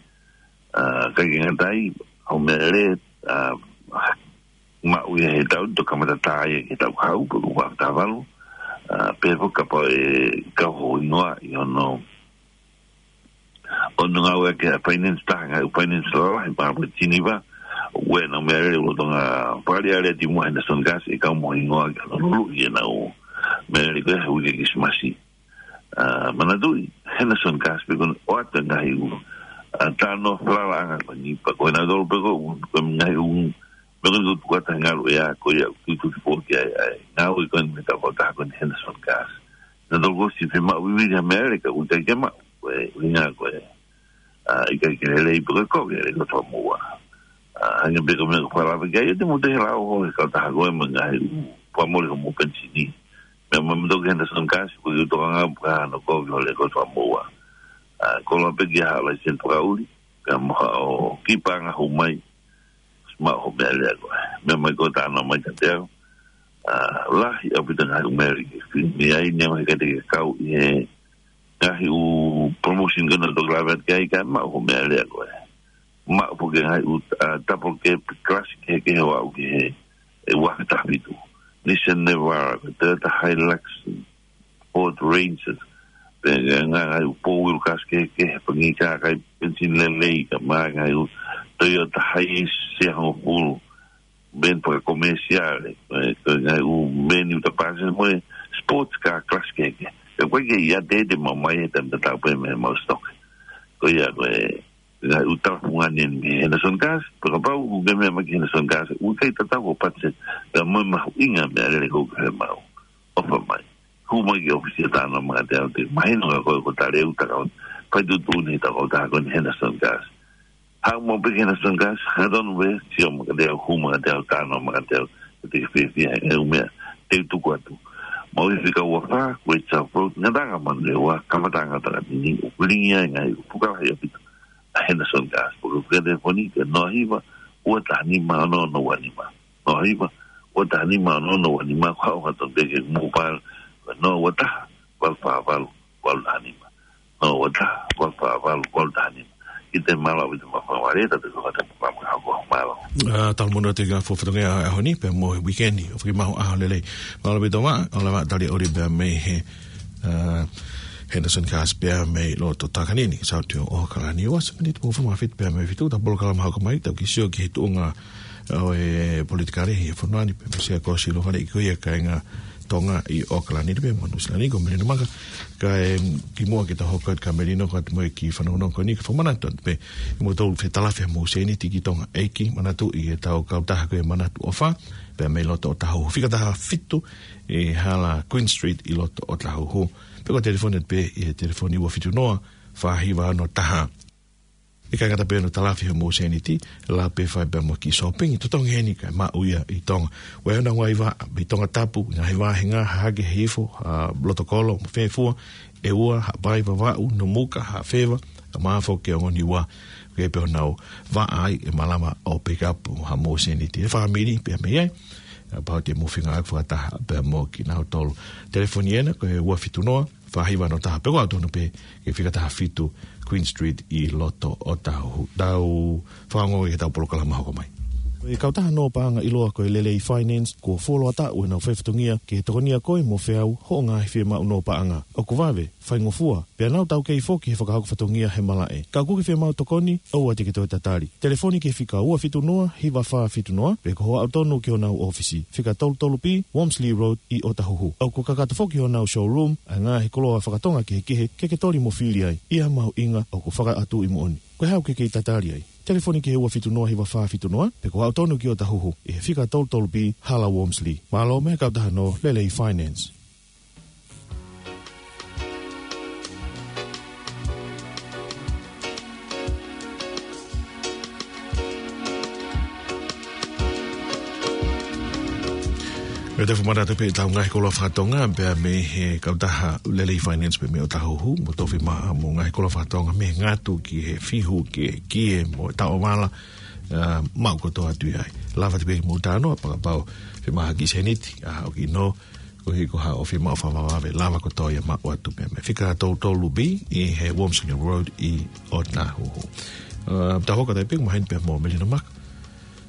ʻA, ʻikai ke ngata ai, hoʻo meʻalele, ʻa, maʻu ia he taʻu, toki kamata tā ia ki he taʻu kahaʻu, pe ko e ua afe taha valu. ʻA, pehē foki kapau ʻe kau ho hingoa ʻi hono, hono ngāueʻaki e finance, taha ngaahi ʻū finance lalahi, pea mo e Geneva, ʻoku ʻi ai ʻenau meʻalele lolotonga, pea ʻi ai e lele atu mo e Henderson Gas, ʻe kau mo hingoa ki hono luluʻi ʻenau meʻalele ko e he uike Kilisimasi. ʻA, manatuʻi, Henderson Gas pē ko eni ʻoku ʻoatu e ngaahi ʻū, ʻa, talanoa falalaʻanga ko eni, pea ko kinautolu pē ko, ko e ngaahi ʻū, pea ko eni ʻoku tuku atu he ngaluʻea ko ia ʻoku tutuki foki ai, ʻa e ngāue ko eni mei heʻetau kautaha ko eni Henderson Gas. Nautolu kuo ʻosi fiemaʻu vivili ha meʻalele ka ʻoku ʻikai ke maʻu, ko e ʻuhinga ko e, ʻa, ʻikai ke lelei pē ko e kovi e lele ko e fakamoua. ʻA, hangē pē ko e meʻa ko e fala pē ki ai, ʻoua te mou toe lau ho he kautaha ko ē mo e ngaahi ʻū fakamoʻoni ko hoʻomou penisini. Meʻa mai mou toki Henderson Gas, ko e tokanga pē ki hono kovi ho lele ko e fakamoua. ʻA, koloa pē ki ha laiseni fakaʻuli, pea mo haʻo kiʻi paʻanga hū mai, maʻu hoʻo meʻalele ko ē. Meʻa mai ko e talanoa mai kiate au. ʻA, lahi ʻaupito e ngaahi ʻū meʻalele ke fili mei ai, neongo he ʻikai te ke kau ʻi he ngaahi ʻū promotion ko ena ʻoku toki lave atu ki ai, ka maʻu hoʻo meʻalele ko ē. Maʻu foki e ngaahi ʻū, ʻa, double cab class kehekehe ʻo aʻu ki he, e ua afe taha fitu. Nissan Navara, ko e Toyota Hilux, Ford Ranger, pea ngaahi, ngaahi ʻū four wheel cars kehekehe, pangikā, kai penisini lelei, kae ʻumaʻā e ngaahi ʻū Toyota Hiace ʻe hongofulu, van fakakomesiale, e, ko e ngaahi ʻū van ʻoku ta pāsese mo e sports car class kehekehe. Ka ʻoku ʻikai ke ʻiate te mau mai he taimi tatau pē mei heʻemau stock. Ko ia ko e ngaahi ʻū talafungani eni mei Henderson Gas, pea kapau ʻoku ke meʻa mai ki Henderson Gas, ʻoku ʻikai tatau ho budget, ka mo e mahuʻinga e meʻalele ʻoku ke fiemaʻu, ʻofa mai. Hū mai ki he ʻōfisi ʻo talanoa mai kiate au, te u mahino kia koe ko e talēu ʻoku ta kau, fai tuʻutuʻuni ʻi heʻetau kautaha ko eni Henderson Gas. Haʻu maʻu pē ki Henderson Gas, hangatonu pē, sio mai kiate au, hū mai kiate au, talanoa mai kiate au, te u fiefia he ʻū meʻa te u tuku atu. Mau ʻi he fika ua fā, Great South Road, Ngataʻanga, Manurewa, kamataʻanga ʻo Takanini, ʻoku lilingi ai e ngaahi ʻū puka lahi ʻaupito ʻa Henderson Gas. Pea ko e telefoni ko e noa hiva, ua taha nima, ono ono ua nima. Noa hiva, ua taha nima, ono ono ua nima, ko haʻo hangatonu pē ki he mobile, ko e noa ua taha, valu fā valu, valu taha nima. Noa ua taha, valu fā valu, valu taha nima. Kiate, mālō ʻaupito e maʻu faingamālie, tapu ki he kau tangata, mālō. ʻA, talamai atu e ngaahi fatongia ʻo e ʻaho ni, pea mo e weekend, ʻo fakamaau ʻaho lelei. Mālō ʻaupito Maʻa, ʻo lava tali ʻoli pea mei he, ʻa, Henderson Gas pea mei loto Takanini, Saute ʻo ʻAokalani. Ua miniti mo e fā mā fitu pea mei he fitu, ta polokalama hoko mai, tau kiʻi sio ki he tuʻunga ʻo e politikale ʻi he fonua ni, pea mo Siaosi Lovale, ko ia e kāinga Tonga ʻi ʻAokalani pea mo Nuʻusila ni, ko Melino Maka. Kae kimuʻa ke tau hoko atu kia Melino, ko atu mo e kiʻi fanongonongo ko eni, kae fakamanatu atu pē, ʻi hoʻomou tau fetalafi homou sēniti ki Tonga ʻEiki, manatuʻi ʻetau kautaha ko e Manatu ʻOfa, pea mei loto ʻOtahuhu, fika taha fitu ʻi he hala Queen Street ʻi loto ʻOtahuhu. Pe ko e telefoni atu pē ʻi he telefoni ua fitu noa, fā hiva ono taha. ʻIkai ngata pē hono talafi homou sēniti, lava pē fai pea mo e kiʻi sōpingi, totongi heni kae maʻu ia ʻi Tonga. ʻOku ʻi ai honau ngaahi vaʻa, mei Tongatapu, ngaahi vāhenga, Hahake, Hihifo, ʻa Lotokolo, mo Fefua, ʻEua, Haʻapai, Vavaʻu, Nomuka, Haʻafeva, ʻa Maʻafu ki he ongo Niua, ʻoku ʻi ai pē honau vaʻa ai ʻe malava ʻo pick up homou sēniti. ʻE fāmili pē mei ai, ʻa pau te mou feinga ʻo fakataha pea mo kinautolu. Telefoni ena, ko e ua fitu noa, fā hiva ono taha, pe ko e ʻalu tonu pē ki he fika taha fitu Queen Street ʻi loto ʻOtahuhu. Tau fanongo ki heʻetau polokalama hoko mai. Ko e kautaha nō paʻanga ʻiloa ko e Lelei Finance, kuo fuoloa taʻu ʻenau faifatongia ke tokonia koe mo feau hoʻo ngaahi fiemaʻu nō paʻanga. ʻOku vave, faingofua, pea nau taukei foki he fakahoko fatongia he malaʻe. Ka ʻoku ke fiemaʻu tokoni, ʻoua te ke toe tatali. Telefoni ki he fika ua fitu noa, hiva fā fitu noa, pe ko hoʻo ʻalu tonu ki honau ʻōfisi, fika tolu tolu B, Wormsley Road, ʻi ʻOtahuhu. ʻOku kakato foki honau showroom ʻa e ngaahi koloa faka-Tonga kehekehe ke ke toli mo fili ai, ʻi ha mahuʻinga ʻoku fakaʻatuʻi moʻoni. Ko e hā ʻoku ke kei tatali ai? Telefoni ki he ua fitu noa, hiva fā fitu noa, pe ko hoʻo ʻalu tonu ki ʻOtahuhu, ʻi he fika tolu tolu B, Hala Wormsley. Mālō mo e kautaha nō Lelei Finance. Pea te u fakamanatu pē ʻetau ngaahi koloa faka-Tonga, pea mei he kautaha Lelei Finance pea mei ʻOtahuhu, mo e tofi maʻa mo e ngaahi koloa faka-Tonga, mei he ngatu ki he fihu, ki he kie, mo e taʻovala, ʻa, maʻu kotoa atu ia ai. Lava atu pē ke mou talanoa, fakapapau ʻe fiemaʻu ha kiʻi sēniti, ʻa, ʻoku ʻi ai nō, koeʻuhi ko haʻo fiemaʻu fakavavevave, lava kotoa ia maʻu atu pē mei he fika tolu tolu B ʻi he Wormsley Road ʻi ʻOtahuhu. ʻA, tau hoko atu pē, maheni pē mo Melino Maka.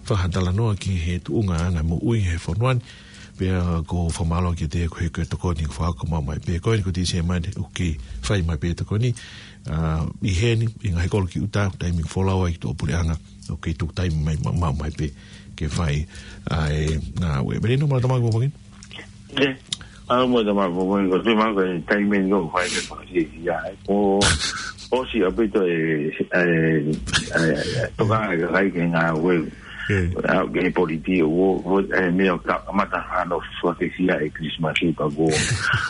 Fakatalanoa ki he tuʻunga anga moʻui he fonua ni, pea ʻoku ou fakamālō kiate koe he ko e tokoni kuo fakahoko mai pē. Ko eni ko Tīsema ni ʻoku kei fai mai pē tokoni, ʻa, ʻi heni, ʻi he ngaahi kolo ki ʻuta, taimi folau ai ki tuʻapuleʻanga, ʻoku kei tuku taimi mai, ma-, maʻu mai pē ke fai ʻa e ngāue. Melino, mālō e tau maʻu e pongipongi ni. ʻE, ʻalu mo e tau maʻu e pongipongi ni, ko e tui mai ko e taimi ni ʻoku fai ke fakafiefia ai. ʻOku ʻosi ʻaupito e, e, e, e, tokanga e kakai ki he ngāue. ʻE. ʻA, ki he politiki, ʻo, ʻo, e, meʻa ka, kamata hano fakafiefia e Christmas ʻi pa ko.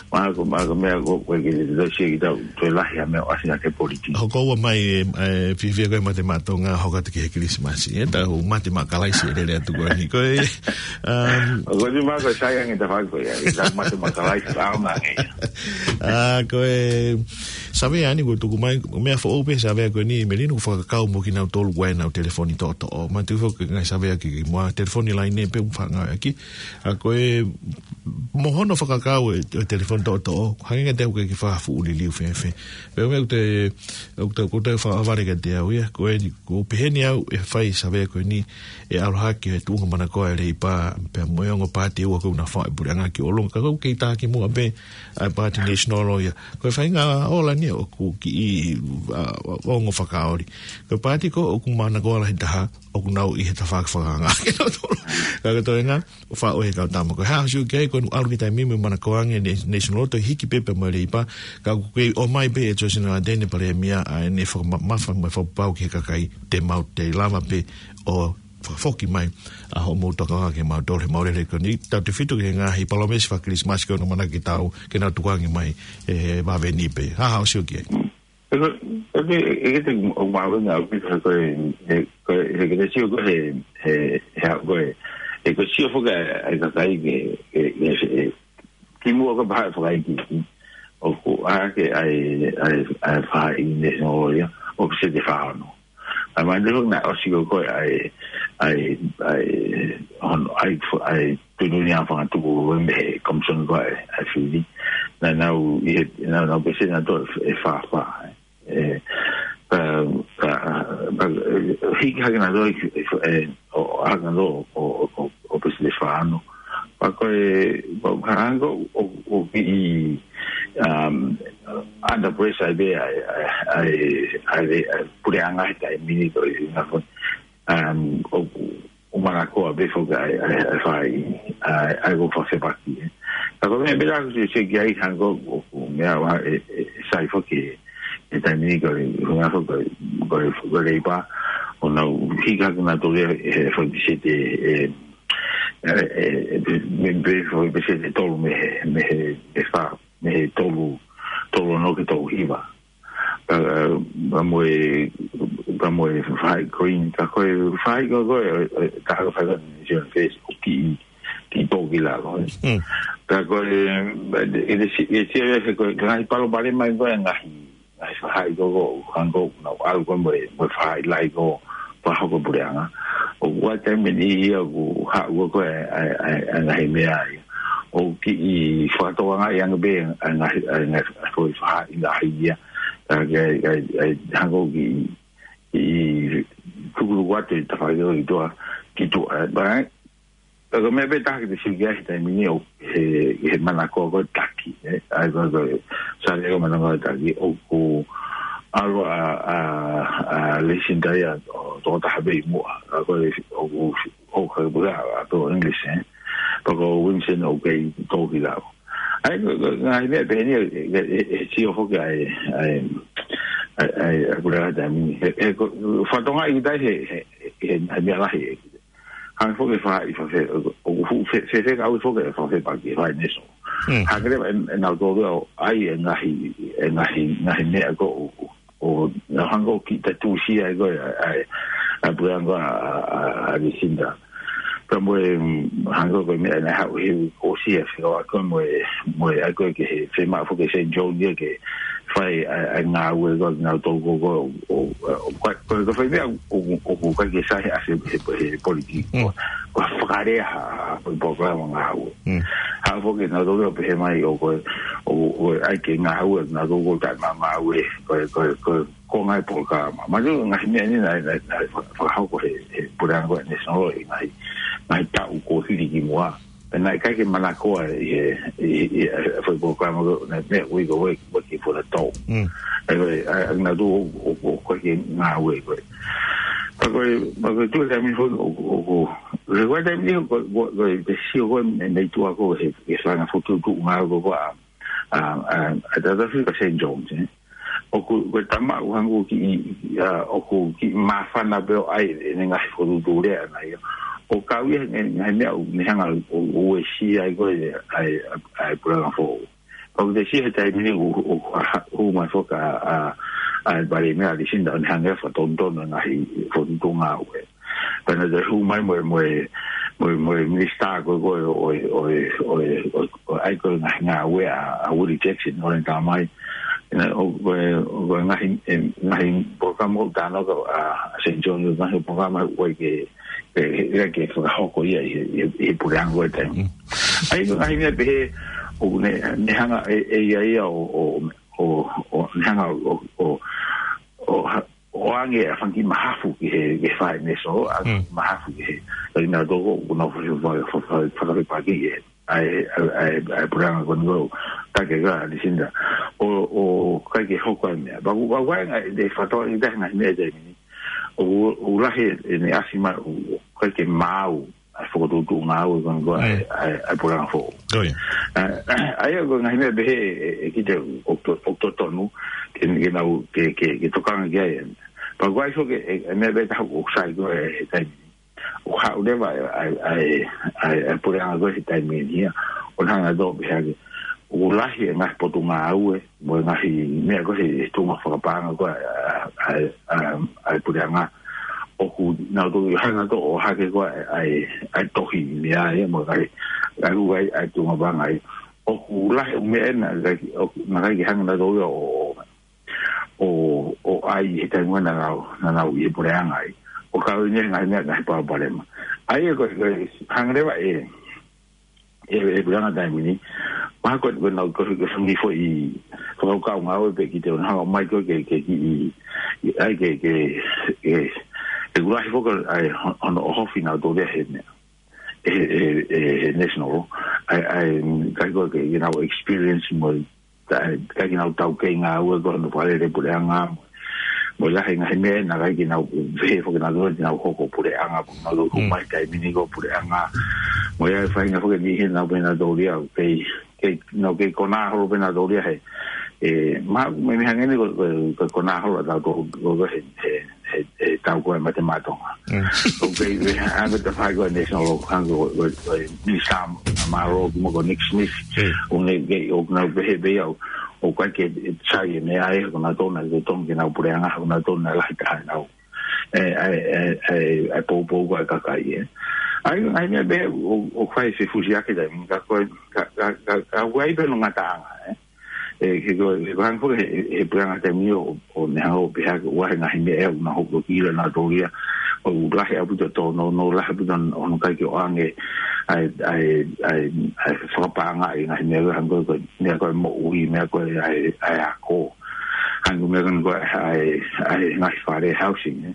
Mā ko, mā ko e meʻa ko, ko e ke te tosia ki tau, toe lahi ʻa e meʻa ʻo ʻasi ʻa e politiki. Hoko ua mai, e, e, fiefia ko e mate maʻa Tonga, hoko atu ki he Christmas. E, tau mate maʻa Kalaisi e lele atu ko eni. Ko e, um, ʻoku ou tui mai ko e sai ange tafaʻaki ko ia, e tau mate maʻa Kalaisi, ʻaonga ange ia. ʻA, ko e, savea ni kuo tuku mai, meʻa foʻou pē savea ko eni, Melino, ʻoku fakakau mo kinautolu ʻoku ʻi ai ʻenau telefoni toʻotoʻo. Manatuʻi foki ngaahi savea kimuʻa, telefoni laine pē ʻoku fakangāueʻaki. ʻA, ko e, mo hono fakakau e, e telefoni toʻotoʻo, hangē kiate au ʻoku ʻikai ke fakafuʻu liliu fēfē. Pea meʻa ʻoku te, ʻoku te, ʻoku te fakavale kiate au ia, ko eni, ʻoku ou pehē ni au ʻe fai savea ko eni, ʻe ʻalu hake e tuʻunga manakoa e Leipa, pea mo e ongo paati ʻe ua ʻoku na fai puleʻanga ki ʻolunga, ka ʻoku kei tā kimuʻa pē ʻa e paati National ia. Ko e faʻahinga ola ni ʻoku kiʻi, ʻa, ongo fakaoli. Ko e paati ko ē ʻoku manakoa lahi taha, ʻoku nau ʻi he tafaʻaki fakaanga. Ka ko e toenga, ʻo faʻo he kau tama. Ko e hā hoʻo sio ki ai, ko ʻene ʻalu ki he taimi mo e manakoa ange e National, toe hiki pē pea mo e Leipa, ka ʻoku kei ʻomai pē ʻe Johnson Ardern, Palēmia, ʻa ʻene fakama-, mafa mo e fakapapau ki he kakai, te mau toe lava pē ʻo fakafoki mai ʻa hoʻomou tokanga kiate kimautolu he maʻu lele ko eni, tautefito ki he ngaahi palōmesi faka-Kilisimasi ko ē ʻoku nau ʻamanaki ke tau, ke nau tukuange mai he vave ni pē. Hā hoʻo sio ki ai? ʻE ko, ʻe ko, ʻe ko te ʻoku mahuʻinga ʻaupito he ko e, he ko e, he ko te sio ko ē he, he, he ko e, he ko e sio foki ʻa e, ʻa e kakai ke, ke, ke, ke, kimuʻa ko e pehē fakaʻeiki. ʻOku ʻi ai ke ʻai, ʻai, ʻai fai ʻi he National ia, ʻoku se te fāono. ʻAi mai te hok na ʻosi ko ē ʻai, ʻai, ʻai, hono, ʻai, ʻai, tuʻutuʻuni ʻa e fanga tuku mei he Komisoni ko ē ʻa e, ʻa e Fili. Naʻa nau ʻi he, naʻa nau pēseti naʻe toe ʻe fā fā. ʻE, ka, ka, ka, ʻe, hiki hake naʻe toe, ʻe, ʻe, ʻo, hake naʻe toe, ʻo, ʻo, ʻo, ʻo pēseti fā ono. Pea ko e, ko e hangē ko ē, ʻo, ʻo kiʻi, um, under pressure pē ʻa e, ʻa e, ʻa e, ʻa e, ʻa e puleʻanga he taimi ni ko e, ʻi he ngaahi, um, ʻo, ʻo manakoa pē foki ʻa e, ʻa e, ʻa e fai, ʻa e, ʻa e ko fakasepaki, ē. Ka ko e meʻa pē ʻoku ou sio ki ai, hangē ko e meʻa ʻoku ʻi ai e, e, e sai foki he taimi ni ko e, ko e, ko e, ko e Leipa, ʻoku nau hiki hake nautolu ia he foʻi peseti, e, e, e, e, mei, mei he foʻi peseti ʻe tolu mei he, mei he, mei he fā, mei he tolu, tolu ono ki he tolu hiva. Ka, ka mo e, ka mo e faʻahi Green, ka ko e faʻahi ko, ko e, e, ka ko e faʻahi National Face, ʻoku kiʻi, kiʻi tō ki lalo, ē. Mm. Ka ko e, e, e, e, e, e, ko e, ka ngaahi palopalema ko e ngaahi, ngaahi faʻahi ko, ko, hangē ko, nau ʻalu ko mo e, mo e faʻahi lahi ko, fakahoko puleʻanga. ʻOku ʻi ai e taimi ʻe niʻihi ia ʻoku haʻu ko e, e, e, e ngaahi meʻa ia. ʻOku kiʻi fakatokangaʻi ange pē, e ngaahi, e ngaahi, ko e faʻahi lahi ia. Ka ke, ke, ke, hangē ko e kiʻi, kiʻi tukutuku atu e tafaʻaki ko e ki tuʻa, ki tuʻa, ē, ʻa e, ʻa e, ko e meʻa pē taha ke te sio ki ai he taimi ni ʻoku, he, he manako ko e taki, ē. ʻA e ko e, ko e, sale ko e manako ko e taki, ʻoku ʻalu ʻa, ʻa, ʻa Lucinda ia ʻo tokotaha pē ʻi muʻa, ʻa ko e, ʻoku, ʻoku, ʻoku, ʻa, ʻa, ko e English, ē. Pea ko Winston ʻoku kei tō ki lalo. ʻA e, ko e, ko e, ngaahi meʻa pehē ni, e, e, e, e sio foki ʻa e, ʻa e, ʻa e, ʻa e, ʻa e puleʻanga taimi ni. He, he ko, fakatokangaʻi ki ai he, he, he, he, he meʻa lahi ē. Hangē foki e faʻahi fakafe-, ʻoku fu-, fe-, fe-, fekauʻi foki e fakafepaki, faʻahi National. Mm. Hangē leva ʻe, ʻe nautolu ia ʻo ʻai e ngaahi, e ngaahi, ngaahi meʻa ko ē ʻo, ʻo, ʻo, hangē ko e kiʻi tatū sia ko ē, ʻa e, ʻa e, ʻa e puleʻanga ʻa, ʻa, ʻa Lucinda. Pea mo e, mm, hangē ko e meʻa naʻe haʻu he kuo sia fika wa ko mo e, mo e ʻai ko ē ki he fiemaʻu foki ʻe Saint John ia ke fai ʻa e, ʻa e ngāue ko ē naʻa nau tō ko ē ko ē, ʻo, ʻo, ʻo, ko e, ko e, ko e fai meʻa ʻo, ʻo, ʻoku ʻikai ke sai he ʻa e, he, he politiki. Mm. Ko e fakalea ha, ha, ha, ko e polokalama ngāue. Mm. Haʻu foki naʻa nau tō ko ē pehē mai ʻoku, ʻo, ʻo, ʻai ke ngāue, naʻa nau tō ko ē taʻe ma-, ngāue, ko e, ko e, ko e, ko e ngaahi polokalama. Mahalo ngaahi meʻa ni naʻe, naʻe, naʻe fa-, fakahoko he, he puleʻanga ko ē National ʻi he ngaahi, ngaahi taʻu kuo hili ki muʻa. Pea naʻe ʻikai ke manakoa ʻi he, ʻi, ʻi, ʻi he foʻi polokalama ko ē, naʻe meʻa ui ko e Work, Working for the Dole. Mm. ʻA ia ko e, ʻa, ʻa, naʻa nau tō ʻo, ʻo, ʻo, ko e ke ngāue ko ē. Pea ko e, pea ko e tuʻu taimi foki ʻo, ʻo, ʻo, ko e taimi ni ko, ko, ko e te sio ko ē mei, mei tuʻa ko ē he, he fanga fokotuʻutuʻu ngāue ko ē ʻa, ʻa, ʻa, ʻa, ʻa, ʻa, ʻa Saint John, ē. ʻOku, ko e tama ʻoku hangē ʻoku kiʻi, ʻa, ʻoku kiʻi māfana pē ʻo ʻai ʻene ngaahi fokotuʻutuʻu lea ʻana ia. ʻO kau ia he ngaahi meʻa ʻoku ne hanga ʻo, ʻo uesia ai ko ē ʻa e, ʻa e, ʻa e puleʻanga foʻou. Pea ʻoku te sio he taimi ni ʻoku, ʻoku ha-, hū mai foki ʻa, ʻa, ʻa e palēmia ʻa Lucinda ʻo ne hanga ʻo fakatonutonu e ngaahi fokotuʻutuʻu ngāue. Pea naʻa te hū mai mo e, mo e, mo e, mo e minisitā ko ē, ko ē, ʻo e, ʻo e, ʻo e, ʻo e, ʻo e, ʻo e, ʻa ia ko e ngaahi ngāue ʻa, ʻa Willie Jackson, ʻo ne tā mai. Naʻe, ʻo, ʻo e, ʻo e ngaahi, e, ngaahi polokalama ʻoku tānaki ʻa, ʻa Saint John, ngaahi polokalama ʻoku ʻikai ke, ke, ke, ke fakahoko ia ʻi he, ʻi he, ʻi he puleʻanga ko ē taimi. Mm. ʻA ia ko e ngaahi meʻa pehē, ʻoku ne, ne hanga ʻe, ʻe ia ia ʻo, ʻo, ʻo, ʻo, ne hanga ʻo, ʻo, ʻo, ha-, ʻo ʻoange ʻa e fanga kiʻi mahafu ki he, ki he faʻahi National, ʻa e Mm. mahafu ki he, ʻa ia naʻa nau tō ko ē, ʻoku nau fa-, fa-, fa-, fa-, fakafepaki ki he, ʻa e, ʻa e, ʻa e, ʻa e puleʻanga ko eni ʻoku taki ʻe Lucinda. ʻO, ʻoku ʻikai ke hoko ʻa e meʻa. Pea ʻoku, ʻoku ʻi ai e ngaahi, ʻe fakatokangaʻi ʻe he ngaahi meʻa taimi ni. ʻOku, ʻoku lahi ʻene ʻasi mai, ʻoku ʻikai ke maau ʻa e fokotuʻutuʻu ngāue ko eni ko ē, Mm. ʻa e, ʻa e, ʻa e puleʻanga foʻou. ʻO ia. ʻA, ʻa ia ko e ngaahi meʻa pehē ʻe, ʻe, ʻe kite ʻoku to-, ʻoku totonu ke, ke nau, ke, ke, ke tokanga ki ai. Pea ʻoku ʻi ai foki e, e meʻa pehē taha ʻoku sai ko ē he taimi ni. ʻOku haʻu leva ʻa e, ʻa e, ʻa e, ʻa e, ʻa e puleʻanga ko ē he taimi ni ia. ʻO ne hanga ʻo pehē ʻoku lahi e ngaahi potungāue mo e ngaahi meʻa ko ē he, he tuʻunga fakapaʻanga ko ē ʻa, ʻa, ʻa, ʻa e puleʻanga. ʻOku nau toki hanga ʻo ʻohake ko ē ʻa e, ʻa e tohi meʻa ia mo e ngaahi, ngaahi ʻū ʻa e, ʻa e tuʻunga paʻanga ia. ʻOku lahi e meʻa naʻe ʻikai, ʻoku, naʻe ʻikai ke hanga nautolu ia ʻo, ʻo, ʻo, ʻo ʻai he taimi naʻa nau, naʻa nau ʻi he puleʻanga ai. ʻO kau ʻi he ngaahi meʻa, ngaahi palopalema. ʻA ia ko e, ko e, hanga leva ʻe, ʻe, ʻe he puleʻanga taimi ni. Mahalo ko e, ko e nau ko e, ko e fanga kiʻi foʻi fakakaukau ngāue pē ki te ona hanga mai ko ē ke, ke, ke, ʻi, ʻi ai ke, ke, ke, ke ʻuluaki foki ʻa e hon-, hono ʻohofi nautolu ia he meʻa. ʻE, ʻe, ʻe, ʻe National. ʻA e, ʻa e, ʻikai ko e ke, ke nau experience mo, ta-, ʻikai ke nau taukei ngāue ko ē hono fakalele puleʻanga mo, mo e lahi e ngaahi meʻa naʻe ʻikai ke nau, pehē foki nautolu te nau hoko puleʻanga, pea nau hū Mm. mai taimi ni ko e puleʻanga. Mo e ʻai faʻahinga foki ʻe niʻihi naʻa nau pehē nautolu ia, ʻoku kei kei, nau kei konā holo pē nautolu ia he, ē, mahalo mei, mei hangē ni ko, ko, ko e konā holo ʻatautolu ko, ko he, he, he, he tau ko ē mate maʻa Tonga. Mm. ʻOku kei, ē, hangē ko e tafaʻaki ko ē national law, hangē ko, ko, ko e Minisitā Mālō ki mo ko Nick Smith. Mm. ʻOku ne, kei, ʻoku nau pehē pē ia, ʻoku ʻikai ke sai e meʻa ē, ko nautolu naʻe totonu ke nau puleʻanga, ko nautolu naʻe lahi taha ʻenau ē, ʻa e, ʻa e, ʻa e, ʻa e poupou ko ē ʻa e kakai, ē. ʻA ia, ʻa ia meʻa pē ʻoku, ʻoku fai fefusiaki taimi ni, ka ko e, ka, ka, ka, ka ʻoku ʻi ai pē hono ngataʻanga, ē. Ē, he ko, he ko e hangē foki he, he puleʻanga taimi ni ʻo, ʻo ne hanga ʻo pehē ʻoku ʻi ai e ngaahi meʻa ʻoku nau hoko ki lalo nautolu ia, ʻoku lahi ʻaupito tōnounou, lahi ʻaupito hono ʻikai ke ʻoange ʻa e, ʻa e, ʻa e, ʻa e fakapaʻanga ʻi he ngaahi meʻa hangē ko e, meʻa ko e moʻui, meʻa ko e ʻa e, ʻa e ako. Hangē ko e meʻa ko eni ko e ʻa e, ʻa e ngaahi fale housing, ē.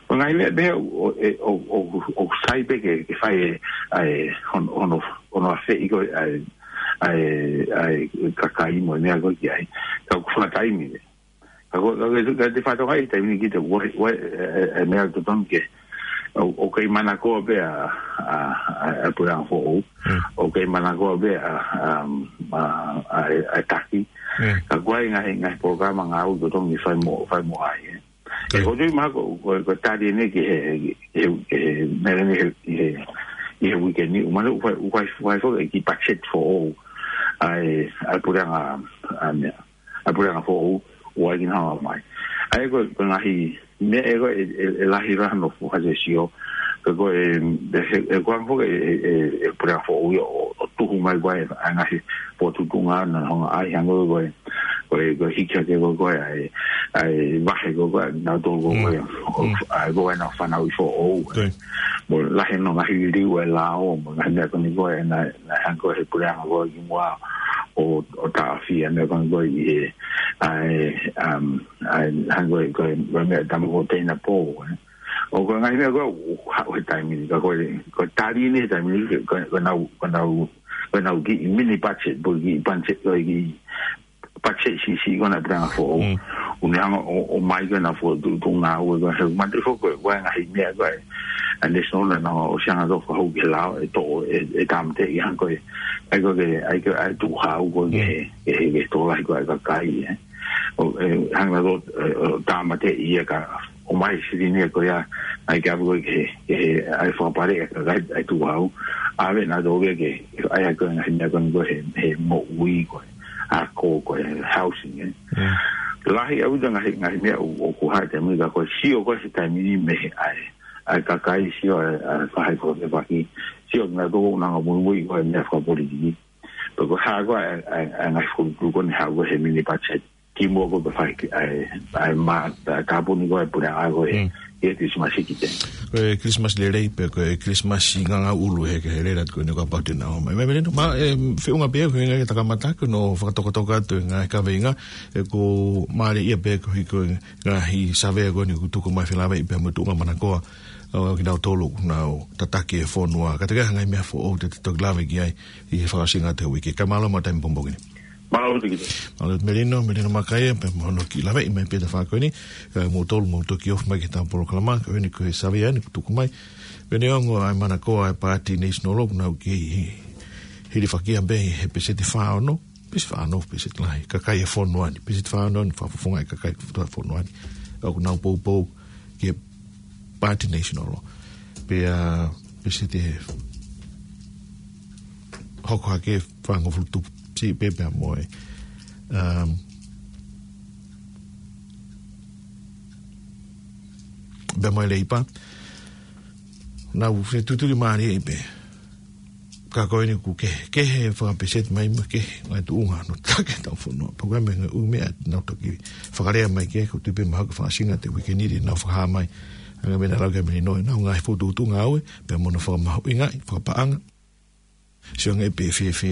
Ko e ngaahi meʻa pē ʻoku, ʻo, ʻe, ʻo, ʻo, ʻoku sai pē ke, ke fai ʻe, ʻa e, hono, hono, hono ʻafeʻi ko ē ʻa e, ʻa e, ʻa e kakai mo e meʻa ko ē ki ai. Ka ʻoku fakataimi pē. Ka ko, ka ko, ka te fatongia ʻi he taimi ni kita, ʻoku ʻi ai, ʻoku ʻi ai, ē, ē, ē, meʻa totonu ke, ʻo, ʻoku kei manakoa pē ʻa, ʻa, ʻa, ʻa e puleʻanga foʻou. Mm. ʻOku kei manakoa pē ʻa, ʻa, ʻa, ʻa, ʻa e taki. Mm. Ka ʻoku ʻi ai ngaahi, ngaahi polokalama ngāue totonu ke fai mo, fai mo ai, ē. Ko ia. Ē, ʻoku ou tui mahalo ko, ko, ko e tali eni ki he, ki he, ki he, meʻa ni he, ki he, ki he uike ni, ʻoku mahalo ʻoku fai, ʻoku fai, ʻoku fai foki e kiʻi budget foʻou ʻa e, ʻa e puleʻanga, ʻa e meʻa, ʻa e puleʻanga foʻou, ʻoku ʻi ai kinautolu mai. ʻA ia ko, ko e ngaahi meʻa ē ko ē, ʻe, ʻe, ʻe lahi lahi hono fuʻu hāsesio, ka ko e, ʻe, ʻe, ʻe ko e hangē foki e, e, e, e puleʻanga foʻou ia ʻo, ʻo tuhu mai ko ē ʻa e ngaahi potu tuʻunga na honga ai hangē ko e, ko e, ko e hiki hake ko ē ʻa e, ʻa e vahe ko ē nautolu ko ē, Mm. ʻo, Mm. ʻa e ko ē ʻenau fanauʻi foʻou. Ko ia. Mo e lahi hono ngaahi liliu e lao, mo e ngaahi meʻa ko eni ko ē naʻe, naʻe hangē ko e he puleʻanga ko ē kimuʻa ʻo, ʻo taʻofi ʻa e meʻa ko eni ko ē ʻi he, ʻa e, um, ʻa e hangē ko e, ko e, ko e meʻa tama ko e teina pō, ē. ʻO ko e ngaahi meʻa ko ē, ʻoku haʻu he taimi ni, ka ko e, ko e tali eni he taimi ni, ko e, ko e nau, ko e nau, ko e nau kiʻi mini budget, pe ko e kiʻi budget, ko e kiʻi budget siʻisiʻi ko ē ʻa e puleʻanga foʻou. Mm. ʻOku ne hanga ʻo, ʻo ʻomai ko ē ʻenau fokotuʻutuʻu ngāue ko ē, he mate foki ko ē, ko e ngaahi meʻa ko ē, ʻa e national na na ʻosi hanga ʻo fakahū ki he lao, ʻe toʻo, ʻe, ʻe tāmateʻi hangē ko e, ʻa ia ko e, ʻa ia ko e, ʻa e tukuhau ko ē, Mm. ke, ke, ke tokolahi ko ē ʻa e kakai, ē. ʻO, ē, hanga ʻo, ē, ʻo tāmateʻi ia ka ʻomai silini ia ko ia, ʻa ia ke ʻave ko ē ke, ke, ʻa e fakapale ʻa e kakai ʻa e tukuhau. ʻAve nautolu ia ke, ʻa ia ko e ngaahi meʻa ko eni ko ē he, he moʻui ko ē, ako ko ē, housing, ē. Mm. Lahi ʻaupito ngaahi, ngaahi meʻa ʻoku, ʻoku hā he taimi ni ka ko e sio ko ē he taimi ni mei he ʻa e, ʻa e kakai sio ʻa e, ʻa e faʻahi fakafepaki. Sio nautolu ʻoku nau muimui ko ē meʻa fakapolitiki. Pea ko e hā ko ē ʻa e, ʻa e, ʻa e ngaahi fokotuʻutuʻu ko eni hā ko ē he mini budget. Kimuʻa ko ē pea fai ki, ʻa e, ʻa e ma-, ʻa e tāpuni ko ē puleʻanga ko ē, Mm. ki he Kilisimasi ki te. Ko e Kilisimasi lelei pē, ko e Kilisimasi ngangau ʻulu he, he lele atu ko eni kapau te nau ō mai. Meʻa Melino, ma, ē, feʻunga pē, ko e ngaahi takamata ko ē hono fakatokatoka atu e ngaahi kaveinga, ē, ʻoku mālie ia pē ko e hiko e ngaahi savea ko eni ʻoku tuku mai felāveʻi pea mo e tuʻunga manakoa, ʻo kinautolu ʻoku nau tataki e fonua. Ka te kei ngaahi meʻa foʻou te te toki lave ki ai ʻi he fakaʻosinga ʻo e uike. Kae mālō mo e taimi pongipongi ni. Mālō ʻaupito Kite. Mālō Melino, Melino Makaia, pea mo hono kiʻi laveʻi mai pē he tafaʻaki ko eni, ē, mou tolu, mou toki ofi mai ki heʻetau polokalama, ko eni ko e savea eni ʻoku tuku mai. Ko e neongo ʻa e manakoa ʻa e Paati National ʻoku nau kei hilifakia pē he peseti fā ono, peseti fā ono, peseti lahi, kakai e fonua ni, peseti fā ono ni, fakafofongaʻi kakai e fonua ni. ʻOku nau poupou ki he Paati National. Pea, peseti hoko hake fāngofulu tupu siʻi pē pea mo e, um, pea mo e Leipa. Nau fetuʻutaki mālie pē. Ka ko eni ʻoku kehe, kehe fakapeseti mai mo e kehe ngaahi tuʻunga hono tataki ʻetau fonua. Pea ko e meʻa, ʻū meʻa naʻa tau toki fakalea mai ki ai, ʻoku ou tui pē mahalo ko e fakaʻosinga ʻo e uike ni te nau fakahā mai. Hangē ko e meʻa naʻe lau ʻe Melino, ʻenau ngaahi fokotuʻutuʻu ngāue, pea mo hono fakamahino ngaahi fakapaʻanga. Sio ange pē fēfē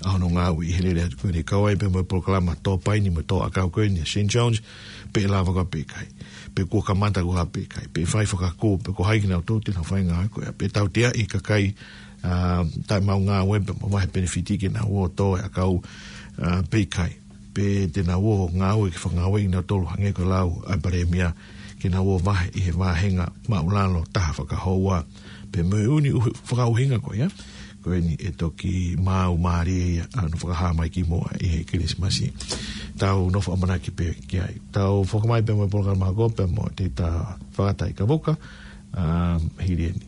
ʻa hono ngāue ʻi he lele atu ko eni, kau ai pē mo e polokalama tō paini mo e tō ʻakau ko eni ʻa Saint John's, pe ʻe lava koā pe ʻikai. Pe kuo kamata koā pe ʻikai. Pe fai fakakū, pe ko hai kinautolu te nau fai ngāue ko ia. Pe tauteaʻi e kakai, ā, taʻemaʻu ngāue pea mo vahe penefiti ke nau ō ʻo tō e ʻakau, ā, pe ʻikai. Pe te nau ō ʻo ngāue ke fakangāueʻi kinautolu hangē ko e lau ʻa e Palēmia ke nau ō ʻo vahe ʻi he vāhenga māʻulalo taha fakahoua. Pea mo e ʻū fakaʻuhinga ko ia. ko eni ʻe toki maau mālie ia ʻa hono fakahā mai kimuʻa ʻi he Kilisimasi. Tau nofo ʻamanaki pē ki ai. Tau foki mai pē mo e polokalama hoko pē mo te ta fakataikavuka, um, hili eni.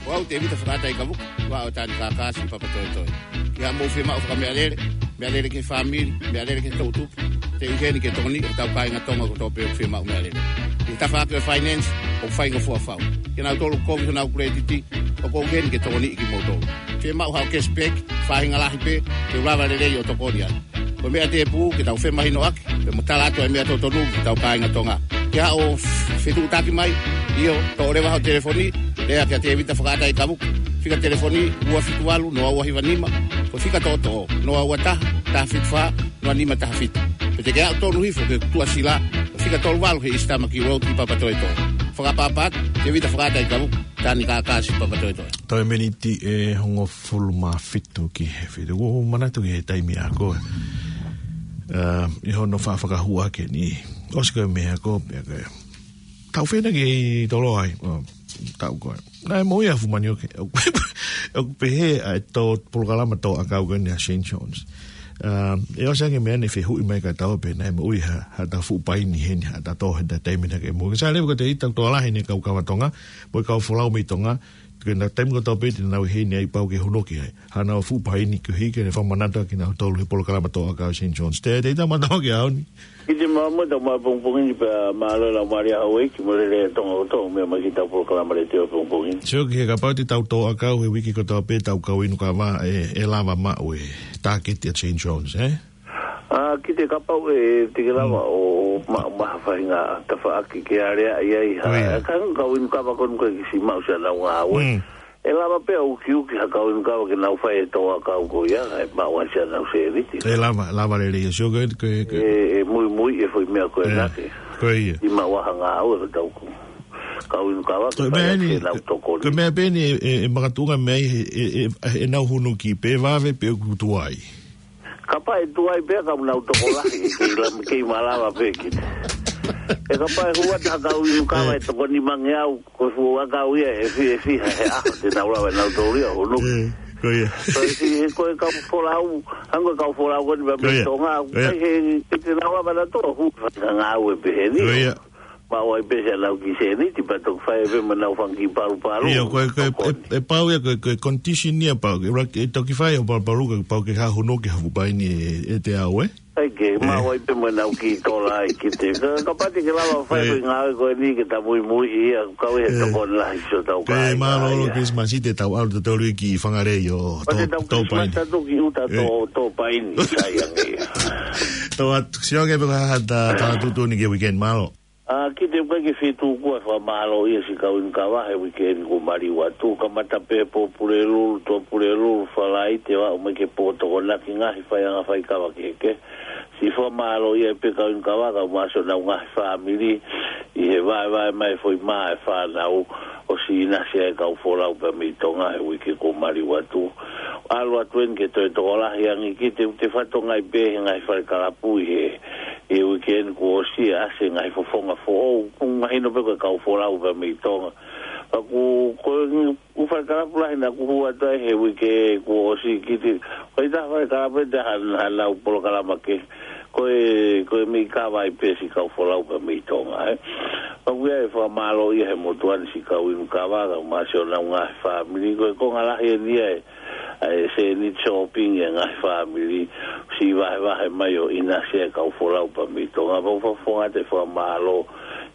Ko au Tevita Fakaʻataikavuka, ua o Tani Kakasi Papatoetoe. Ki haʻamou fiemaʻu fakameʻalele, meʻalele ki he fāmili, meʻalele ki he toʻutupu, te u ʻi heni ke tokoniʻi hotau kāinga Tonga kotoa pē ʻoku fiemaʻu meʻalele. ʻI he tafaʻaki ʻo e finance, ʻoku faingofua fau. Kinautolu kovi honau kuletiti, ʻoku ou ʻi heni ke tokoniʻi kimoutolu. Fiemaʻu haʻo cashback, faʻahinga lahi pē, te u lava lelei ʻo tokoni ai. Ko e meʻa tēpū ke tau femahinoʻaki, pea mo tala atu e meʻa totonu ki hotau kāinga Tonga. Ke haʻo fetuʻutaki mai, ʻio, toʻo leva ho telefoni, lea kia Tevita Fakaʻataikavuka. Fika telefoni ua fitu valu noa ua hiva nima, ko e fika toʻotoʻo noa ua taha, taha fitu fā, noa nima taha fitu. Pe te ke aʻu tonu hifo ki he tuʻasila, ko e fika tolu valu he East Tamaki Road ʻi Papatoetoe. Fakaʻapaʻapa atu, Tevita Fakaʻataikavuka, Tani Kakasi Papatoetoe. Toe miniti ʻe hongofulu mā fitu ki he fitu. Kuo u manatu ki he taimi ako. Uh, ʻi hono fa-, fakahua ke ni. ʻOsi ko e meʻa ko, pea ko e. Tau fena ke i tolo ai. Uh, tau ko e. Naʻe moʻui ʻa Fumanioke. ʻOku pehē ʻa e tō polokalama tō ʻakau ko eni ʻa Saint John's. Uh, ʻe ʻosi ange meʻa ne fehuʻi mai ka tau pē naʻe moʻui ha, ha ta fuʻu paini heni, ha ta tō, ha ta taimi na ke moʻui. Sa levu ko te ita tō lahi ne kau kava Tonga, mo e kau folau mei Tonga, ke na taimi ko tau pē te nau ʻi heni ai pau ke hunoki ai. Hanau fuʻu paini ke hiki ne fakamanatu kinautolu he polokalama tō ʻakau Saint John's. Te, te ita mātau ke aoni. Kiʻi mālō mo tau māpongipongi ni pea mālō e lau mālie hau e ki mo lele Tonga kotoa, meʻa mai ki tau polokalama letiō pongipongi ni. Sio ki he kapau te tau tō ʻakau he uike kotoa pē tau kau inu kava ʻe, ʻe lava maʻu e tāketi ʻa Saint John's, eh? ʻA, kiʻi kapau ʻe te ke lava ʻo maʻu maha faʻahinga tafaʻaki ke alea ai ai ha. Ko ia. Ka kau inu kava ko eni ko e kiʻi maʻu siʻanau ngāue. Mm. ʻE lava pē ʻo ukiuki ha kau inu kava ke nau fai e tō ʻakau ko ia, ʻe maʻu ai siʻanau sēniti. ʻE lava, lava lelei ia. Sio ko e, ko e, ko e. ʻE, ʻe muimui e foʻi meʻa ko ē. ʻE, nake. Ko ia. ʻI maʻu ha ngāue ko tau ko. Kau inu kava ke fai ʻaki ʻenau tokoni. Ko e meʻa pē eni ʻe, ʻe, ʻe makatuʻunga mei ai, ʻe, ʻe, ʻe, ʻenau hunuki pē vave pe ʻoku tuai. Kapau ʻe tuai pē ka nau tokolahi, kei la-, kei malava pē ki. ʻE kapau ʻe hū atu ha kau inu kava ʻe toko nimangeau, ko e fuʻu ʻakau ia ʻe fi-, ʻe fiha he ʻaho te nau lava nautolu ia ʻo hunuki. ʻE, ko ia. Ko e si-, he ko e kau folau, hangē ko e kau folau ko eni pea mei Tonga, ʻikai he, he te nau lava nautolu ʻo hū faʻahinga ngāue pehē ni. Ko ia. Maʻu ai pē siʻanau kiʻi sēniti pea toki fai pē mo ʻenau fanga kiʻi palupalu. ʻIo, ko e, ko e, tokoni. ʻE, ʻe pau ia, ko e, ko e condition ia pau, ʻe rak-, ʻe toki fai ʻo palupalu ka pau ke haʻu hono ke haʻu paini ʻe, ʻe te au, eh? ʻAi ke, maʻu ai pē mo ʻenau kiʻi tola ai ki te. Ka, kapau te ke lava fai ko e ngāue ko eni ke ta muimui ia, kau e tokoni lahi siʻotau kāinga. Mālō ʻaupito ia. Christmas i te tau ʻalu te tolu ki Whangarei ʻo tō, tō paini. Tau Christmas atu ki ʻuta tō, tō paini, sai ange ia. Tō atu, sio ange pē ko e hā ha ta, ta tuʻutuʻuni ki he weekend, mālō. ʻA, kiʻi te u kai ke fitu kuo fakamālō ia siʻi kau inu kava he uike ni kuo maliu atu, kamata pē Pōpulelulu, Tuʻapulelulu, Falaite, ʻo aʻu mai ki he Pōtokonaki, ngaahi faiʻanga faikava kehekehe. Siʻi fakamālō ia pē kau inu kava, kae ʻumaʻā siʻonau ngaahi fāmili, ʻi he vaevae mai foʻi mā e fānau, ʻosi ʻinasi ai e kau folau pea mei Tonga he uike kuo maliu atu. ʻAlu atu eni ke toe tokolahi ange kiʻi te, te fatongia pē he ngaahi fale kalapu ʻi he ʻi he uike ni kuo ʻosi ʻa e ngaahi fofonga foʻou, ʻoku mahino pē ko e kau folau pea mei Tonga. Pea ko e, ko e ngaahi fale kalapu lahi naʻa ku hū atu ai he uike kuo ʻosi kiʻi, ko e taha fale kalapu ʻe taha, hanau polokalama kehe, ko e, ko e meʻi kava ai pē siʻi kau folau pea mei Tonga, eh. Pea ʻoku ʻi ai e fakamālō ia he motuʻa ni siʻi kau inu kava, kae ʻumaʻā siʻonau ngaahi fāmili, ko e konga lahi eni ia e ʻa e sēniti shopping e ngaahi fāmili, siʻi vahevahe mai ʻo ʻinasi e kau folau pea mei Tonga. Pea ʻoku ou fakafofonga atu e fakamālō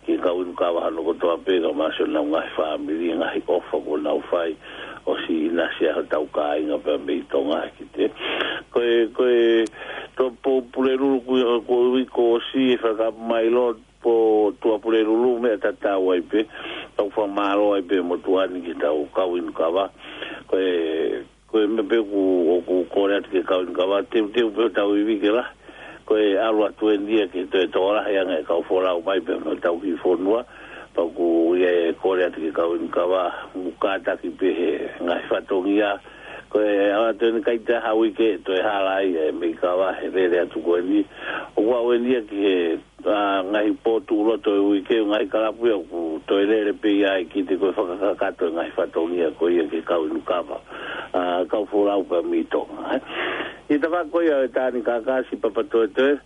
ki he kau inu kava hono kotoa pē kae ʻumaʻā siʻonau ngaahi fāmili, ngaahi ʻofa kuo nau fai, ʻosi ʻinasi ai hotau kāinga pea mei Tonga kiʻi te. Ko e, ko e, tō Pōpulelulu kuo, kuo ui kuo ʻosi e fakamailo, pea Tuʻapulelulu meʻa tatau ai pē, tau fakamālō ai pē motuʻa ni ki heʻetau kau inu kava. Ko e, ko e meʻa pē ʻoku, ʻoku kole atu ki he kau inu kava, teuteu pē hotau ivi ke lahi. Ko e ʻalu atu eni ia ke toe tokolahi ange e kau folau mai pē mei hotau kiʻi fonua, pea ʻoku ʻi ai e kole atu ki he kau inu kava, ʻoku kātaki pē he ngaahi fatongia. Ko e ʻalu atu eni ʻikai te ha uike toe hala ai e meʻi kava he lele atu ko eni. ʻOku aʻu eni ia ki he ʻa, ngaahi pō tuʻuloto ʻo e uike, ngaahi kalapu ia ʻoku toe lele pē ia ʻa e kite ko e fakakakato e ngaahi fatongia ko ia ke kau inu kava. ʻA, kau folau pē mei Tonga, ē. ʻI he tafaʻaki ko ia ʻo e Tānikaka, Siʻi Papatoetoe,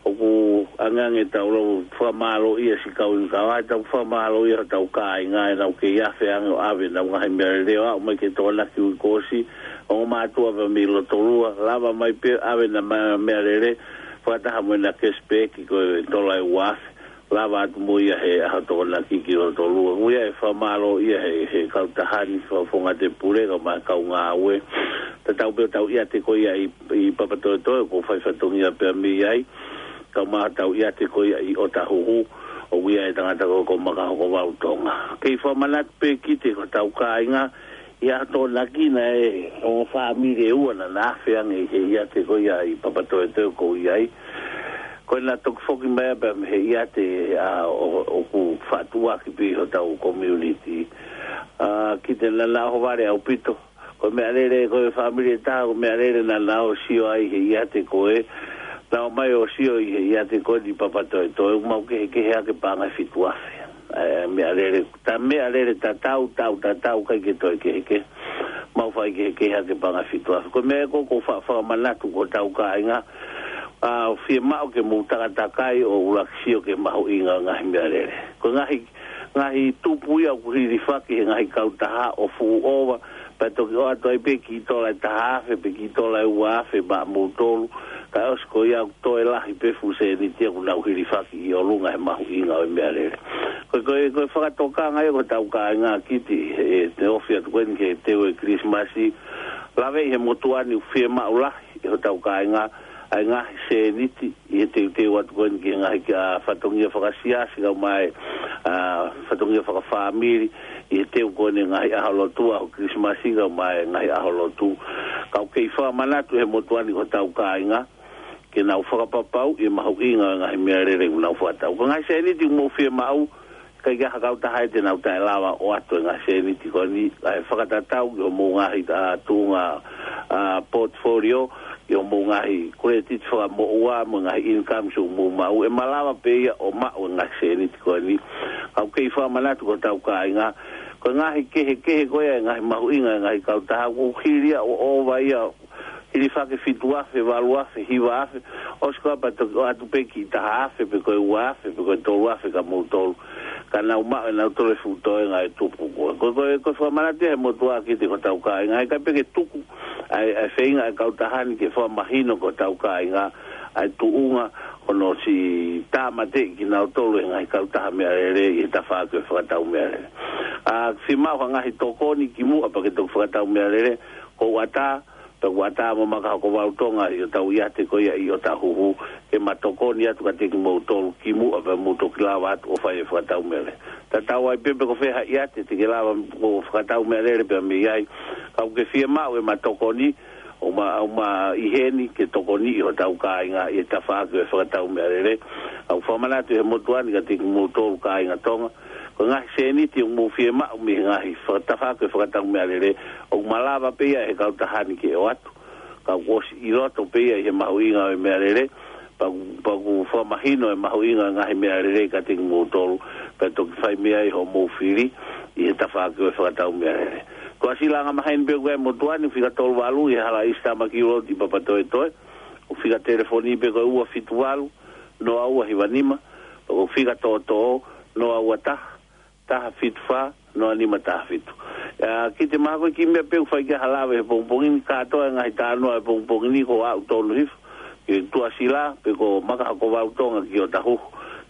ʻoku ʻangeʻange ʻetau lava fakamālōʻia siʻi kau inu kava, ʻetau fakamālōʻia hotau kāinga, ʻenau kei afe ange ʻo ʻave ʻenau ngaahi meʻalele ʻo aʻu mai ki he Tokonaki uike kuo ʻosi, ongo mātuʻa pē mei Lotolua, lava mai pē ʻave ʻena ma-, meʻalele, fakataha mo ʻena cashback ko e tola ʻe ua afe, lava atu mo ia he ʻaho Tokonaki ki Lotolua. Ko ia ʻe fakamālōʻia he, he kautaha ni, Fakafofonga Tēpule, kae ʻumaʻā e kau ngāue. Tatau pē hotau ʻiate ko ia ʻi, ʻi Papatoetoe, ʻoku fai fatongia pē mei ai. Kae ʻumaʻā hotau ʻiate ko ia ʻi ʻŌtāhuhu, ʻoku ʻi ai e tangata ko, ko Makahokovalu Tonga. Kei fakamanatu pē kite ko hotau kāinga, ʻi he ʻaho Tokonaki naʻe ongo fāmili ʻe ua naʻa na afe ange ʻi he ʻiate ko ia ʻi Papatoetoe ʻoku ou ʻi ai. Ko ʻena toki foki mai pē mei he ʻiate, ʻa, ʻo, ʻoku faʻa tuʻuaki pē ʻi hotau community. ʻA, kite naʻa na ʻohovale ʻaupito. Ko e meʻalele, ko e fāmili ʻe taha, ko e meʻalele naʻa na ō ʻo sio ai he ʻiate ko ē. Na ō mai ʻo sio ʻi he ʻiate ko ē ʻi Papatoetoe, ʻoku mau kehekehe hake paʻanga ʻe fitu afe. ʻA e meʻalele, ta meʻalele tatau, tau, tatau, ʻikai ke toe kehekehe. Mau faʻa kehekehe hake paʻanga ʻe fitu afe. Ko e meʻa ko ē ʻoku ou fa-, fakamanatu ki hotau kāinga, ʻa, fiemaʻu ke mou takatakai ʻo ʻuluaki sio ki he mahuʻinga ʻo e ngaahi meʻalele. Ko e ngaahi, ngaahi tupu ia ʻoku hilifaki he ngaahi kautaha ʻo fuʻu ʻova, pea toki ʻoatu ai pē kiʻi tola ʻe taha afe, pe kiʻi tola ʻe ua afe maʻamoutolu, kae ʻosi ko ia ʻoku toe lahi pē fuʻu sēniti ia ʻoku nau hilifaki ʻi ʻolunga he mahuʻinga ʻo e meʻalele. Ko e, ko e, ko e fakatokanga ia ki hotau kāinga kite, ʻi he ofi atu ko eni ki he teu ʻo e Kilisimasi, laveʻi he motuʻa ni ʻoku fiemaʻu lahi ʻe hotau kāinga ʻa e ngaahi sēniti ʻi he teuteu atu ko eni ki he ngaahi, ʻa, fatongia fakasiasi kae ʻumaʻā e, ʻa, fatongia fakafāmili ʻi he teu ko eni e ngaahi ʻaho lotu, ʻaho Kilisimasi kae ʻumaʻā e ngaahi ʻaho lotu. Ka ʻoku kei fakamanatu he motuʻa ni ki hotau kāinga ke nau fakapapauʻi e mahuʻinga ʻo e ngaahi meʻalele ʻoku nau fakatau. Ko e ngaahi sēniti ʻoku mou fiemaʻu, ʻikai ke ʻi ai ha kautaha ia te nau taʻelava ʻo ʻoatu e ngaahi sēniti ko eni, kae fakatatau ki hoʻomou ngaahi, ʻa, tuʻunga, ʻa, portfolio, ki hoʻomou ngaahi credit fakamoʻua mo e ngaahi income ʻoku mou maʻu, ʻe malava pē ia ʻo maʻu e ngaahi sēniti ko eni. Ka ʻoku kei fakamanatu ki hotau kāinga, ko e ngaahi kehekehe ko ia e ngaahi mahuʻinga e ngaahi kautaha, ʻoku hili ia ʻo ʻova ia, hilifaki fitu afe, valu afe, hiva afe, ʻosi ko ia pea toki ʻoatu pē kiʻi taha afe, pe ko e ua afe, pe ko e tolu afe kia moutolu. Ka nau maʻu ʻe nautolu e fuʻu toenga e tupu ko ē. Ko e, ko e, ko e fakamanatu ia he motuʻa kite ki hotau kāinga, ʻikai pē ke tuku ʻa e, ʻa e feinga ʻa e kautaha ni ke fakamahino ki hotau kāinga ʻa e tuʻunga hono siʻi tāmateʻi kinautolu ʻe he ngaahi kautaha meʻalele ʻi he tafaʻaki ʻo e fakatau meʻalele. ʻA, fiemaʻu ha ngaahi tokoni kimuʻa pea ke toki fakatau meʻalele, ʻoku ou ʻatā, pea ʻoku ʻatā mo Makahokovalu Tonga ʻi hotau ʻiate ko ia ʻi ʻŌtāhuhu, ke ma tokoni atu kiate kimoutolu kimuʻa pea mou toki lava atu ʻo fai e fakatau meʻalele. Tatau ai pē pe ko fē ha ʻiate te ke lava ʻo fakatau meʻalele pea mei ai, ka ʻoku ke fiemaʻu ʻema tokoni, ʻoku ma, ʻoku ma ʻi heni ke tokoniʻi hotau kāinga ʻi he tafaʻaki ʻo e fakatau meʻalele. ʻOku ou fakamanatu he motuʻa ni kiate kimoutolu kāinga Tonga, ko e ngaahi sēniti ʻoku mou fiemaʻu mei he ngaahi faka-, tafaʻaki ʻo e fakatau meʻalele, ʻoku malava pē ia ʻe he kautaha ni ke ʻoatu. Ka ʻoku ʻosi ʻi loto pē ia ʻi he mahuʻinga ʻo e meʻalele, pea ʻoku, pea ʻoku fakamahino e mahuʻinga ʻo e ngaahi meʻalele kiate kimoutolu, pea toki fai mei ai hoʻomou fili ʻi he tafaʻaki ʻo e fakatau meʻalele. Ko e ʻasi langa maheni pē ʻoku ʻi ai e motuʻa ni, fika tolu valu ʻi he Hala ʻIsi Tāmaki Road ʻi Papatoetoe, ʻo e fika telefoni pē ko e ua fitu valu, noa ua hiva nima, pea ko e fika toʻotoʻo, noa ua taha, taha fitu fā, noa nima taha fitu. ʻA, kite mahalo ko e kiʻi meʻa pē ʻoku fai ki ai ha lave he pongipongi ni, kātoa e ngaahi talanoa he pongipongi ni kuo aʻu tonu hifo ki Tuʻasila, pe ko Makahokovalu Tonga ki ʻŌtāhuhu,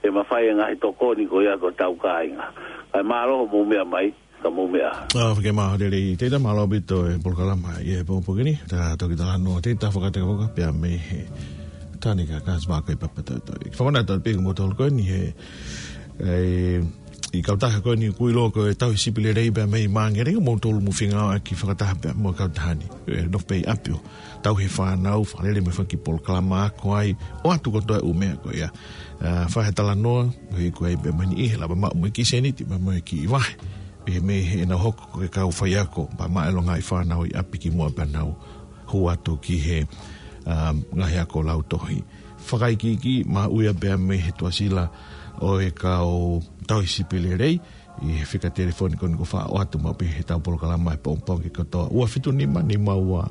ke ma fai e ngaahi tokoni ko ia ki hotau kāinga. Kae mālō hoʻomou meʻa mai, ka mou meʻa. ʻA, fika mālō lelei, Tēvita, mālō ʻaupito e polokalama ʻi he pongipongi ni, ta toki talanoa, Tēvita Fakatekavoka, pea mei he Tānikaka, Siʻi Makahokovalu Papatoetoe. Fakamanatu atu pē kia moutolu ko eni he, e, ʻi he kautaha ko eni ʻoku ʻiloa ko e Tauhi Sipi Lelei pea mei Māngere, ʻoku moutolu mou fengāueʻaki fakataha pea mo e kautaha ni. ʻE, nofo pē ʻi ʻapi ʻo tauhi e fānau, fakalele mo e fanga kiʻi polokalama ako ai, ʻoatu kotoa e ʻū meʻa ko ia. ʻA, fai ha talanoa, ʻo ʻikai pē mani ʻi he lava maʻu mo e kiʻi sēniti, pea mo e kiʻi vahe. Pea mei heʻenau hoko ko e kau faiako, pea maʻu e longaʻi fānau ʻi ʻapi kimuʻa pea nau hū atu ki he, ʻa, ngaahi ako lautohi. fakaikiiki maʻu ia pea mei he tuʻasila ʻo e kau tauhi sipi lelei, ʻi he fika telefoni ko eni ʻoku faʻa ʻoatu maʻu pē he ʻetau polokalama he pongipongi kotoa. Ua fitu nima, nima ua,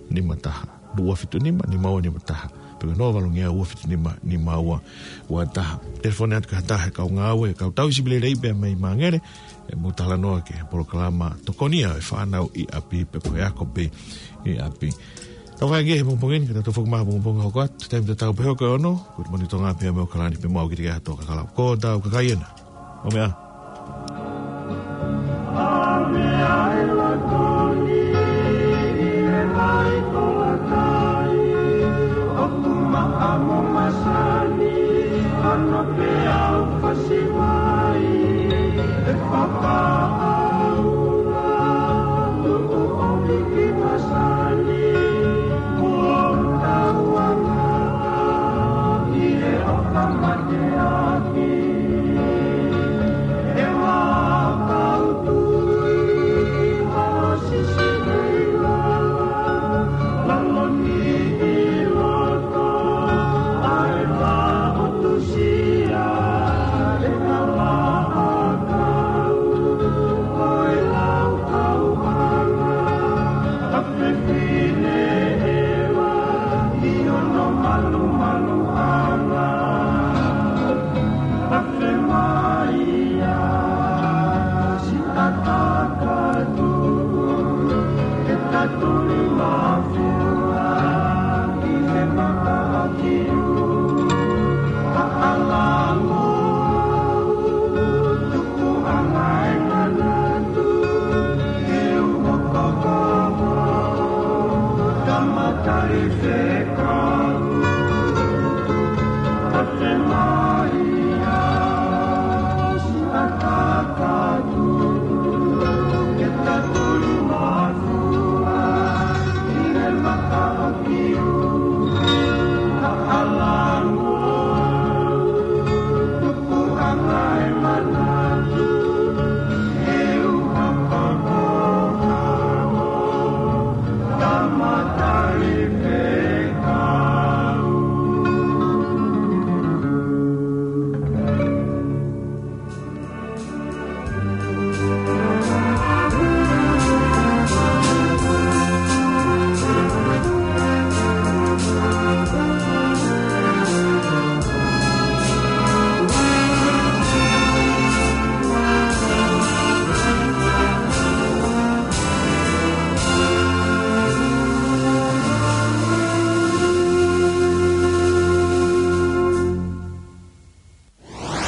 nima taha. Ua fitu nima, nima ua, nima taha. Pe ko e noa valu ngeau, ua fitu nima, nima ua, ua taha. Telefoni atu ki ha taha he kau ngāue, kau tauhi sipi lelei pea mei Māngere, ʻe mou talanoa ki he polokalama Tokoni ʻa e Fānau ʻi ʻApi pe ko e Ako pē ʻi ʻApi. Tau vakai ki he pongipongi ni, ka tau toe foki mai he pongipongi hoko atu, taimi tatau pē hoko ʻe ono, ko e Moni Tonga pea mo ʻAokalani pē mo au, Kitike Hato Kakala. Ko tau kakai ena. ʻO meʻa.